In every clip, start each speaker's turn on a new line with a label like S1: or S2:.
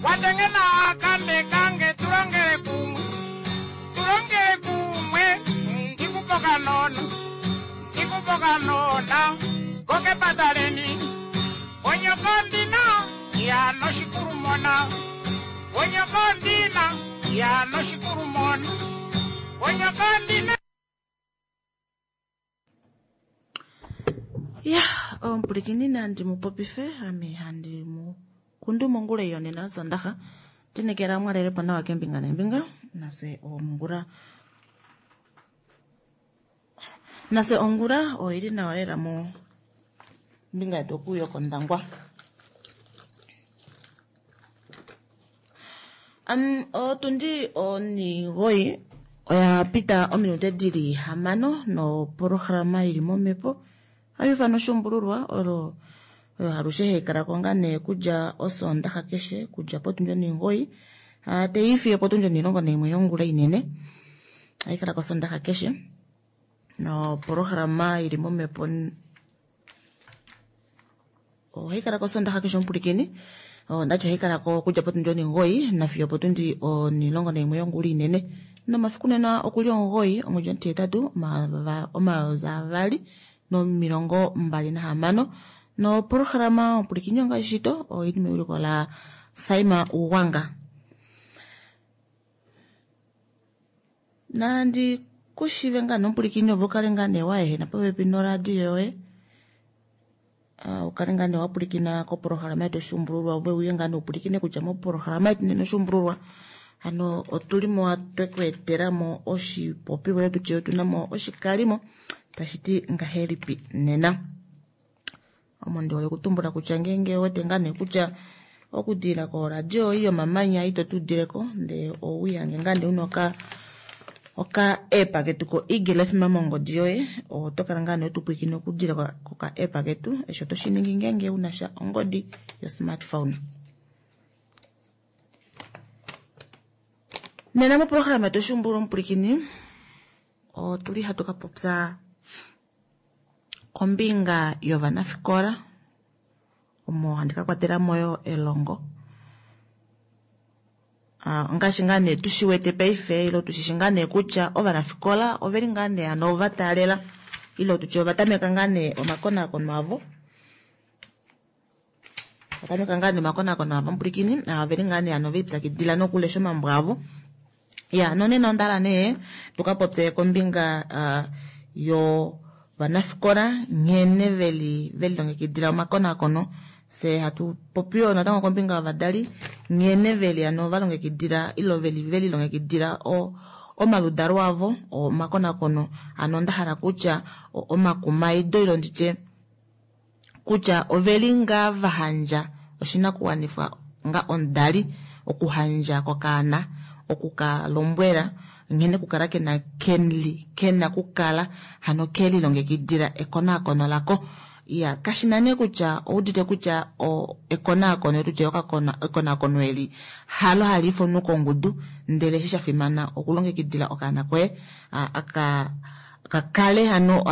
S1: Watengena akambe kange tulongele kumwe, tulongele kumwe, ndikupoka nona, ndikupoka nona, kokepataleni, onyokondina ya noshikulumona, onyokondina ya noshikulumona, onyokondina.
S2: Ya, omupulikini nandi mu popife ame handi mu kundu mongula iyo nena osondaxa tinekela mwalelepo nawa kembinga nembinga nase ongula nase ongula oili nawa lela mo mbinga yetu okuyo kondangwa. Otundi onigoyi oya pita ominute dili 6 nopolohalama ili momhepo hayi oshumbululwa olo oyo halushe haikala ko ngaa nee kudja osondaxa keshe kudja potundi onigoyi teifiye potundi 11 yongula inene haikala kosondaxa keshe nopolohalama ili momhepo ohaikala kosondaxa keshe omupulikini ondati ohaikala ko kudja potundi 9 nafiyo potundi 11 yongula inene nomafiku nena okuli 9 omwedi omutitatu 2026 no polohalama omupulikini onga shito oili meuliko la Saima Uwanga. Nandi kushive nga nomupulikini ovo kale nga nee waehena popepi noradio yoye ukale nga nee wapulikina kopolohalama yetu oshumbululwa ove uye nga nee upulikine kutya mopolohalama yetu nena oshumbululwa hano otulimo twekweetelamo oshipopiwa yetu tye otunamo oshikalimo tashi ti ngahelipi nena. Omo ndi hole kutumbula kutya ngeenge wete nga nee kutya okudila koradio iyo mamanya ito tudileko ndee owihange nga nee una oka app ketu ko Eagle FM mongodi yoye oto kala nga nee otupwiikine okudila koka app ketu esho toshi ningi ngeenge una sha ongodi yo smartphone. Nena moprograma yetu oshumbululwa omupulikini otuli hatu ka popya kombinga yovanafikola omo handi ka kwatela mo yo elongo. Ngaashi ngaa nee tushiwete paife ilo tushishi ngaa nee kutya ovanafikola oveli ngaa nee ano ova taalela ilo tutye ova tameka ngaa nee omakonakono avo. Ovatameka ngaa nee omakonakono avo omupulikini oveli ngaa nee ano veipyakidila nokulesha omambo avo. Ya, nonena ondala nee tuka popye kombinga yo vanafikola nghene veli velilongekidila omakonakono se hatu popiyo natango kombinga yovadali nghene veli ano valongekidila ilo veli velilongekidila omaludalo avo omakonakono ano onda hala kutya omakumaido ilo nditye kutya oveli ngaa vahandja oshinakuwanifwa nga omudali okuhandja kokaana okukalombwela nghene kukala kena kenli kena kukala hano kelilongekidila ekonakono lako. Ya, kashina nee kutya oudite kutya ekonakono tutye ekonakono eli halo hali ifanwa kongudu ndele eshi sha fimana okulongekidila okaana koye aka kakale hano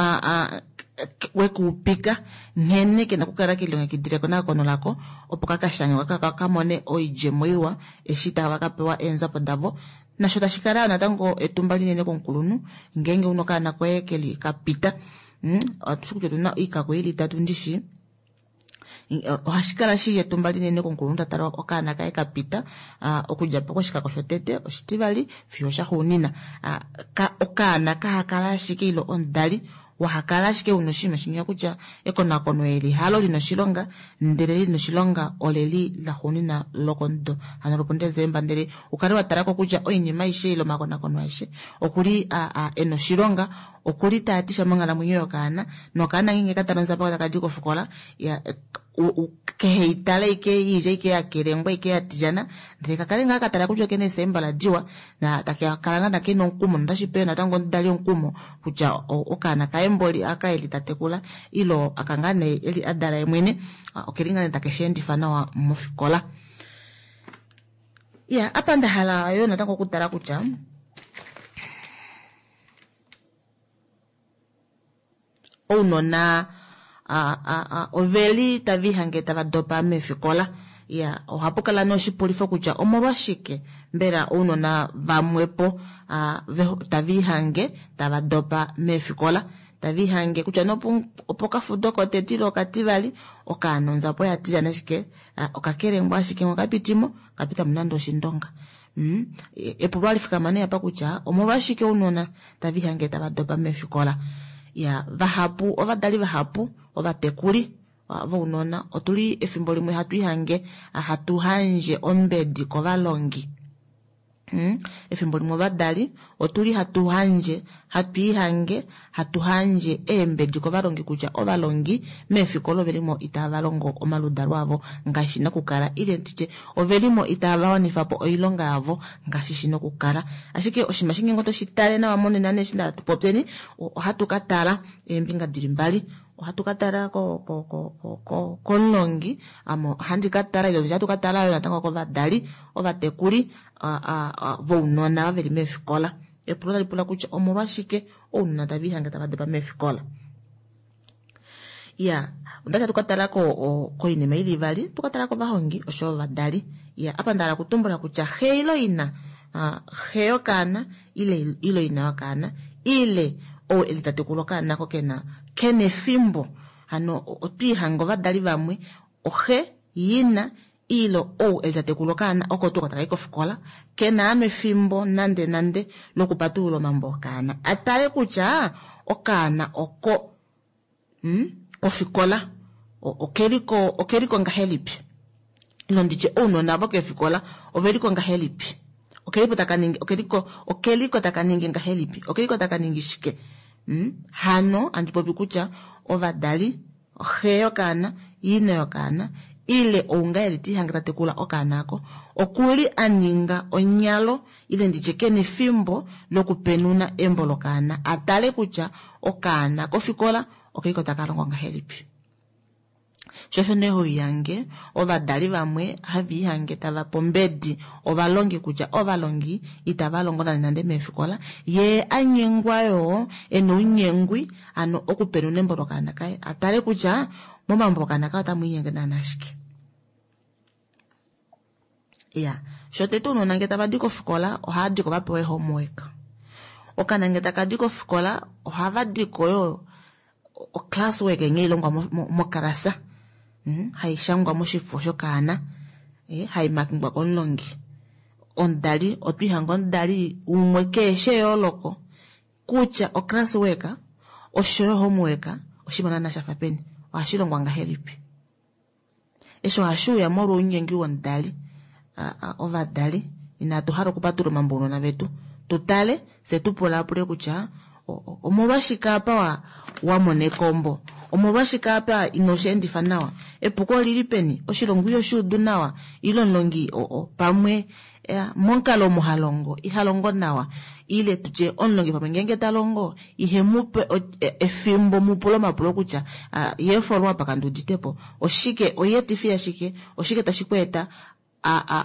S2: wekuupika nghene kena kukala kelilongekidila ekonakono lako opo kakashange kakamone oidjemo iwa eshi tava kapewa eenzapo davo nasho tashi kala natango etumba linene komukulunhu ngeenge una okaana koye keli kapita. Atushi kutya otuna oikako ili itatu ndishi ohashi kala shili etumba linene komukulunhu tatala okaana kaye kapita okudja po koshikako shotete oshitivali fiyo oshaxuunina. Okaana kahakala ashike ilo omudali wahakala ashike una oshinima shinya kutya ekonakono eli halo lina oshilonga ndele lina oshilonga oleli laxuunina lokomudo hano lopuDesemba ndele ukale watalako kutya oinima aishe ile omakonakono aishe okuli ena oshilonga okuli taatisha monghalamwenyo yokaana nokaana ngeenge katala onzapo takadi kofikola kehe itale ike iidja ike yakelengwa ike yatijana ndele kakale ngaa katala kutya okena esemba ladiwa na takakala ngaa nakena omukumo notashi pe natango omudali omukumo kutya okaana kaye mboli aka eli tatekula ilo aka ngaa nee eli adala ye mwene okeli ngaa nee takeshi endifa nawa mofikola. Ya, apa nda hala yo natango okutala kutya ounona oveli tavihange tava dopa meefikola. Ya, ohapu kala nee oshipulifo kutya omolwashike mbela ounona vamwepo tava ihange tava dopa meefikola, tava ihange kutya opokafudo kotete ile okativali okaana onzapo ya tilyana ashike okakelengwa ashike okapitimo kapitamo nande oshindonga. Epulo alifikama nee apa kutya omolwashike ounona tava ihange tava dopa meefikola. Ya, vahapu ovadali vahapu ovatekuli vounona otuli efimbo limwe hatu ihange hatu handje ombedi kovalongi. Efimbo limwe ovadali otuli hatu handje hatu ihange hatu handje eembedi kovalongi kutya ovalongi meefikola ovelimo itava longo omaludalo avo ngaashi shina okukala, ile nditye ovelimo itava wanifa po oilonga yavo ngaashi shina okukala. Ashike oshinima shinge oto shi tale nawa monena nee eshi nda tupopyeni ohatu ka tala eembinga dili mbali. Ohatu ka tala komulongi, ame ohandi ka tala ile ohatu ka tala yo natango kovadali ovatekuli vounona veli meefikola. Epulo tali pula kutya omolwashike ounona tava ihange tava dopa meefikola. Ya, onda tu ka tala koinima ili ivali, tu ka tala kovahongi osho ovadali. Ya, apa nda hala okutumbula kutya xe ilo ina, xe yokaana ile ina yokaana ile ou eli tatekula okaana ko kena efimbo. Hano otwiihanga ovadali vamwe oxe yina ile ou eli tatekula okaana oko tuu takai kofikola kena ano efimbo nande nande lokupatulula omambo okaana atale kutya okaana oko kofikola okeliko ngahelipi, ilo nditye ounona vokefikola oveliko ngahelipi, okeliko taka ningi okeliko taka ningi ngahelipi, okeliko taka ningi shike. Hano andi popi kutya ovadali xe yokaana ina yokaana ile ounga eli tihange tatekula okaana ako okuli a ninga onyalo ile nditye kena efimbo lokupenuna embo lokaana atale kutya okaana kofikola okeliko taka longo ngahelipi. Shosho nee hoihange ovadali vamwe hava ihange tava pombedi ovalongi kutya ovalongi itava longo nande nande meefikola, ye anyengwa yoo ena ounyengwi ano okupenuna embo lokaana kaye atale kutya momambo okaana kaye otamu inyenge naana ashike. Ya, shotete ounona ngee tava di kofikola ohava diko va pewa homework. Okaana ngee taka di kofikola ohava diko yo oclasswork nghee ilongwa mokalasa, haishangwa moshifo shokaana, haimakingwa komulongi. Omudali otwiihanga omudali umwe keeshe eyooloko kutya oclasswork oshoyo homework oshinima naana shafa peni, ohashi longwa ngahelipi. Eshi ohashi uya molwa ounyengi womudali. Ovadali inatu hala okupatula omambo ounona vetu tutale fye tupulapule kutya omolwashike apa wa mona ekombo, omolwashike apa ino shi endifa nawa, epuko olili peni, oshilongo iho shi udu nawa, ile omulongi pamwe momukalo omo ha longo iha longo nawa, ile tutye omulongi pamwe ngeenge ta longo ihe mupe efimbo mupule omapulo kutya ye follow up kandiuditepo oshike, oyeetifi yashike, oshike tashi ku eta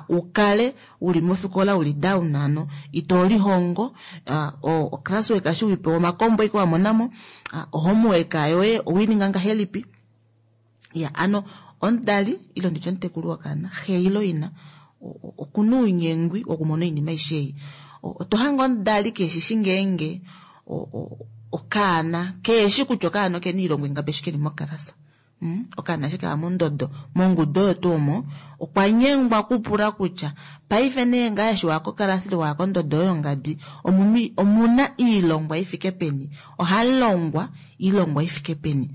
S2: ukale uli mofikola uli down ano ito lihongo, oclasswork eshi wipewa omakombo ike wamonamo, homework yoye owininga ngahelipi. Ya, ano omudali ile nditye omutekuli wokaana xe ilo ina okuna ounyengwi wokumona oinima aishe ei. Oto hange omudali keshishi ngeenge okaana keeshi kutya okaana okena oilongo ingapi eshi keli mokalasa. Okaana eshi kaya mondodo mongudu oyo tuu omo okwa nyengwa kupula kutya paife nee ngaa eshi waya kokalasa ile waya kondodo oyo ngadi omuna iilongwa ifike peni, ohalongwa iilongwa ifike peni.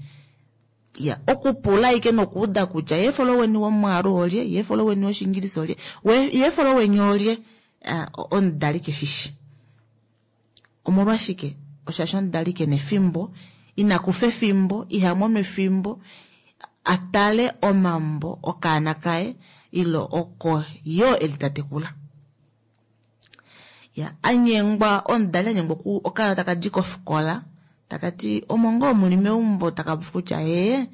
S2: Ya, okupula ike nokuuda kutya ye followeni womwaalu olye, ye followeni woshiingilisa olye, ye followeni olye, omudali keshishi. Omolwashike? Oshashi omudali kena efimbo, ina kufa efimbo, iha mono efimbo atale omambo okaana kaye ile oko yo eli tatekula. Ya, anyengwa omudali anyengwa okaana taka di kofikola takati omo ngoo muli meumbo takapofi kutya ee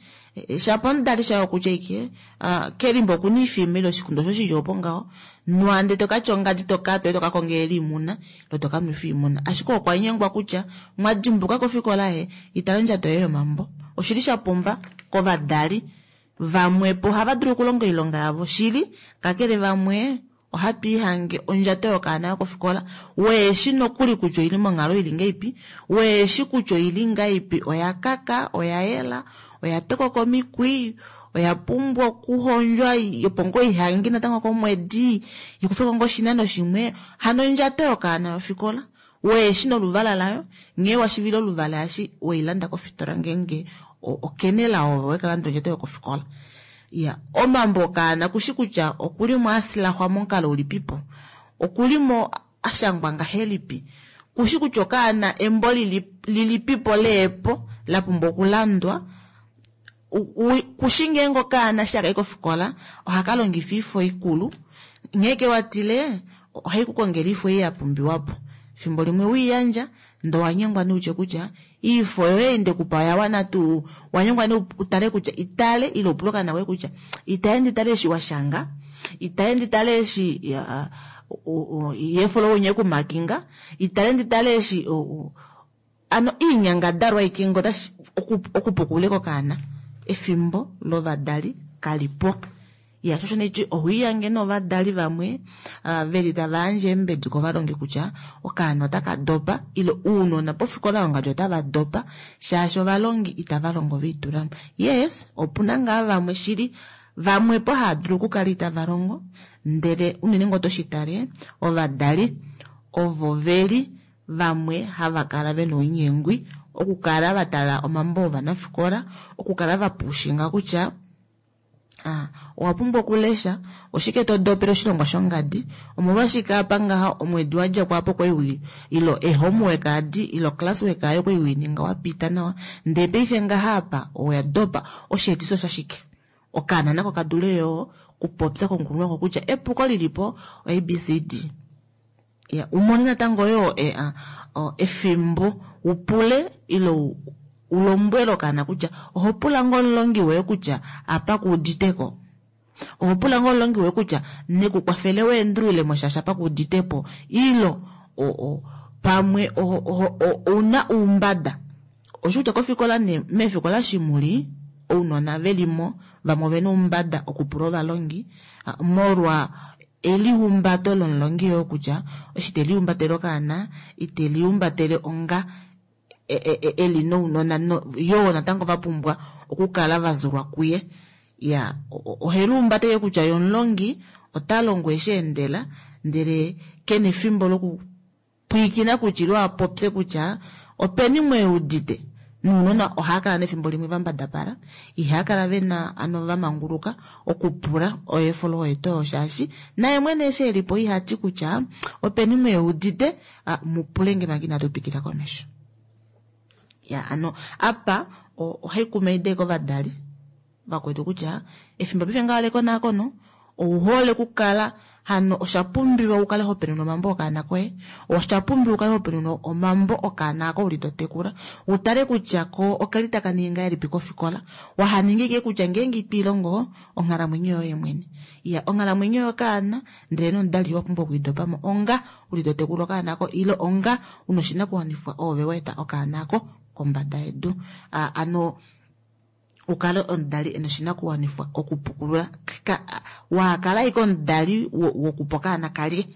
S2: shapo omudali shaye okutya ike kelimbo okuna ifima ile oshikundo osho shili opo ngaho nwande tokatya ongadi tokatwa tokakonga elimuna ile tokanwefa oimuna, ashike okwa nyengwa kutya mwadimbuka kofikola ye itala ondjato yoye yomambo. Oshili sha pumba kovadali. Vamwepo ohava dulu okulonga oilonga yavo shili, kakele vamwe ohatu ihange ondjato yokaana yokofikola weeshi nokuli kutya oili monghalo ili ngeipi, weeshi kutya oili ngaipi, oya kaka, oya yela, oya tokoka omikwi, oya pumbwa okuhondjwa opo ngoo ihange natango komwedi ikufeko ngoo oshinano shimwe. Hano ondjato yokaana yofikola weeshi noluvala layo, nghee washivile oluvala eshi weilanda kofitola ngeenge okenela ove wekalanda ondjato yokofikola. Ya omambo okaana kushi kutya okulimo asilahwa momukalo ulipipo, okulimo ashangwa ngahelipi, kushi kutya okaana embo lilipipo leepo lapumbwa okulandwa, kushi ngeenge okaana eshi takayi kofikola ohaka longifa oifo ikulu, nghee kewatile ohai kukongele oifo ei yapumbiwapo. Efimbo limwe wiiyandja ndee owanyengwa nee utye kutya oifo yoye ei ndekupa oya wana tuu, wanyengwa nee utale kutya itale ile upule okaana koye kutya itaye nditale eshi washanga, itaye nditale eshi yeefolo wenye kumakinga, itale nditale eshi ano iinyangadalwa aike ngo otashi okupukule kokaana efimbo lovadali kalipo. Ya shosho nechi ohuiyange novadali vamwe veli tava yandje eembedi kovalongi kutya okaana otaka dopa ile uunona pofikola yongadi otava dopa shaashi ovalongi itava longo veitulamo. Yes, opuna ngaa vamwe shili vamwepo hava dulu okukala itava longo, ndele unene ngoo toshi tale ovadali ovo veli vamwe hava kala vena ounyengwi okukala va tala omambo ovanafikola, okukala va pushinga kutya owa pumbwa okulesha oshike to dopele oshilongwa shongadi, omolwashike apa ngaha omwedi wa dja kwapo kwai ilo ehomework adi ilo classwork ayo kwai wininga wa pita nawa ndee paife ngaha apa oya dopa, osheetiso shashike? Okaana nako kadule yo kupopya komukulunhu wako kutya epuko lilipo ABCD. Ya umone natango yo efimbo upule ilo ulombwele okaana kutya oho pula ngoo omulongi woye kutya apa kuuditeko, oho pula ngoo omulongi woye kutya nekukwafele weendulule mo shaashi apa kuuditepo, ilo pamwe ouna oumbada. Osho kutya kofikola ne meefikola shimuli ounona velimo vamwe ovena oumbada okupula ovalongi molwa elihumbato lomulongi yoo kutya eshi telihumbatele okaana itelihumbatele onga eli nounona yoo natango vapumbwa okukala vazulwa kuye. Ya ohelumbate kutya yomulongi ota longo eshi endela ndele kena efimbo lokupwiikina kutya ilo apopye kutya openi mweudite. Nounona ohava kala nefimbo limwe vambadapala, ihava kala vena ano vamanguluka okupula oefolo oyeto shaashi naye mwene eshi elipo ihati kutya openi mweudite mupule manga inatu twikila komesho. Ya ano apa ohai kumaida kovadali vakwetu kutya efimbo paife ngaha lekonakono ouhole okukala hano osha pumbiwa ukale ho penuna omambo okaana koye, osha pumbiwa ukale ho penuna omambo okaana ako uli to tekula, utale kutya ko okeli taka ningi ngahelipi kofikola, wahaninga ike kutya ngeenge ito ilongo onghalamwenyo yoye mwene. Ya onghalamwenyo yokaana ndele nomudali wa pumbwa okuidopamo onga uli to tekula okaana ako ile onga una oshinakuwanifwa ove wa eta okaana ako kombada yedu. Ano ukale omudali ena oshinakuwanifwa okupukulula wakala ike omudali wokupa okaana kalye.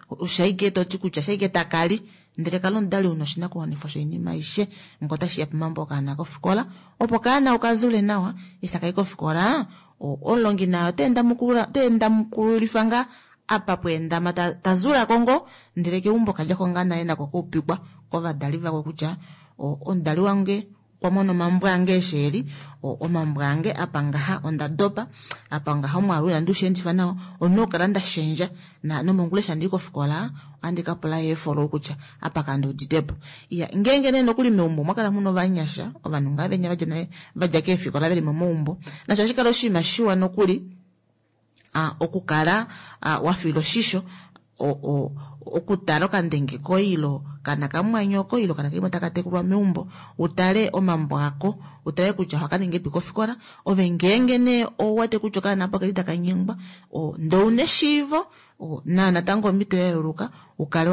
S2: Oshaike toti kutya shaike takali ndele kala omudali una oshinakuwanifwa shoinima aishe ngo otashi ya pomambo okaana kofikola opo okaana okazule nawa eshi takayi kofikola omulongi naye oteenda mukululifa ngaa apa pweendama tazulako ngoo ndele keumbo kadjako ngaa nale nako kaupikwa kovadali vako kutya omudali wange okwa mona omambo ange eshi eli, omambo ange apa ngaha onda dopa, apa ngaha omwaalu inandi ushendifa nawa, ondina okukala nda shendja nomongula eshi handi i kofikola ohandi ka pula eefolo kutya apa kandi uditepo. Ya ngeenge nee nokuli meumbo omwa kala muna ovanyasha ovanhu ngaa venya vadja nale vadja keefikola veli momaumbo, nasho ohashi kala oshinima shiwa nokuli okukala wafila oshisho okutala okandenge koye ilo kana kamwanyoko ilo kana kaimwe taka tekulwa meumbo, utale omambo ako, utale kutya ohaka ningi epi kofikola, ove ngeenge nee ouwete kutya okaana apo keli taka nyengwa, ndee ouna eshiivo na natango omhito ya yeuluka ukale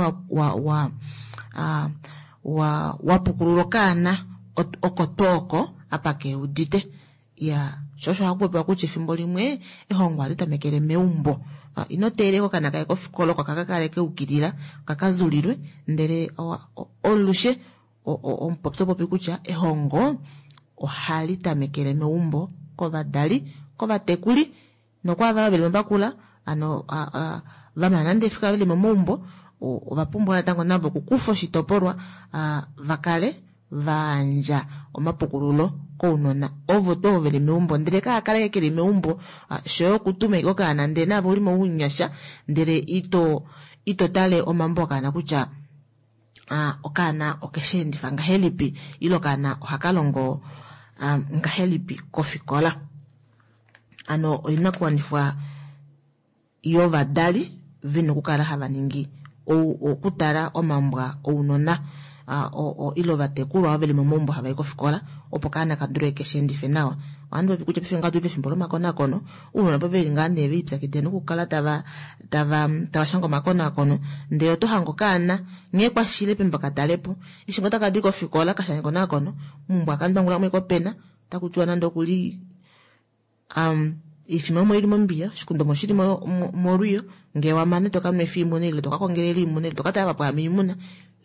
S2: wa pukulula okaana oko tuu oko apa keudite. Ya. Sho osho haku popiwa kutya efimbo limwe ehongo ohali tamekele meumbo. Ino teelela okaana kaye kofikola oko kaka kale keukilila kakazulilwe, ndele olushe omupopyo popi kutya ehongo ohali tamekele meumbo kovadali, kovatekuli nokwaava veli mobakula ano vamana nande efikola veli momaumbo ova pumbwa natango navo okukufa oshitopolwa vakale vayandja omapukululo kounona ovo tuu veli meumbo, ndele kaakale keli meumbo shoye okutuma ashike okaana ndele naave uli mounyasha ndele ito tale omambo okaana kutya okaana okesheendifa ngahelipi ile okaana ohaka longo ngahelipi kofikola. Ano oinakuwanifwa yovadali vena okukala hava ningi okutala omambwa ounona ile ovatekulwa veli momaumbo hava i kofikola opo kaana ka dule kesheendife nawa. Ohandi popi kutya paife ngaha otuli pefimbo lomakonakono, ounona opo veli ngaa nee velipyakidila nokukala tava shange omakonakono, ndele oto hange okaana nghee kwashile pembo katalepo eshi ngoo taka di kofikola kashange ekonakono meumbo akandwangula mo opena otaku tiwa nande okuli oifima omo ili mombiya, oshikundu omo shili molwiyo, ngee wamane toka nwefa oimuna ile toka kongelela oimuna ile toka tala vapwahama oimuna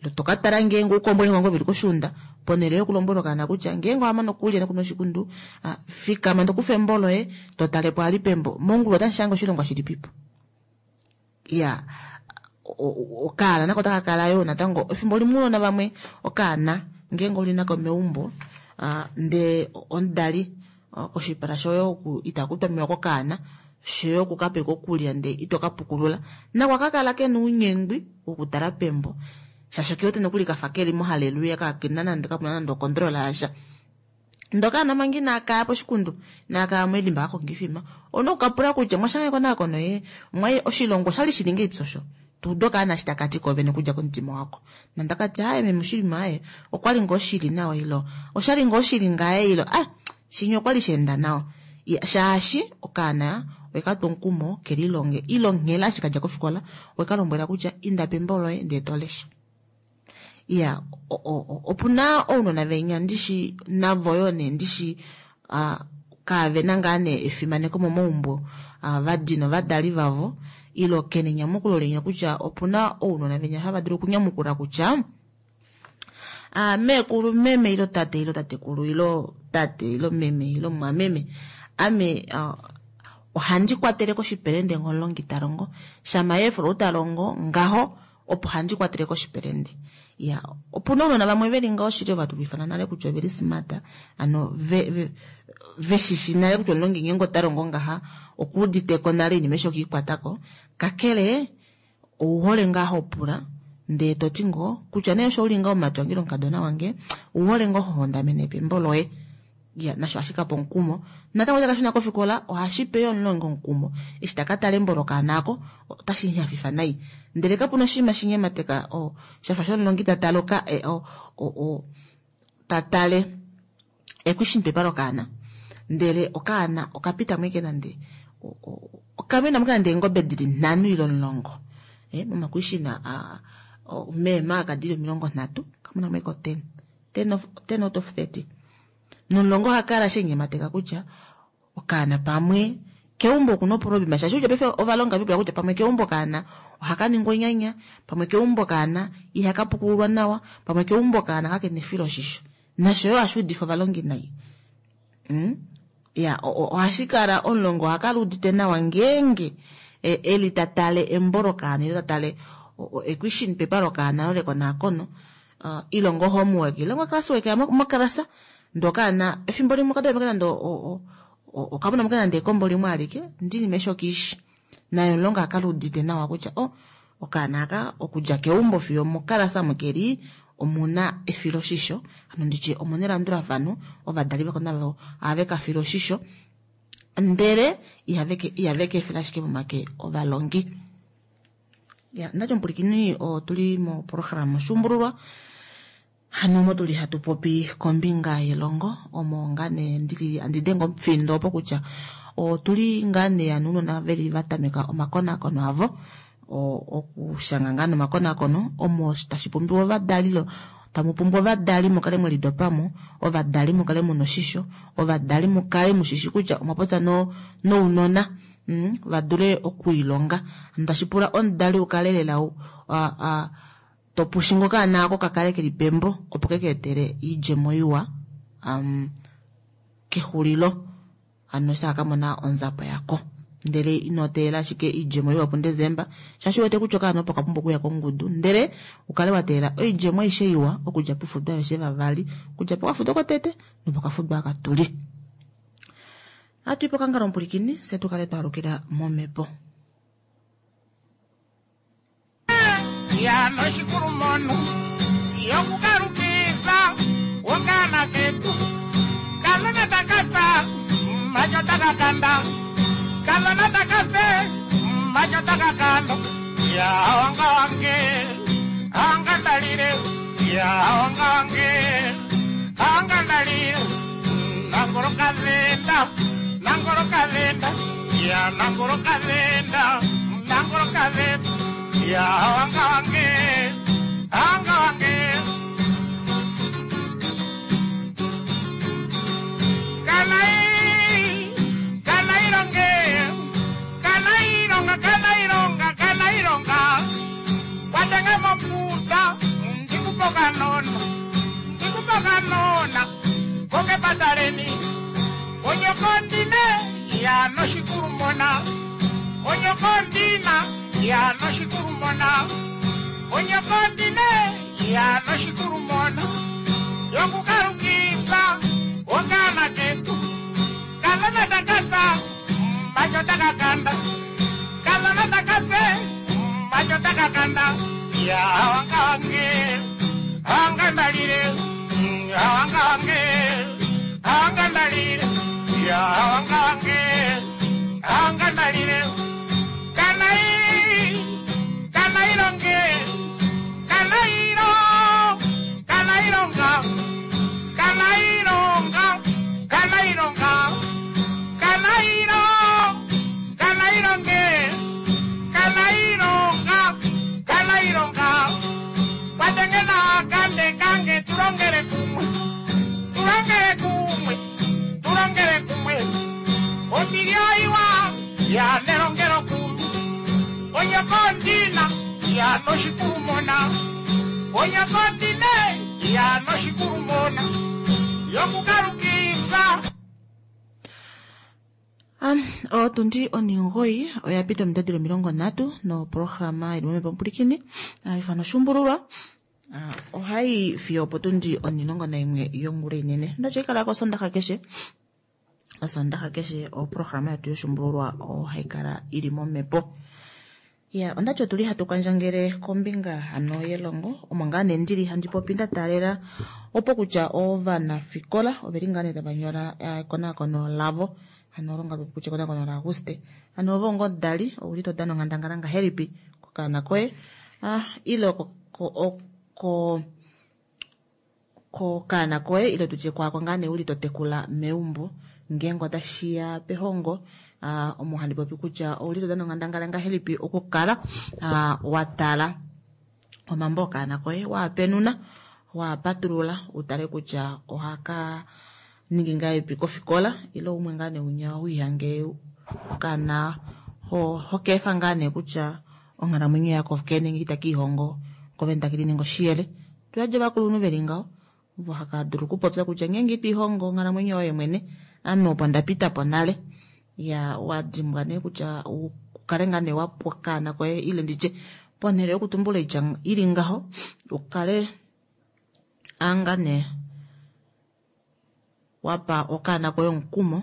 S2: ile toka tala ngeenge oukombo nenge veli koshuunda, ponhele yokulombwela okaana kutya ngeenge owamane okulya nokunwa oshikundu fikama tokufa embo loye totalepo ali pembo mongulu otamu shange oshilongwa shilipipo. Iya okaana nako taka kala yoo natango efimbo limwe uunona vamwe okaana ngeenge uli nako meumbo ndee omudali oshipala shoye oku itaku twamiwa kokaana shoye okukapeka okulya ndee ito kapukulula nako akakala kena ounyengwi wokutala pembo shaashi okiwete nokuli kafa keli mohaleluya kakena nande kapuna nande okontrola yasha. Ndee okaana manga inakaya poshikundu inakaya melimba kakonga oifima ouna okukapula kutya mwashanga ekonakono ye oshilongwa oshali shili ngahelipi osho tuude okaana eshi takati koovene okudja komutima wako. Nande akati aaye meme oshinima aaye okwali ngoo shili nawa ilo oshali ngoo shili ngaye ilo shinya okwali shaenda nawa shaashi okaana owekatwa omukumo kelilonge ilo nghela eshi kadja kofikola owekalombwela kutya inda pembo loye ndee tolesha. Iya opuna ounona venya ndishi navo yoo nee ndishi kavena ngaa nee efimaneko momaumbo vadina ovadali vavo ilo kena enyamukulo linya kutya opuna ounona venya hava dulu okunyamukula kutya meekulu meme ilo tate ilo tatekulu ilo tate ilo meme ilo mwameme ame ohandi kwatele koshipelende ngomulongi talongo shama yeefolo talongo ngaho opo handi kwatele koshipelende. Ya opuna ounona vamwe veli ngaho shili ovatulifana nale kutya oveli smart ano veshishi nale kutya omulongi ngeenge ota longo ngaha okuuditeko nale oinima eshi okiikwatako kakele ouhole ngaa hopula ndee toti ngoo kutya nee osho uli ngaho omumati wange ile omukadona wange ouhole ngoo hohondamene pembo loye. Ya nasho ohashi kapa omukumo natango taka shuna kofikola ohashi pe yo omulongi omukumo eshi taka tala embo lokaana ako otashi hafifa nai ndele kapuna oshinima shinyemateka shafa shomulongi tatale tatale ekwishimpepa lokaana ndele okaana okapita mweke nande okamena mweke nande eengobe dili 5 ile 10 momakwishina meemaka dili 30 kamuna mweke 10 out of 30 nomulongo ohakala shenyemateka kutya okaana pamwe keumbo okuna oprobima shaashi kutya paife ovalonga vipula kutya pamwe keumbo kaana ohaka ningwa onyanya pamwe keumbo kaana ihaka pukululwa nawa pamwe keumbo kaana kakena efiloshisho nasho yo ohashi udifa ovalongi nai. Ya ohashi kala omulongo ohakala udite nawa ngeenge eli tatale embo lokaana ile tatale equation paper lokaana lolekonakono ile ngo homework ile ngo classwork mokalasa ndee okaana efimbo limwe okadula nande okamona mo nande ekombo limwe alike ndinima eshi okiishi naye omulongo akala udite nawa kutya okaana aka okudja keumbo fiyo mokalasa mokeli omuna efiloshisho ano nditye omuna elandulafano ovadali vako navo ohave ka file oshisho ndele ihave ka efela ashike momake ovalongi. Ya ndati omupulikini otuli moprograma Oshuumbululwa hano omo tuli hatu popi kombinga yelongo omo ngaa nee ndili andi denge omufindo opo kutya otuli ngaa nee ano ounona veli vatameka omakonakono avo okushanga ngaa nomakonakono omo tashi pumbiwa ovadali. Tamu pumbwa ovadali mu kale mwe lidopamo, ovadali mu kale muna oshisho, ovadali mu kale mushishi kutya omwa popya nounona va dule okwiilonga. Tashi pula omudali ukale lela topushinga okaana ako kakale keli pembo opo keke etele iidjemo iwa kexulilo ano eshi taka kamona onzapo yako. Ndele ino teelela ashike oidjemo iwa puDesemba, shaashi uwete kutya okaana opo kapumbwa okuya kongudu, ndele ukale wa teelela oidjemo aishe iwa okudja pufudo aveshe vavali, okudja pokafudo kotete nopokafudo aka tuli. Ohatu i pokangalo omupulikini, fye tu kale twa alukila momhepo.
S1: Ya noshikulumono yokukalukifa okaana ketu kanona takatsa macho takakanda kanona takatse macho takakanda ya wanga wange anga ndalile ya wanga wange anga ndalile nangolo kalenda nangolo kalenda ya nangolo kalenda nangolo kalenda ya wanga wange anga wange kanai kanai longe kanai longa kanai longa kanai longa watanga moputa ndikupoka nona ndikupoka nona konge pataleni onyokondine ya noshikulumona onyokondina ya noshikulumona onyokondine ya noshikulumona yokukalukifa okaana ketu kanona takatsa macho takakanda kanona takatse macho takakanda ya wanga wange anga ndalile wanga wange anga ndalile ya wanga wange anga ndalile kanai kanai longe kanai lo kanai longa kanai longa kanai longa kanai lo kanai longe kanai longa kanai longa watengena kande kange tulongele kumwe tulongele kumwe tulongele kumwe omilioiwa ya nelongelo kumwe onyokondina ya noshikulumona onyokondine ya noshikulumona yokukalukifa.
S2: Otundi 9 oya pita omitadilo 30 noprograma ili momhepo omupulikini ifano Oshuumbululwa ohai fiyo opo tundi 11 yongula inene. Ndacha ikala kosondaxa keshe, osondaxa keshe oprograma yetu yoshuumbululwa ohai kala ili momhepo. Ya ondati otuli hatu kandjangele kombinga hano yelongo omo ngaa nee ndili handi popi nda taalela opo kutya ovanafikola oveli ngaa nee tava nyola ekonakono lavo hano longa kutya ekonakono la Auguste hano ovo ngo dali ouli to dana onghandangala ngahelipi kokaana koye ile kokaana koye ile tutye kwaako ngaa nee uli to tekula meumbo ngeenge otashiya pehongo omo handi popi kutya ouli to dana onghandangala ngahelipi okukala wa tala omambo okaana koye waapenuna waapatulula utale kutya ohaka ningi ngahelipi kofikola ile umwe ngaa nee unya wiihange okaana hokeefa ngaa nee kutya onghalamwenyo yako kene ita kiihongo kovene take lininga oshiyele. Tuyadja ovakulunhu veli ngaho ovo haka dulu okupopya kutya ngeenge ito ihongo onghalamwenyo yoye mwene ame opo ndapita po nale ya wadimbwa nee kutya ukale ngaa nee wapwa okaana koye ile nditye ponhele yokutumbula oitya ili ngaho ukale anga nee wapa okaana koye omukumo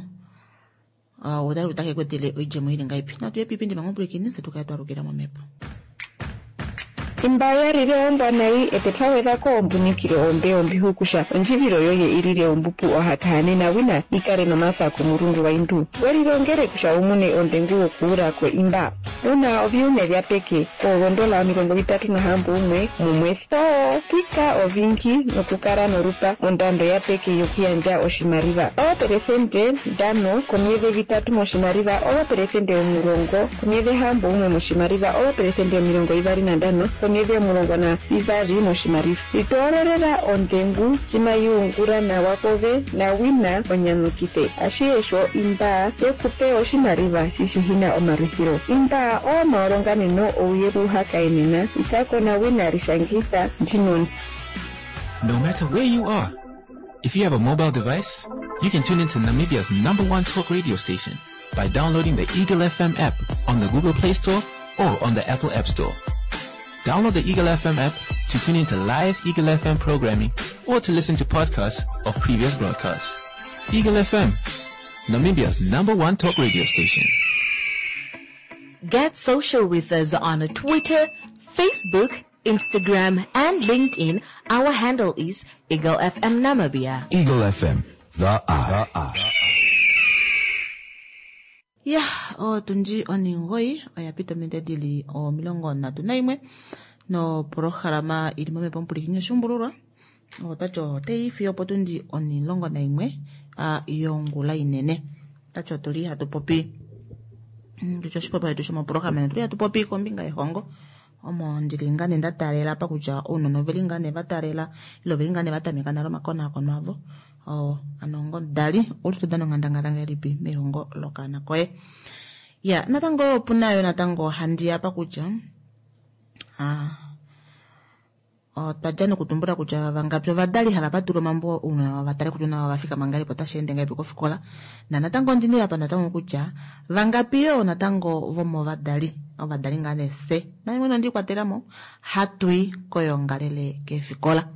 S2: utale kutya take ku etele oidjemo ili ngaipi. Natu ye piipindi manga omupulikini fye tukale twalukila momhepo.
S3: Imba yalile ombwanayi ete twagwedhako ombunikile ombe ombihukusha ondjivilo yoye ilile ombupu ohatahanena wina ikale nomafa komulungu waindu welilongele kusha umune ondengu wokuulako imba una oviume vya peke koondola 36 mumwesi to pika ovingi nokukala norupa ondando ya peke yokuyandja oshimaliwa 5% komyedhi 3 moshimaliwa 10% komyedhi 6 moshimaliwa 25% omyedhi 12 moshimaliva. Litoololela ondengu cima yiungula nawa kove na wina onyanyukithe. Ashihe sho imbaa tekupe oshimaliva shi shihina omalwithilo. Imbaa oomaolonganeno ouye puuhakaenena. Ithako na wina lishangitha ndinoni.
S4: No matter where you are, if you have a mobile device, you can tune into Namibia's number one talk radio station by downloading the Eagle FM app on the Google Play Store or on the Apple App Store. Download the Eagle FM app to tune into live Eagle FM programming or to listen to podcasts of previous broadcasts. Eagle FM, Namibia's number one talk radio station.
S5: Get social with us on Twitter, Facebook, Instagram, and LinkedIn. Our handle is Eagle FM Namibia.
S6: Eagle FM, the eye. The eye.
S2: Ya, otundi oningoyi oya pita ominute dili 31 nopolohalama ili momhepo omupulikini oshuumbululwa otati otayi fiyo opotundi 11 yongula inene. Otati otuli hatu popi tutye oshipopiwa shetu shomopolohalama otuli hatu popi kombinga yehongo omo ndili ngaa nee nda taalela apa kutya ounona oveli ngaa nee va taalela ile oveli ngaa nee va tameka nale omakonaakono avo. Ano ngomudali ouli to dana onghandangala ngahelipi mehongo lokaana koye. Ya, natango opuna yo natango handi apa kutya otwa dja nokutumbula kutya vangapi ovadali hava patula omambo ounona va tale kutya ounona va fikama ngahelipi otashi ende ngahelipi kofikola. Na natango ondini apa natango kutya vangapi yo natango vomovadali ovadali ngaa nee fye naye mwene ondi kwatelamo hatui koyoongalele keefikola.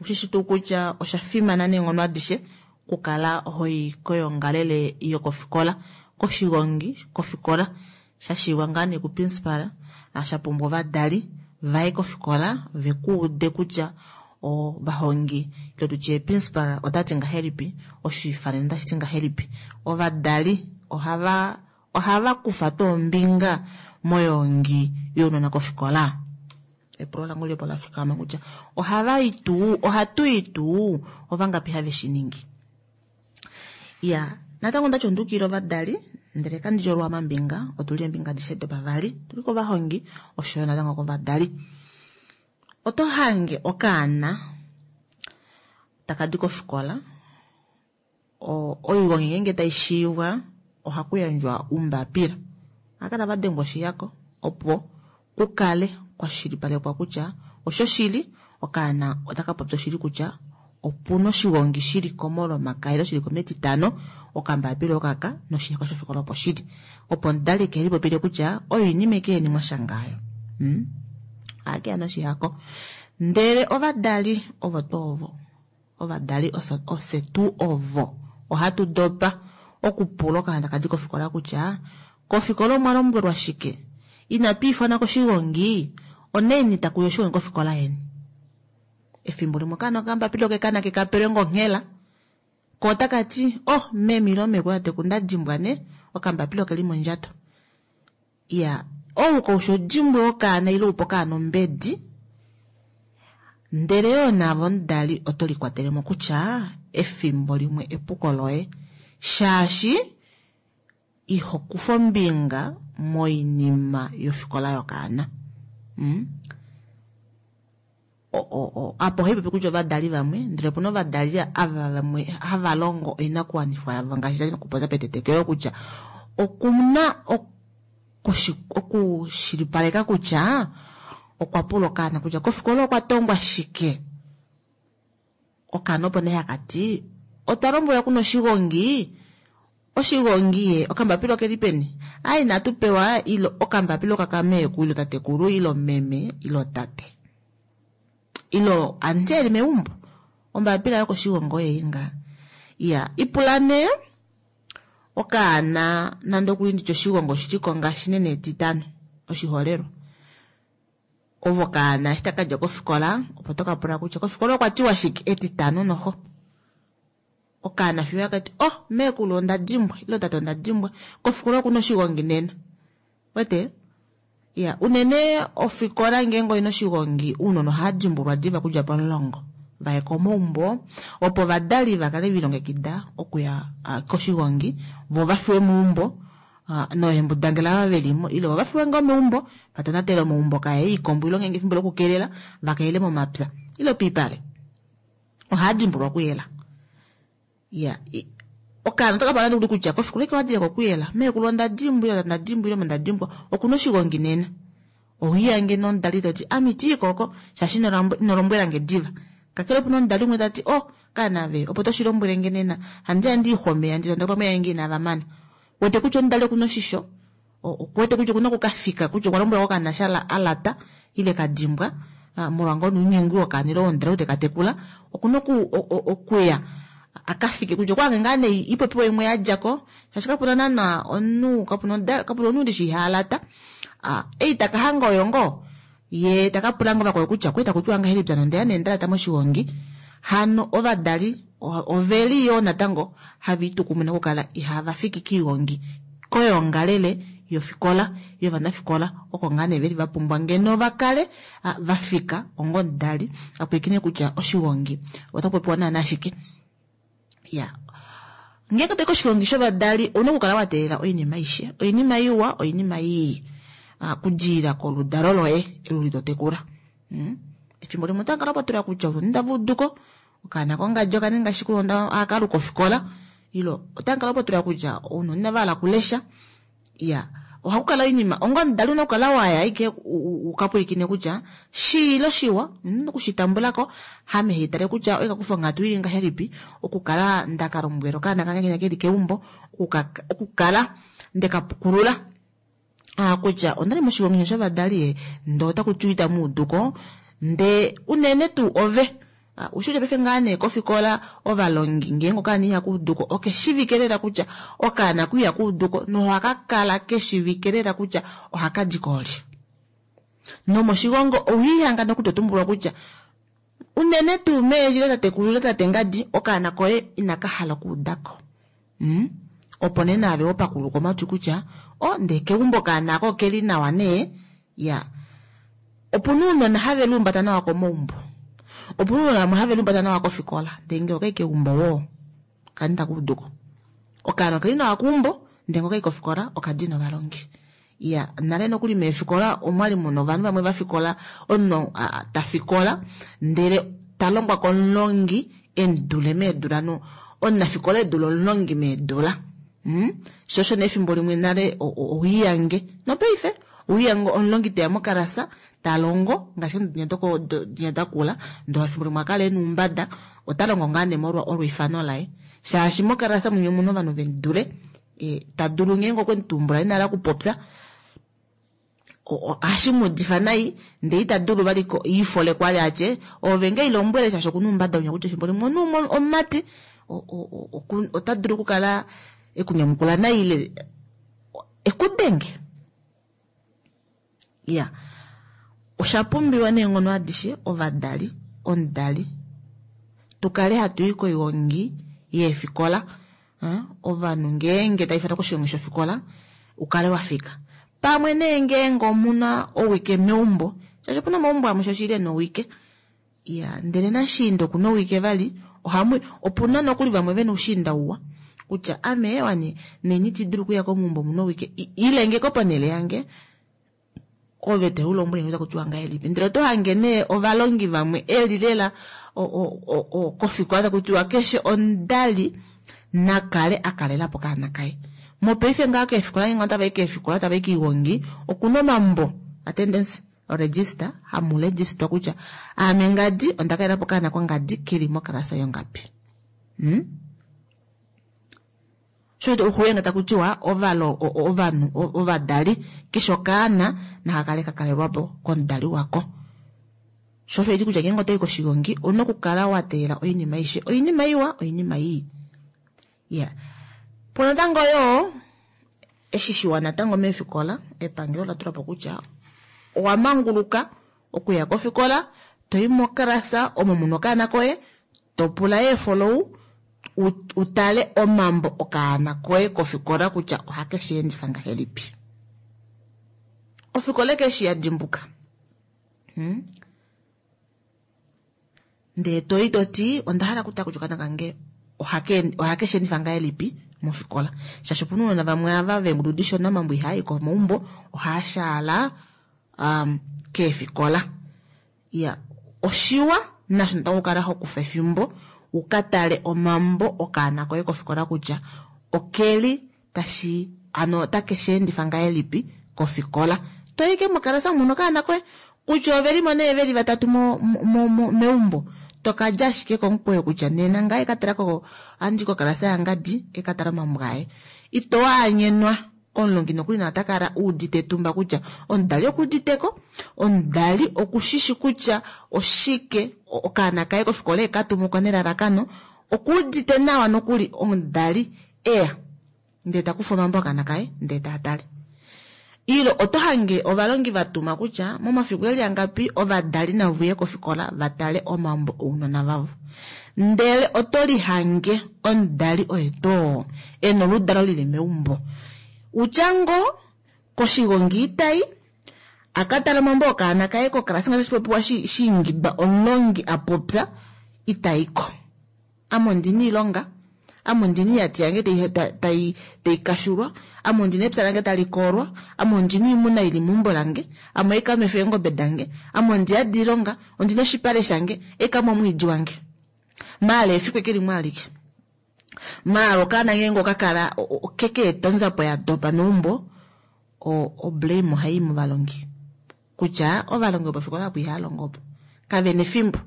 S2: Oshishi tuu kutya osha fimana neenghono adishe okukala hoi koyoongalele yokofikola koshigongi kofikola shashiiwa ngaa nee kuprincipal sha pumbwa ovadali vaye kofikola vekuude kutya ovahongi ile tutye principal otati ngahelipi oshiifanene otashi ti ngahelipi. Ovadali ohava kufa tuu ombinga moyoongi younona kofikola. Epulo langu lipo la fikama kutya ohava i tuu, ohatu i tuu, ovangapi have shi ningi. Ya, natango ondati ondukile ovadali ndele kandi lya mambinga, otuli eembinga adishe dopavali, tuli kovahongi oshoyo natango kovadali. Oto hange okaana taka di kofikola, oigongi ngeenge tai shiivwa ohaku yandjwa umbapila. Ohakala va dengwa oshihako opo kukale kwashilipalekwa kutya oshoshili okaana otaka popi oshili kutya opuna oshigongi shili komolomakaya ile shili kometitano okambapila okaka noshihako shofikola opo shili. Opo omudali ke lipopile kutya oinima eke yeni mwashanga ayo. Ohakeya noshihako. Ndele ovadali ovo tuu ovo. Ovadali ofye tuu ovo. Ohatu dopa okupula okaana taka di kofikola kutya kofikola omwa lombwelwa shike? Inatu ifana koshigongi, oneni takuya oshigongi kofikola yeni. Efimbo limwe okaana okambapila okekana kekapelwe ngonghela. Ko otaka ti, oh, meme ile mekulu tateku nda dimbwa ne, okambapila okeli mondjato. Ya, ou koushi odimbwe okaana ile upe okaana ombedi, ndele yoo naave omudali oto likwatelemo kutya efimbo limwe epuko loye. Shaashi iho kufa ombinga moinima yofikola yokaana. Apo ohaipopi kutya ovadali vamwe, ndele opuna ovadali ava vamwe hava longo oinakuwanifwa yavo ngaashi ndali nokupopya petetekelo kutya okuna okushilipaleka kutya okwa pula okaana kutya kofikola okwa tongwa shike. Okaana opo nee haka ti otwa lombwelwa kuna oshigongi, oshigongi ye okambapila okeli peni? Ai inatu pewa ilo okambapila okakameeku ilo tatekulu ilo meme ilo tate. Ilo anti eli meumbo. Ombapila yokoshigongi oye nga. Ya, ipula nee okaana nande okuli nditye oshigongi oshili ko ngaashi nene etitano oshiholelwa. Ovo kaana eshi taka dja kofikola opo toka pula kutya kofikola okwa tiwa shike etitano noho. Okaana fiyo akati oh meekulu onda dimbwa ilo tate onda dimbwa kofikola okuna oshigongi nena. Wete? Ya, unene ofikola ngeenge oina oshigongi ounona ohava dimbulwa diva kudja pomulongo vaye komaumbo opo ovadali vakale velilongekida okuya koshigongi vo vafiwe meumbo. Noohembudangela ava veli mo ile ova fiwa ngoo meumbo va tonatele omaumbo kaye iikombo ile ngeenge efimbo lokukelela va kaele momapya ile piipale ohaa dimbulwa okuyela. Ya okaana otaka pala nokuli kutya kofikola ike wadile kokuyela meekulu onda dimbwile onda dimbwile onda dimbwa okuna oshigongi nena owiyange nomudali toti ame itiyi koko shaashi ino lombwela nge diva. Kakele opuna omudali umwe tati oh kaana ve opo toshi lombwele nge nena handi ya ndi ixwa omeya ndi tondoka pamwe yange inava mana. Wete kutya omudali okuna oshisho okuwete kutya okuna okukafika kutya okwa lombwela okaana sha alata ile kadimbwa molwa ngoo nounyengwi wokaana ile womudali ou teka tekula okuna okuya akafike kutya okwaange ngaa nee ipopiwa imwe yadjako shaashi kapuna naana omunhu kapuna omunhu ndishi iha alata. Ei taka hanga oyo ngoo ye taka pula ngoo vakwao kutya okwali takutiwa ngahelipi ano ondeya nee ndalata moshigongi. Hano ovadali oveli yoo natango hava itukumuna okukala ihava fiki kiigongi koyoongalele yofikola yovanafikola oko ngaa nee veli vapumbwa ngeno vakale vafika onga omudali apwilikine kutya oshigongi ota kupopiwa naana shike. Ya ngeenge toyi koshigongi shovadali ouna okukala wa teelela oinima aishe, oinima iwa oinima ii kudiilila koludalo loye elu totekula. Efimbo limwe otakala patula kutya ounona itava uduko okaana kongadi okaninga shike ohakaluka ofikola ile otakala patula kutya ounona inava hala okulesha. Ya ohakukala oinima onga omudali ouna okukala waya ashike ukapwilikine kutya shii ile oshiwa ouna okushitambulako hame haitale kutya oikakufa onghatu ili ngahelipi okukala ndakalombwela okaana kange kenya keli keumbo okukala ndekapukulula kutya ondali moshigongi shovadali ndee otakutiwa itamuuduko ndee unene tuu ove ushi kutya paife ngaa nee kofikola ovalongi ngeenge okaana iha kuuduko okeshivike lela kutya okaana ku iha kuuduko nohaka kala keshivike lela kutya ohaka di koolye. Nomoshigongo owiihanga nokuli totumbulwa kutya unene tuu meendjila tatekulu ile tate ngadi okaana koye inaka hala okuudako. Opo nee naave wopakuluka omatwi kutya o ndee keumbo okaana ako okeli nawa nee. Ya opuna ounona have luumbata nawa komaumbo, opuna ounona vamwe have luumbata nawa kofikola ndee ngee okai keumbo woo kani takuuduko. Okaana okeli nawa keumbo ndee ngee okai kofikola okadina ovalongi. Ya nale nokuli meefikola omwali muna ovanhu vamwe vafikola omunhu tafikola ndele talongwa komulongi emudule meedula no omunafikola edule omulongi meedula. Sho osho nee efimbo limwe nale owiiyange nopaife owiiyange omulongi teya mokalasa talongo ngaashi dinya dakula ndoo efimbo limwe akala ena oumbada ota longo ngaa nee molwa olweifano laye shaashi mokalasa mwinya omuna ovanhu vemudule tadulu ngeenge okwemutumbula ina hala okupopya ohashi muudifa nai ndee ita dulu vali ifole kwali atye ove nge ilombwele shaashi okuna oumbada winya kutya efimbo limwe omunhu omumati ota dulu okukala ekunyamukula nai ile ekudenge. Ya osha pumbiwa neenghono adishe ovadali omudali tukale hatu i koigongi yeefikola ovanhu ngeenge tava ifanwa koshigongi shofikola ukale wafika pamwe nee ngeenge omuna owike meumbo shaashi opuna omaumbo amwe shoshili ena owike. Ya ndele nashiinda okuna owike vali ohamu opuna nokuli vamwe vena oushiinda uwa kutya ame wani neni itidulu okuya komaumbo muna owike ilenge ko ponele yange ove teulombwele nge takutiwa ngahelipi ndele oto hange nee ovalongi vamwe eli lela kofikola takutiwa keshe omudali nakale akalelapo okaana kaye. Mopaife ngaa keefikola ngeenge otavai keefikola tavai kiigongi okuna omambo attendance register hamu registwa kutya aame ngadi onda kalelapo okaana kongadi keli mokalasa yongapi. Sho okuyenga takutiwa ovanhu ovadali keshe okaana nakakale kakalelwapo komudali wako. Sho osho eti kutya ngeenge otoyi koshigongi ouna okukala wa teelela oinima aishe, oinima iwa oinima ii. Ya po natango yoo eshi shiwa natango meefikola epangelo ola tulapo kutya owa manguluka okuya kofikola toyi mokalasa omo muna okaana koye topula eefolou utale omambo okaana koye kofikola kutya ohake shi endifa ngahelipi. Ofikola keshi ya dimbuka. Ndee toyi toti onda hala okutala kutya okaana kange ohake shi endifa ngahelipi. mofikola. Shaashi opuna ounona vamwe ava veengudu dishona omambo ihaa i komaumbo, ohaa shaala keefikola. Iya, oshiwa nasho natango okukala ho kufa efimbo u ka tale omambo okaana koye kofikola kutya okeli tashi ano otake shi endifa ngahelipi kofikola. Toyi ke mokalasa muno okaana koye kutya ovelimo nee veli vatatu meumbo, tokadja ashike komukweyo kutya nena ngaye ka tala ko andi kokalasa yangadi eka tala omambo aye. Ito anyenwa omulongi nokuli na ota kala uudite etumba kutya omudali okuuditeko, omudali okushishi kutya oshike okaana kaye kofikola eka tumuka nelalakano, okuudite nawa nokuli omudali eya ndee takufa omambo okaana kaye ndee taatale. Ilo oto hange ovalongi vatuma kutya momafiku eli angapi ovadali navuye kofikola vatale omambo ounona vavo. Ndele oto lihange omudali oye too ena oludalo lili meumbo. Utya ngoo koshigongi itai akatala omambo okaana kaye kokalasa ngaashi popiwa shiingidwa omulongi apopya itaiko. Ame ondina iilonga, ame ondina iiyati yange tai kashulwa, ame ondina epya lange tali koolwa, ame ondina oimuna ili meumbo lange, ame oikamwefa eengobe dange, ame ondiyadi iilonga, ondina oshipale shange, eikamwe omwiidi wange. Maala efiku eke limwe alike. Maala okaana ngeenge okakala keke eta onzapo ya dopa meumbo, o blame ohai movalongi. Kutya ovalongi vopofikola apo ihava longo opo. Kavena efimbo.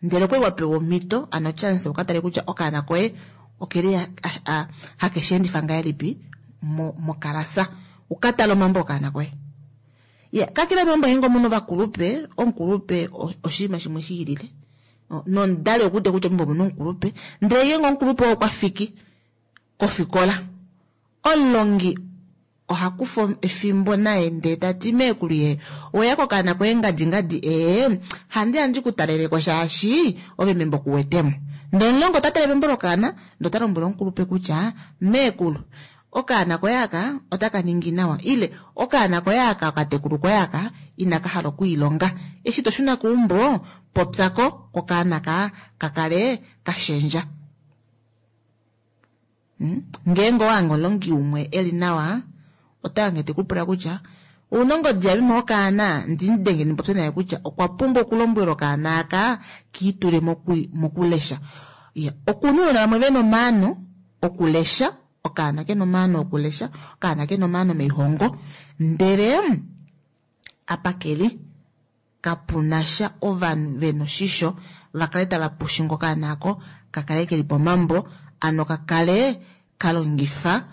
S2: Ndele okwali wa pewa omhito, ano chance ukatale kutya okaana koye okeli hake shi endifa ngahelipi mokalasa. Ukatale omambo okaana koye. Ya, kakele omambo ngeenge omuna ovakulupe, omukulupe oshinima shimwe shi ilile. Nomudali okuudite kutya meumbo omuna omukulupe, ndele ngeenge omukulupe oo okwa fiki kofikola, omulongi oha kufa efimbo naye ndee tati meekulu ye oweya kokaana koye ngadi ngadi handi handi ku taleleko shaashi ove membo kuwetemo. Ndee omulongi ota tale membo lokaana ndee ota lombwele omukulupe kutya meekulu okaana koye aka otaka ningi nawa ile okaana koye aka okatekulu koye aka inaka hala okwiilonga. Eshi to shuna keumbo popyako kokaana ka kakale kashendja. Ngeenge owange omulongi umwe eli nawa otange tekupula kutya ouna ongodi yameme okaana ndimudenge ndipopye naye kutya okwa pumbwa okulombwela okaana aka kiitule mokulesha. Okuna ounona vamwe vena omaano okulesha, okaana kena omaano okulesha, okaana kena omaano meihongo, ndele apa keli kapunasha ovanhu vena oshisho vakale tava pushinga okaana ako kakale keli pomambo, ano kakale kalongifa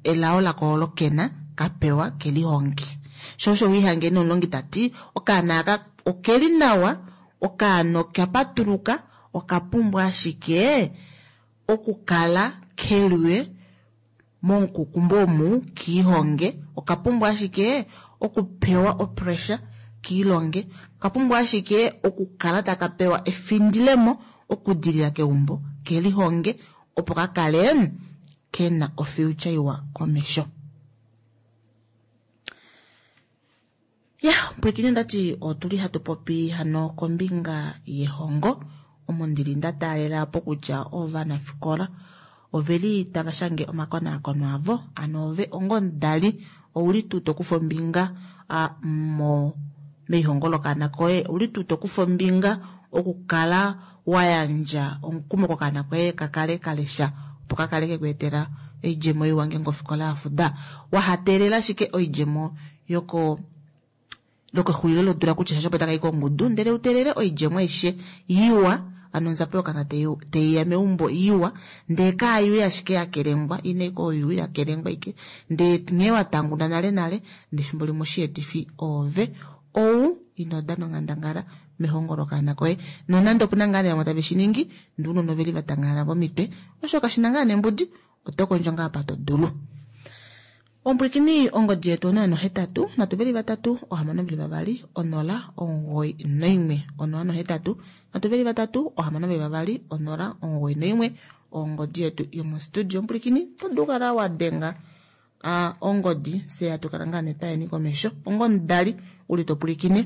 S2: elao lako olo kena kapewa kelihongi. Sho osho wihange nomulongi tati okaana aka okeli nawa, okaana okapatuluka, okapumbwa ashike okukala keliwe momukukumbo omu kiihonge, okapumbwa ashike okupewa opressure kiilonge, okapumbwa ashike okukala taka pewa efindilemo okudilila keumbo kelihonge opo kakale kena ofuture iwa komesho. Ya, pwilikine ndati otuli hatu popi hano kombinga yehongo omo ndili nda taalela po kutya ovanafikola oveli tava shange omakonaakono avo, ano ove onga omudali ouli tuu tokufa ombinga meihongo lokaana koye, ouli tuu tokufa ombinga okukala wa yandja omukumo kokaana koye kakale kalesha opo kakale kekweetela oidjemo iwa ngeenge ofikola ya fuda. Wahateelela ashike oidjemo yoko lokexulilo lodula kutya shasho opo takai kongudu, ndele uteelele oidjemo aishe iwa, ano onzapo yokaana teiya meumbo iwa, ndee kaayuye ashike yakelengwa, ine koyu yakelengwa ike, ndee nghee watanguna nale nale, ndee efimbo limwe oshietifi oove ou ino dana onghandangala mehongo lokaana koye. Nonande opuna ngaa vamwe tave shi ningi, ndee ounona oveli va tangalala vomitwe, osho kashina ngaa nembudi, oto kondjo ngaa apa to dulu. Ompwilikini ongodi yetu 083 3 6 2 0 91 083 3 6 2 0 91 ongodi yetu yomostudio. Ompwilikini oto dulu kala wa denga Ongodi fye hatu kala ngaa nee twayeni komesho onga omudali uli to pwilikine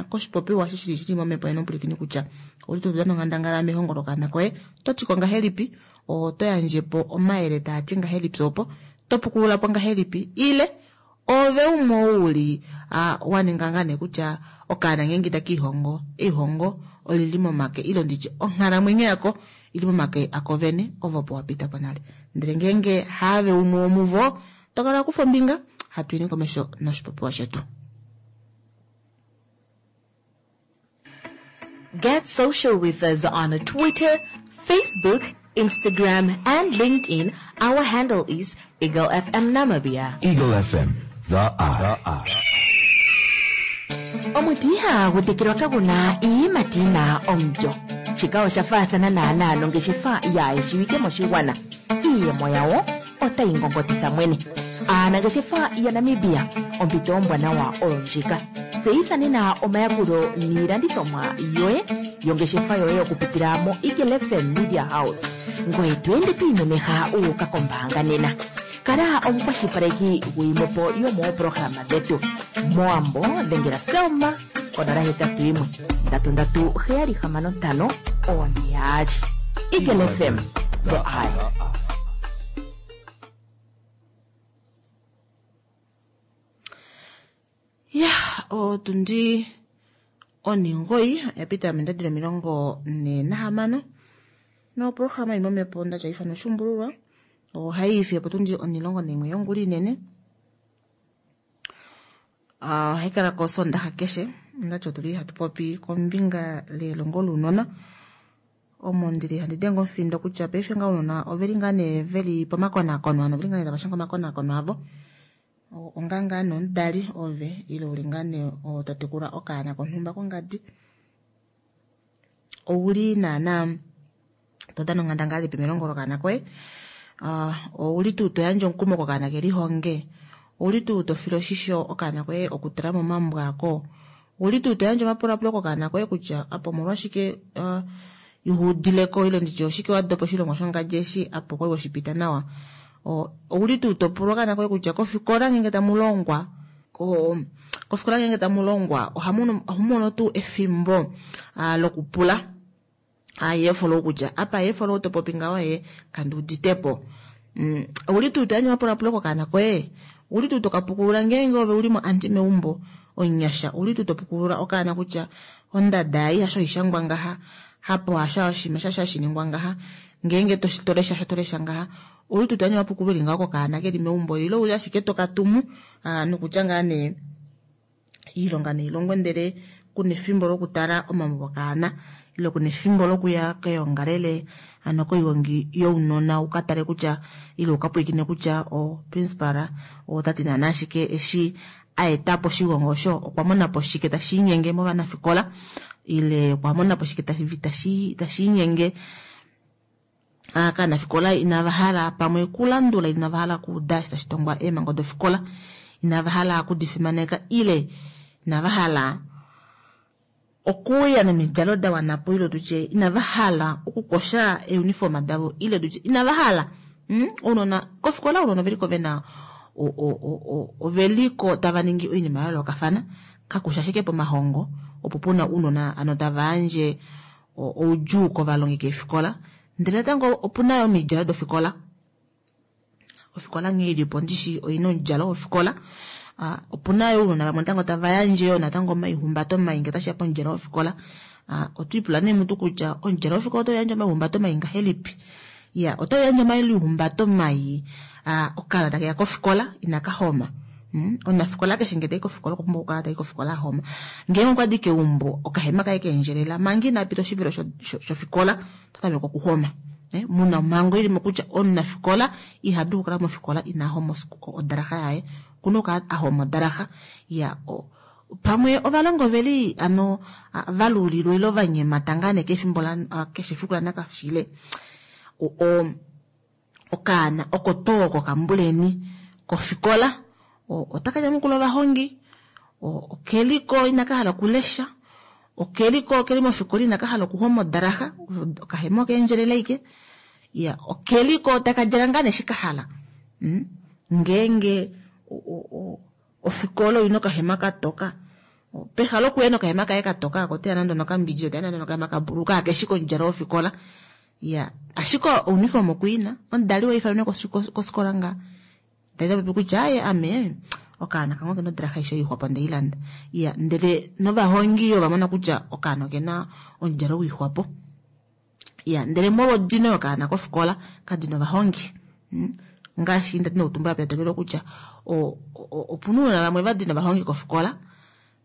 S2: koshipopiwa eshi shili shili momhepo yeni omupwilikini kutya ouli to dana onghandangala mehongo lokaana koye oto tiko ngahelipi oto yandje po omayele taa ti ngahelipi opo to pukulula po ngahelipi ile ove umwe ou uli wa ninga ngaa nee kutya okaana ngeenge taka ihongo eihongo olili momake ile nditye onghalamwenyo yako ili momake ako vene ovo opo wa pita po nale ndele ngeenge haave umwe womuvo to kala kufa ombinga hatu yeni komesho noshipopiwa shetu.
S5: Get social with us on Twitter, Facebook, Instagram, and LinkedIn. Our handle is Eagle FM Namibia.
S6: Eagle FM, the eye.
S7: Omuti ihagu tekelwa kagu na iiyimati yi na omulyo. Shika osha faathana naanaa nongeshefa yaa shiwike moshigwana. Iiyemo yawo otayi ngongotitha mwene. Aanangeshefa yaNamibia, ompito ombwanawa oyo ndjika. Tseyitha nena omayakulo niilandithomwa yoye yongeshefa yoye okupitila moEagle FM Media House. Ngoye to ende to imemeha wu uka kombaanga nena. Kala omukwashilipaleki gwiimwepo yomooprograma dhetu. Mowambo dhengela Selma ko 081 337 6542. Eagle FM, the eye.
S2: Ya otundi onhingoyi oya pita mendadi lomilongo46 noprograma imwe omhepo nda tya oshuumbululwa ohai ifi opotundi 11 yongula inene. Ohai kala ko Sondaxa keshe ndati otuli hatu popi kombinga lelongo lounona omo ndili handi denge omufindo kutya paife nga ounona oveli ngaa nee veli pomakonakono ano oveli ngaa nee tava shange omakonakono avo onga ngaa nee omudali ove ile uli ngaa nee oo to tekula okaana konhumba kongadi ouli naana to dana onghandangala ilipi melongo lokaana koye ouli tuu to yandje omukumo kokaana kelihonge ouli tuu to file oshisho okaana koye okutula momambo ako ouli tuu to yandje omapulapulo kokaana koye kutya apa omolwashike ihuudileko ile nditye oshike wa dopa oshilongwa shongadi eshi apo kwali weshipita nawa ouli tuu to pula okaana koye kutya kofikola ngeenge tamu longwa kofikola ngeenge tamu longwa ohamu mono tuu efimbo lokupula yeefolo kutya apa yeefolo to popi ngaho ye kandi uditepo ouli tuu to yandje omapulapulo kokaana koye ouli tuu tokapukulula ngeenge ove uli mo anti meumbo omunyasha ouli tuu topukulula okaana kutya ondada ei hasho haishangwa ngaha hapo hasha oshima shasha shiningwa ngaha ngeenge tolesha sho tolesha ngaha ouli tuu toyandje omapukululo eli ngaho kokaana keli meumbo ile ouli ashike tokatumu nokutya ngaa nee iilonga neilongwe ndele kuna efimbo lokutala omambo okaana ile kuna efimbo lokuya keongalele ano koihongi younona ukatale kutya ile ukapwilikine kutya o principal otati naana ashike eshi aetapo oshigongo osho okwa monapo shike tashi inyenge movanafikola ile okwa monapo shike tashi inyenge kaanafikola inava hala pamwe kulandula inava hala kuuda eshi tashi tongwa eemhango dofikola inava hala kudifimaneka ile inava hala okuuya nomidjalo da wanapo ile tutye inava hala okukosha euniform davo ile tutye inava hala ounona kofikola ounona oveliko vena oveliko tava ningi oinima ya yoolokafana kakusha ashike pomahongo opo puna ounona ano tava yandje oudjuu kovalongi keefikola ndele natango opuna yo omidjalo dofikola ofikola nghee ilipo ndishi oina omudjalo wofikola opuna yo ounona vamwe natango tava yandje yo natango omaihumbato mai ngee tashiya pomudjalo wofikola otwiipula nee mutu kutya omudjalo wofikola otau yandje omaihumbato mai ngahelipi iya otau yandje omaihumbato mai okaana takeya kofikola inaka homa omunafikola keshe ngee tai kofikola okwa pumbwa okukala tai kofikola ahoma ngeenge okwadi keumbo okahema kaye keendjelela manga ina pita oshivelo shofikola ota tameke okuhoma muna omhango ilimo kutya omunafikola iha dulu okukala mofikola ina homa odalaxa yaye okuna okukala ahoma odalaxa iya pamwe ovalongi oveli ano valulilwa ile vanyemata ngaa nee kefimbo keshe efiku lanakashile okaana oko too oko kambuleni kofikola otaka nyamukula ovahongi okeliko inaka hala okulesha okeliko keli mofikola inaka hala okuhoma odalaxa okahema okeendjelela ike iya okeliko taka djala ngaa nee shi kahala. Ngeenge ofikola oina okahema katoka, peha lokuya nokahema kaye katoka ako oteya nande onokambidja, oteya nande onokahema kabulu kakeshi komudjalo wofikola. Ya, ashike ouniform okuina, omudali waifanwe kofikola nga ndele popi kutya aye ame okaana kange okena odraha aishe oixwapo ndeilanda. Ya, ndele novahongi ova mona kutya okaana okena omudjalo wixwapo. Ya, ndele molwodino yokaana kofikola kadina ovahongi. Ngaashi ndati noutumbula petetekelo kutya opuna ounona vamwe vadina ovahongi kofikola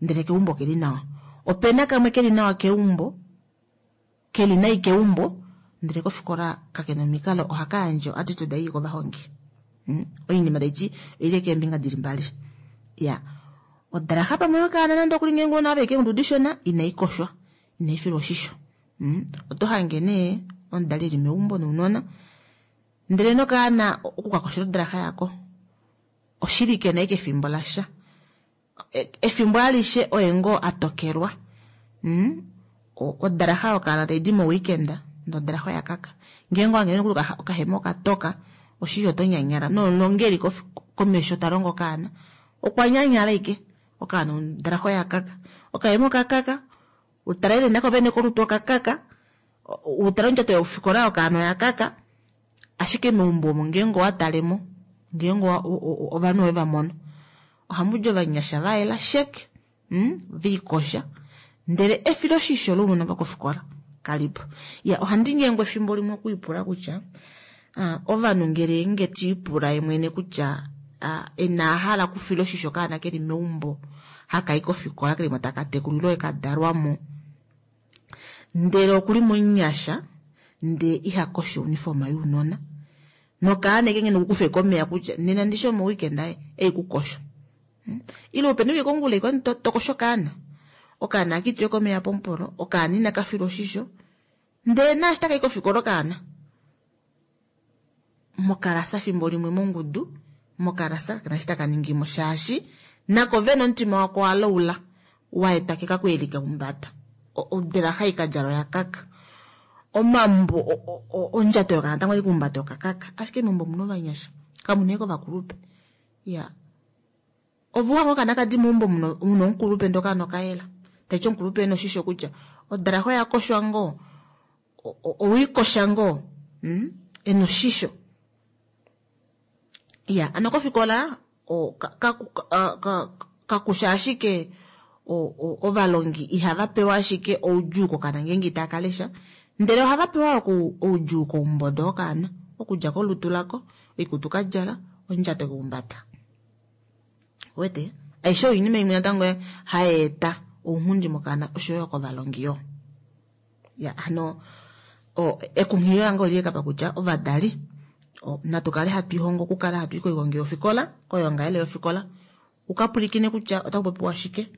S2: ndele keumbo keli nawa. Opena kamwe keli nawa keumbo, keli nai keumbo, ndele kofikola kakena omikalo, ohaka yandje attitude ii kovahongi. Oinima taiti oili keembinga dili mbali. Ya, odraha pamwe yokaana nande okuli ngeenge ounona ava keengudu dishona inai koshwa, inai filwa oshisho. Oto hange nee omudali eli meumbo nounona, ndele nokaana okukakoshela odraha yako oshili kena eke efimbo lasha. Efimbo alishe oye ngoo atokelwa. Odraha yokaana taidi mo weekend, ndele odraha oya kaka. Ngeenge owange nokuli okahema okatoka, oshili oto nyanyala. Nomulongeli komesho ta longo okaana, okwa nyanyala ike. Okaana odraha oya kaka. Okahema okakaka, utalele nako vene kolutu okakaka, utale ondjato yofikola okaana oya kaka. Ashike meumbo omo ngeenge owatalemo, ngeenge ovanhu ove va mono, ohamudi ovanyasha va yela shek, viikosha, ndele efiloshisho lounona vokofikola kalipo. Ya, ohandi nyengwa efimbo limwe okuipula kutya ovanhu ngele nge tiipula ye mwene kutya ina hala okufila oshisho okaana keli meumbo hakai kofikola keli mo taka tekulilwa oye kadalwamo, ndele okuli momunyasha ndee iha kosho uniform younona nokaana eke ngene kukufe komeya kutya nena ndishi omo weekend aye ei kukosho. Ile upeni kongula iko tokosho okaana, okaana akitwe komeya pomupolo, okaana ina kafilwa oshisho, ndee naashi takai kofikola okaana mokalasa fimbo limwe mongudu, mokalasa kakena eshi taka ningimo shaashi nako vene omutima wako walaula waetwa kekakuelika umbada. Odelaha ikadjala oya kaka, omambo ondjato yokaana tango ikumbata okakaka, ashike meumbo omuna ovanyasha kamuna eke ovakulupe. Ya, ovuhanga okaana kadi meumbo muna omukulupe ndee okaana okayela, taiti omukulupe ena oshisho kutya odalaha oya koshwa ngoo, owiikosha ngoo, ena oshisho. Ya, ano kofikola kakusha ashike ovalongi ihava pewa ashike oudjuu kokana ngeenge itaka lesha, ndele ohava pewa oudjuu koumbodo wokaana, okudja kolutu lako, oikutu kadjala, ondjato keumbata. Wete, aishe oinima imwe natango hai eta ounghundi mokaana oshoyo kovalongi yo. Ya, hano ekunghililo lange oli kapa kutya ovadali natu kale hatu ihongo okukala hatu i koihongi yofikola, koyoongalele yofikola, ukapulikine kutya otaku popiwa shike,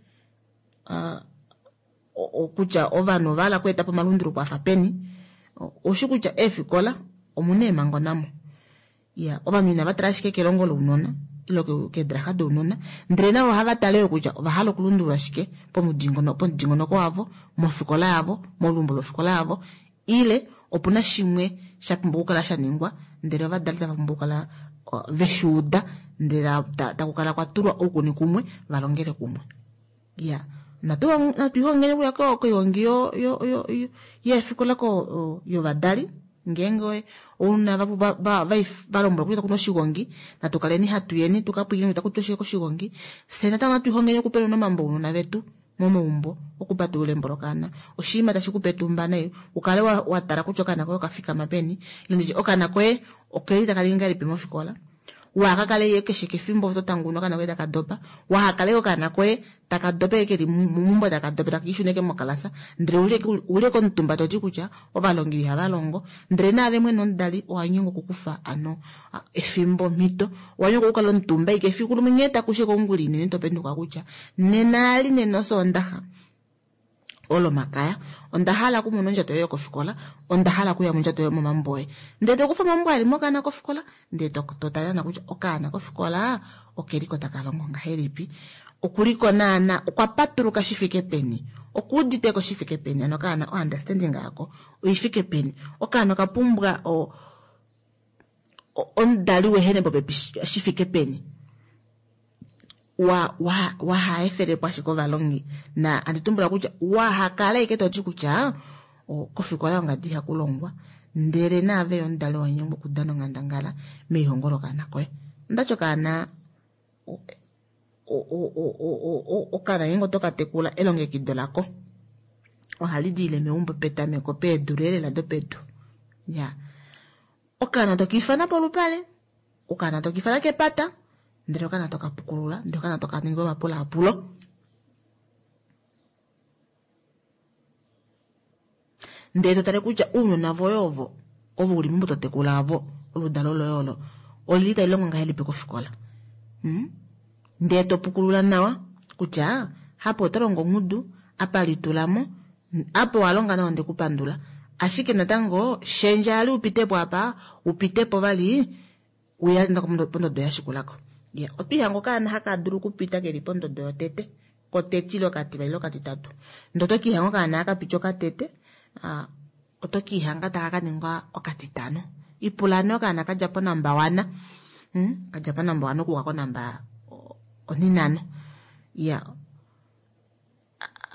S2: kutya ovanhu ova hala okweeta po omalunduluko afa peni. Oushi kutya eefikola omuna eemhango namo. Ya, ovanhu inava tala ashike kelongo lounona ile keedraha dounona, ndele navo ohava tale yo kutya ova hala okulundulula shike pomudingonoko wavo, mofikola yavo, moluumbo lofikola yavo, ile opuna shimwe sha pumbwa okukala sha ningwa, ndele ovadali tava pumbwa okukala veshuuda, ndele takukala kwa tulwa oukuni kumwe valongele kumwe. Ya, natu ihongeni okuya koihongi yeefikola yovadali. Ngeenge ounona va lombwelwa kutya kuna oshigongi, natu kaleni hatu yeni tukapwilikine kutya kutya oshike koshigongi. Fye natango natu ihongeni okupela omambo ounona vetu momaumbo, okupatulula embo lokaana oshinima tashi kupe etumba nai, ukale watala kutya okaana koye okafikama peni, ile nditye okaana koye okeli taka ningi ngahelipi mofikola, waakakale ye keshe kefimbo to tanguna okaana koye taka dopa, wahakale okaana koye taka dope keli meumbo taka dope taka ishuneke mokalasa, ndele uli komutumba toti kutya ovalongi ihava longo, ndele naave mwene omudali owa nyengwa okukufa ano efimbo omhito, owa nyengwa okukala omutumba ike efiku limwe nghee takushe kongula inene topenduka kutya nena ali nena osoondaxa olomakaya onda hala okumona ondjato yoye yokofikola, onda hala okuya mondjato yoye momambo oye, ndele tokufa omambo ali mokaana kofikola, ndele totalana kutya okaana kofikola okeliko taka longo ngahelipi, okuliko naana okwa patuluka shifike peni, okuuditeko shifike peni, ano okaana o understanding yako oifike peni, okaana okapumbwa Omudali wehene popepi shi fike peni wa wa wahaefelepo ashike ovalongi na andi tumbula kutya wahakala ike toti kutya kofikola ongadi ihaku longwa ndele naave yo omudali wanyengwa okudana onghandangala meihongo lokaana koye. Ondati okaana okaana ngeenge oto ka tekula elongekido lako ohali diile meumbo petameko peedula elela dopedu. Ya okaana toka ifana polupale, okaana toka ifana kepata, ndele okaana toka pukulula, ndele okaana toka ninga omapulaapulo. Ndele to tale kutya ounona voye ovo ovo uli meumbo to tekula ovo oludalo loye olo olili tali longo ngahelipi kofikola. Hmm? Ndele to pukulula nawa kutya hapo oto longo ongudu, apa litulamo, apa owa longa nawa ndeku pandula. Ashike natango shendja ali upitepo apa, upitepo vali uya pondodo ya shikulako. Ya, otwiihanga okaana haka dulu okupita keli pondodo yotete, kotete ile okativali ile okatitatu. Ndee oto kiihanga okaana haka piti okatete, oto kiihanga taka ka ningwa okatitano. Ipula nee okaana kadja ponamba 1, kadja ponamba 1 okuuka konamba onhinano. Ya,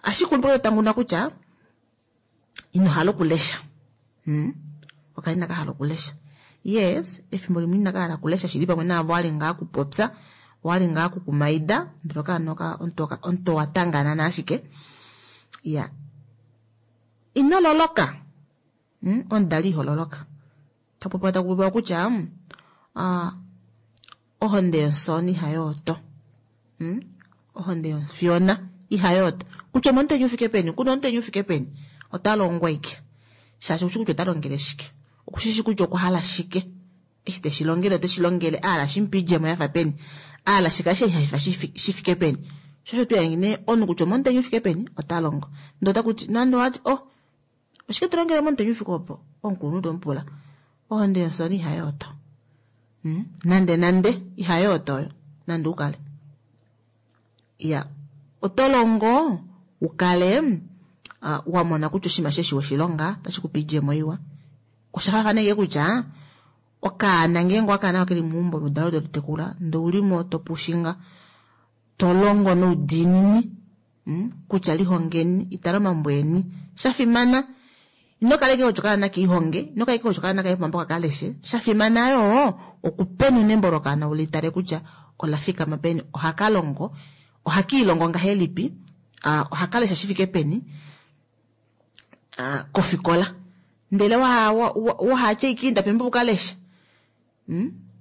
S2: ashike umwe tanguna kutya ino hala okulesha. Okaana inaka hala okulesha. Yes, efimbo limwe inaka hala okulesha shili pamwe naavo wali ngaa kupopya, wali ngaa kukumaida, ndele okaana omuntu owa tanganana ashike. Ya, ino loloka. Omudali iho loloka. Tapopiwa takupopiwa kutya ohonde yomufyoona ihayooto. Ohonde yomufyoona ihayooto. Kutya omomutenya ufike peni, kuna omutenya ufike peni, ota longwa ike. Shaashi okushi kutya ota longele shike. Okushishi kutya okwa hala shike. Eshi teshi longele oteshi longele a hala shimupe oidjemo yafa peni. A hala shikale shehafifa shi fike peni. Sho osho tuya nee omunhu kutya omomutenya ufike peni ota longo. Ndee otakuti nande owati oh oshike to longele momutenya ufike opo? Omukulunhu tomupula. Ohonde yomufyoona ihayooto. Nande nande ihayooto oyo nande ukale. Ya, oto longo ukale wa mona kutya oshinima sheshi weshilonga otashi kupe oidjemo iwa. Osha faafana ashike kutya okaana ngeenge okaana okeli meumbo oludalo toli tekula ndee oulimo topushinga to longo noudiinini kutya lihongeni itala omambo eni. Shafimana ino kala ashike kutya okaana kiihonge, ino kala ashike kutya okaana kaye pomambo kakaleshe. Shafimana yoo okupenuna embo lokaana ulitale kutya ola fikama peni, ohaka longo, ohakiilongo ngahelipi, ohaka lesha shifike peni kofikola. Ndele wahatya ashike inda pembo ukaleshe.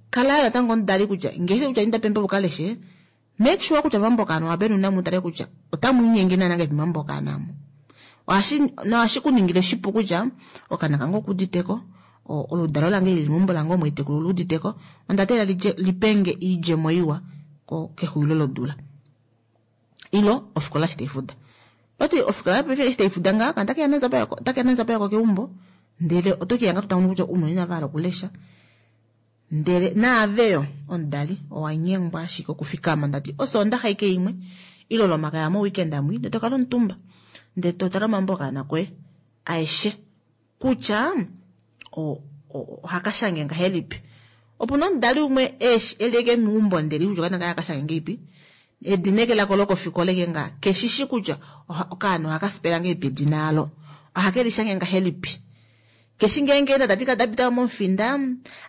S2: Kala yoo natango omudali kutya ngeenge kutya inda pembo ukaleshe, make sure kutya mambo okaana owa penuna mu tale kutya otamu linyenge naana ngahelipi mambo okaana omo. Nohashi kuningile shipu kutya okaana kange okuuditeko, oludalo lange lili meumbo lange omo haitekula oluuditeko, onda teelela lipenge oidjemo iwa kexulilo lodula. Ilo ofikola eshi taifuda. Oti ofikola paife eshi taifuda ngaha okaana otakeya nonzapo yako keumbo, ndele oto kihanga to tamono kutya ounona inava hala okulesha. Ndele naave yo omudali owa nyengwa ashike okufikama ndati osoondaxa ike imwe ile olomakaya mo weekend amwi ndele tokala omutumba ndele totala omambo okaana koye aeshe kutya ohaka shange ngahelipi. Opuna omudali umwe eli eke meumbo ndele kutya okaana kaye akashange ngeipi, edina eke lako lokofikola eke nga keshishi kutya okaana ohaka sipela ngeipi edina alo, ohake lishange ngahelipi. Keshi ngeenge enda tadi kala dapita momufinda,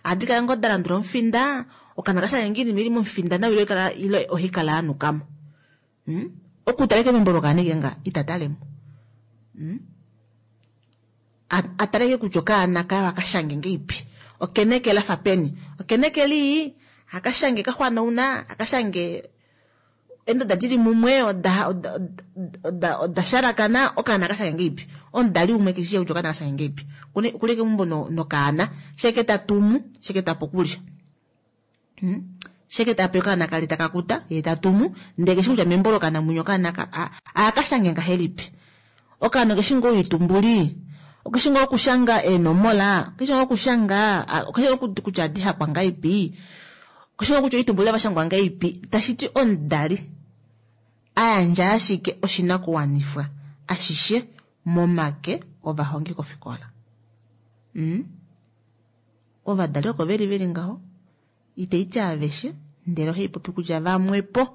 S2: ohadi kala ngoo dalandula omufinda, okaana kashange ngoo oinima ili momufinda nawa ile ohaikala yanukamo. Okutala eke membo lokaana eke nga ita talemo. Atale eke kutya okaana kaye ohakashange ngeipi, okena eke lafa peni, okena eke lii, hakashange kaxwanauna, hakashange eendoda dili mumwe oda shalakana, okaana kashange ngeipi. Omudali umwe keshishi kutya okaana kashange ngeipi. Okuli eke meumbo nokaana, sheke tatumu, sheke tape okulya. Sheke tape okaana kali taka kuta, yee tatumu, ndele keshi kutya membo lokaana mwinya okaana akashange ngahelipi. Okaana okeshi ngoo oitumbuli, okeshi ngoo okushanga eenomola, okeshi ngoo okushanga, okeshi ngoo kutya adi hakwa ngahelipi, okeshi ngoo kutya oitumbuli avashangwa ngahelipi. Tashiti omudali ayandja ashike oshinakuwanifwa ashishe momake ovahongi kofikola. Ovadali oko veli veli ngaho, itaiti aveshe, ndele ohai popi kutya vamwepo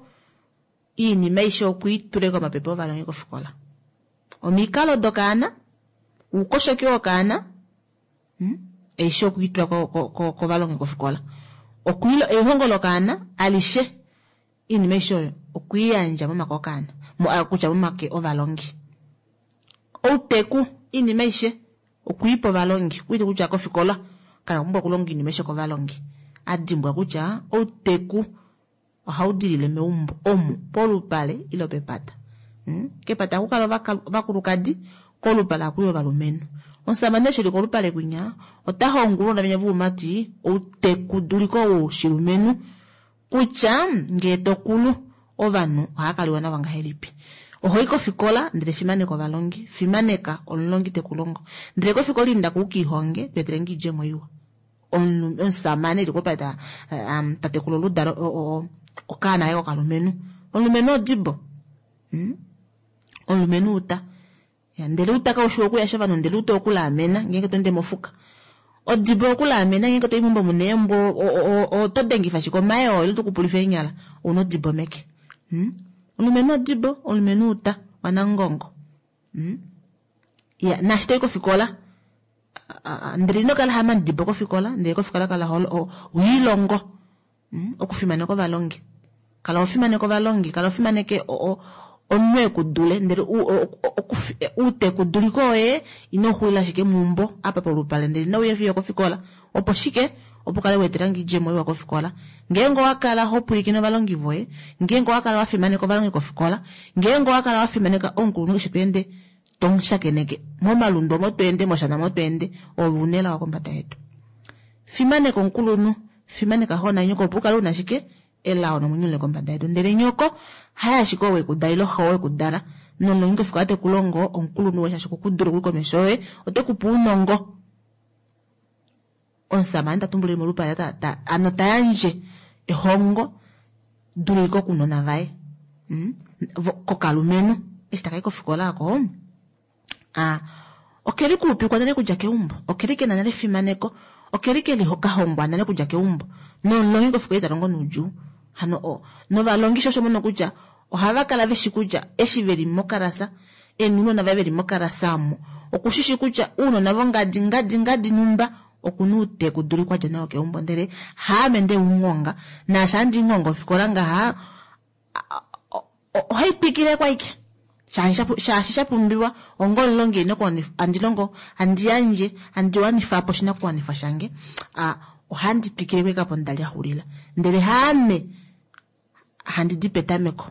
S2: iinima aishe okwiitule komapepe ovalongi kofikola. Omikalo dokaana, uukoshoki wokaana, aishe okwiitula kovalongi kofikola. Eihongo lokaana alishe, iinima aishe oyo okwiiyandja momake okaana, kutya momake ovalongi. Outeku, iinima aishe okwiipa ovalongi, okuiti kutya kofikola kana pumbwa okulonga iinima aishe kovalongi. Adimbwa kutya outeku ohau dilile meumbo omu polupale ile pepata. Kepata ohaku kala ovakulukadi, kolupale ohaku yi ovalumenhu. Omusamane eshi eli kolupale kwinya ota hongwa ounona venya voumati outekuduliko woshilumenhu kutya ngee tokulu ovanhu ohava kaliwa navo ngahelipi. Ohoi kofikola ndele fimaneka ovalongi, fimaneka omulongi tekulongo, ndele kofikola inda ko ukiihonge tweetelenge oidjemo iwa. Omusamane eli kolupale tatekula oludalo okaana kaye kokalumenhu, omulumenhu odibo, omulumenhu uta, ndele uta kaushi wokuyasha ovanhu, ndele uta okulaamena ngeenge to ende mofuka. Odibo okulaamena ngeenge to i meumbo muna eembwa, oto dengifa shike omayoo ile to kupulifa eenyala, ouna odibo meke. Omulumenhu odibo, omulumenhu uta wanangongo. Ya, naashi toi kofikola, ndele ino kala hamandibo kofikola, ndele kofikola kala hoilongo okufimaneka ovalongi. Kala ho fimaneke ovalongi, kala ho fimaneke omunhu ekudule, ndele outekuduliko woye ino xulila ashike meumbo apa polupale, ndele ino uya fiyo kofikola. Opo shike? Opo kale weetelange oidjemo iwa kofikola. Ngeenge owa kala ho pwilikine ovalongi voye, ngeenge owa kala wa fimaneka ovalongi kofikola, ngeenge owa kala wa fimaneka omukulunhu keshe to ende tomushakeneke momalundu omo to ende, moshana omo to ende, ove una elao kombada yedu. Fimaneka omukulunhu, fimaneka xo nanyoko opo u kale una shike? Elao nomwenyo ule kombada yedu. Ndele nyoko haye ashike ou wekudala ile xo wekudala, nomulongi kofikola te ku longo omukulunhu woye shaashi okukudula okuli komesho yoye, ote ku pe ounongo. Omusamane ta tumbulile molupale ano ta yandje ehongo duliko kounona vaye, kokalumenhu eshi takai kofikola oko, okeli kuupikwa nale kudja keumbo, okeli kena nale efimaneko, okeli keli kahongwa nale kudja keumbo, nomulongi kofikola ita longo noudjuu. Hano novalongi sho osho mono kutya ohava kala veshi kutya eshi veli mokalasa, eenunona vaye veli mokalasa omo, okushishi kutya ounona vongadi ngadi ngadi numba okuna outekuduliko adja nao keumbo, ndele haame nde unghonga, naashi handi nghonga ofikola ngaha ohai twikile kwaike shaashi sha pumbiwa onga omulongi andi longo, handi yandje, handi wanifa po oshinakuwanifwa shange, ohandi twikile kwaike apo nda lyaxulila, ndele haame handi di petameko.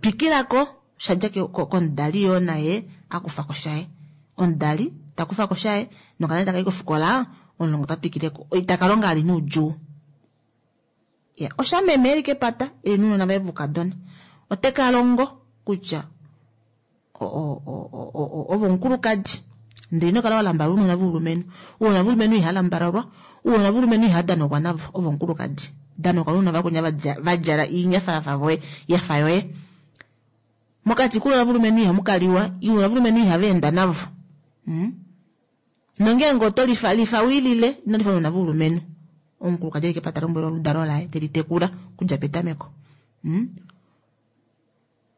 S2: Twikilako shadja komudali yoo naye akufako shaye, omudali takufako shaye nokana takai kofikola, omulongo ota twikileko, itaka longa ali noudjuu. Ya, oshameme eli kepata eli nounona vaye voukadona, ote ka longo kutya ovo omukulukadi, ndele ino kala wa lambala ounona voulumenhu. Ounona voulumenhu iha lambalalwa, ounona voulumenhu iha danokwa navo, ovo omukulukadi. Danokwa nounona vakunya va djala iinyafa yafa voye, yafa yoye. Mokati kounona voulumenhu ihamu kaliwa, ounona voulumenhu ihava endwa navo. Nongeenge oto lifa, lifa wiilile, ino lifa ounona voulumenhu. Omukulukadi eli kepata lombwela oludalo laye, teli tekula okudja petameko.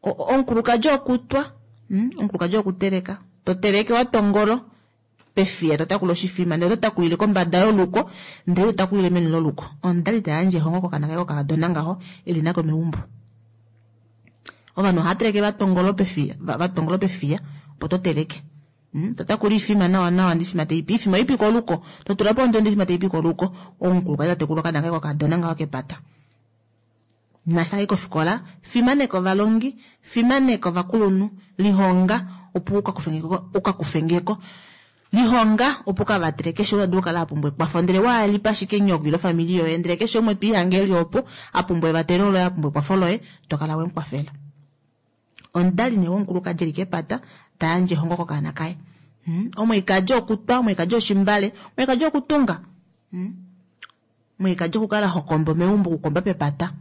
S2: Omukulukadi okutwa, omukulukadi okuteleka, to teleke wa tongolo pefiya, to takula oshifima, ndele oto takulile kombada yoluko, ndele to takulile meni loluko. Omudali ta yandje ehongo kokana kaye kokakadona ngaho eli nako meumbo. Ovanhu ohava teleke va tongolo pefiya, va tongolo pefiya opo to teleke. To takula oifima nawa nawa, ndele oifima tai pi, oifima oipi koluko, to tula po ondondo oifima tai pi koluko. Omukulukadi ta tekula okana kaye kokakadona ngaho kepata. Naashi takai kofikola, fimaneka ovalongi, fimaneka ovakulunhu, lihonga opo uka kufengeko, lihonga opo uka vatele keshe umwe dulu okukala a pumbwa ekwafo, ndele waalipa ashike nyoko ile ofamili yoye, ndele keshe umwe to ihange eli opo a pumbwa evatelo loye, a pumbwa ekwafo loye, to kala we mu kwafela. Omudali nee womukulukadi eli kepata ta yandje ehongo kokaana kaye. Omweikadi okutwa, omweikadi oshimbale, omweikadi okutunga, omweikadi okukala hokombo meumbo, okukomba pepata.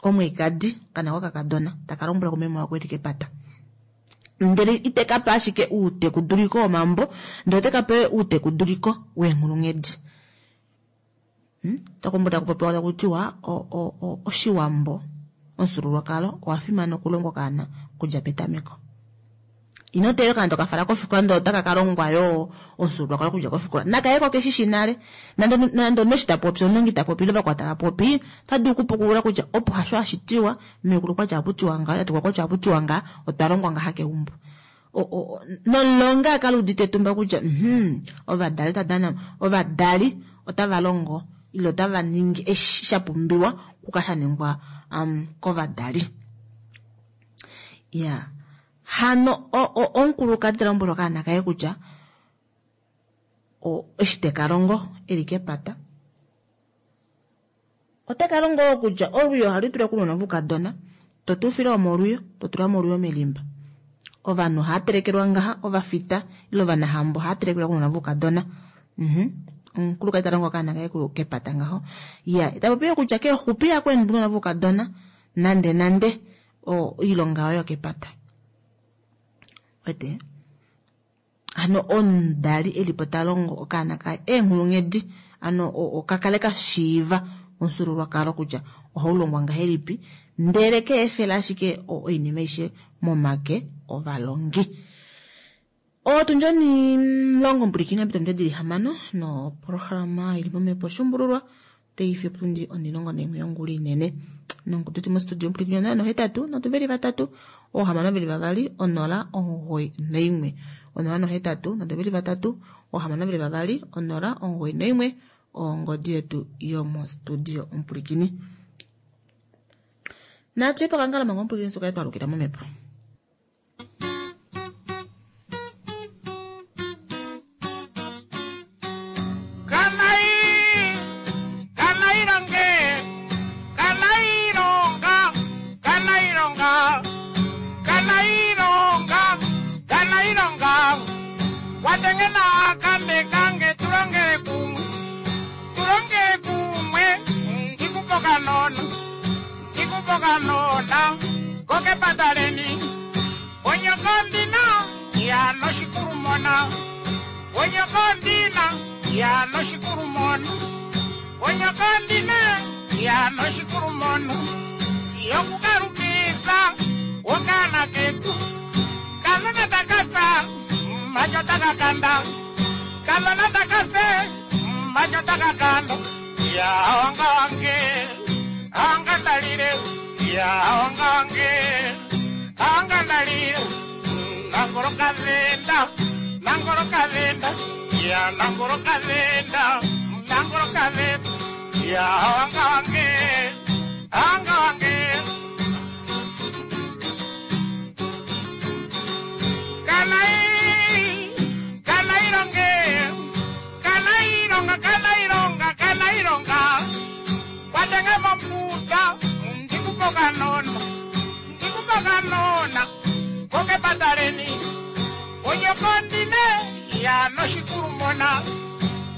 S2: Omweikadi kana kokakadona taka lombwela kumeme wako eli kepata. Ndele ite ka pa ashike outekuduliko womambo, ndele ote ka pe outekuduliko weenghulunghedi. Taku taku popiwa taku tiwa Oshiwambo, omufyuululwakalo owa fimana okulongwa okaana okudja petameko. Ino teelela okaana toka fala kofikola ndele otaka ka longwa yoo omufyuululwakalo okudja kofikola. Naka ye ko keshi shi nale. Nande nande omunhu eshi ta popi, omulongi ta popi ile vakwao tava popi, ota dulu okupukulula kutya opo hasho hashi tiwa, meekulu okwati ohapu tiwa ngaha, tatekulu okwati ohapu tiwa ngaha, otwa longwa ngaha keumbo. Nomulongi a kala udite etumba kutya ovadali ota dana, ovadali otava longo ile otava ningi eshi sha pumbiwa okukala sha ningwa kovadali. Ya hano omukulukadi ta lombwele okaana kaye kutya eshi te ka longo eli kepata ote ka longo wo kutya olwiyo ohali tulwa kounona voukadona, to tuufile omo olwiyo, to tula mo olwiyo melimba. Ovanhu ohava telekelwa ngaha, ovafita ile ovanahambo ohava telekelwa kounona voukadona. Omukulukadi ta longo okaana kaye kepata ngaho. Ya, ta popi yo kutya keexupi ihako enda ounona voukadona nande nande oilonga oyo yokepata. Wete? Hano omudali e li po ta longo okaana kaye eenghulunghedi, ano ka kale ka shiiva omufyuululwakalo kutya ohau longwa ngahelipi, ndele ke efela ashike oinima aishe momake ovalongi. Otundi onimulongo mpulikini apita ominute dili hamano noprograma ili momhepo Shumbululwa otai fiyo potundi onilongo naimwe yongula inene. Nongudu ti mostudio mpulikini 0 nohetatu nhatu veli vatatu oohamano veli vavali 0 9 noimwe 0 nohetatu nhatu veli vatatu oohamano veli vavali 0 9 noimwe ongodi yetu yomostudio omupulikini. Natu ye pokangala manga omupulikini suka twalukila momhepo.
S1: Watengena akambe kange tulongele kumwe, tulongele kumwe, ndikupoka nona, ndikupoka nona, koke pataleni, onyokondina ya noshikulumona, onyokondina ya noshikulumona, onyokondina ya noshikulumona, yokukalukisa okana ketu, kanona takatsa macho takakanda, kanona takatse macho takakanda, ya wanga wange anga ndalile, ya wanga wange anga ndalile, nangolo kavenda, nangolo kavenda, ya nangolo kavenda, nangolo kavenda, ya wanga wange anga wange. Kanai, kanaironge, kanaironga, kanaironga, kanaironga, watenge mombuta, ndikupoka nona, ndikupoka nona, koke pataleni, onyokondine ya noshikulumona,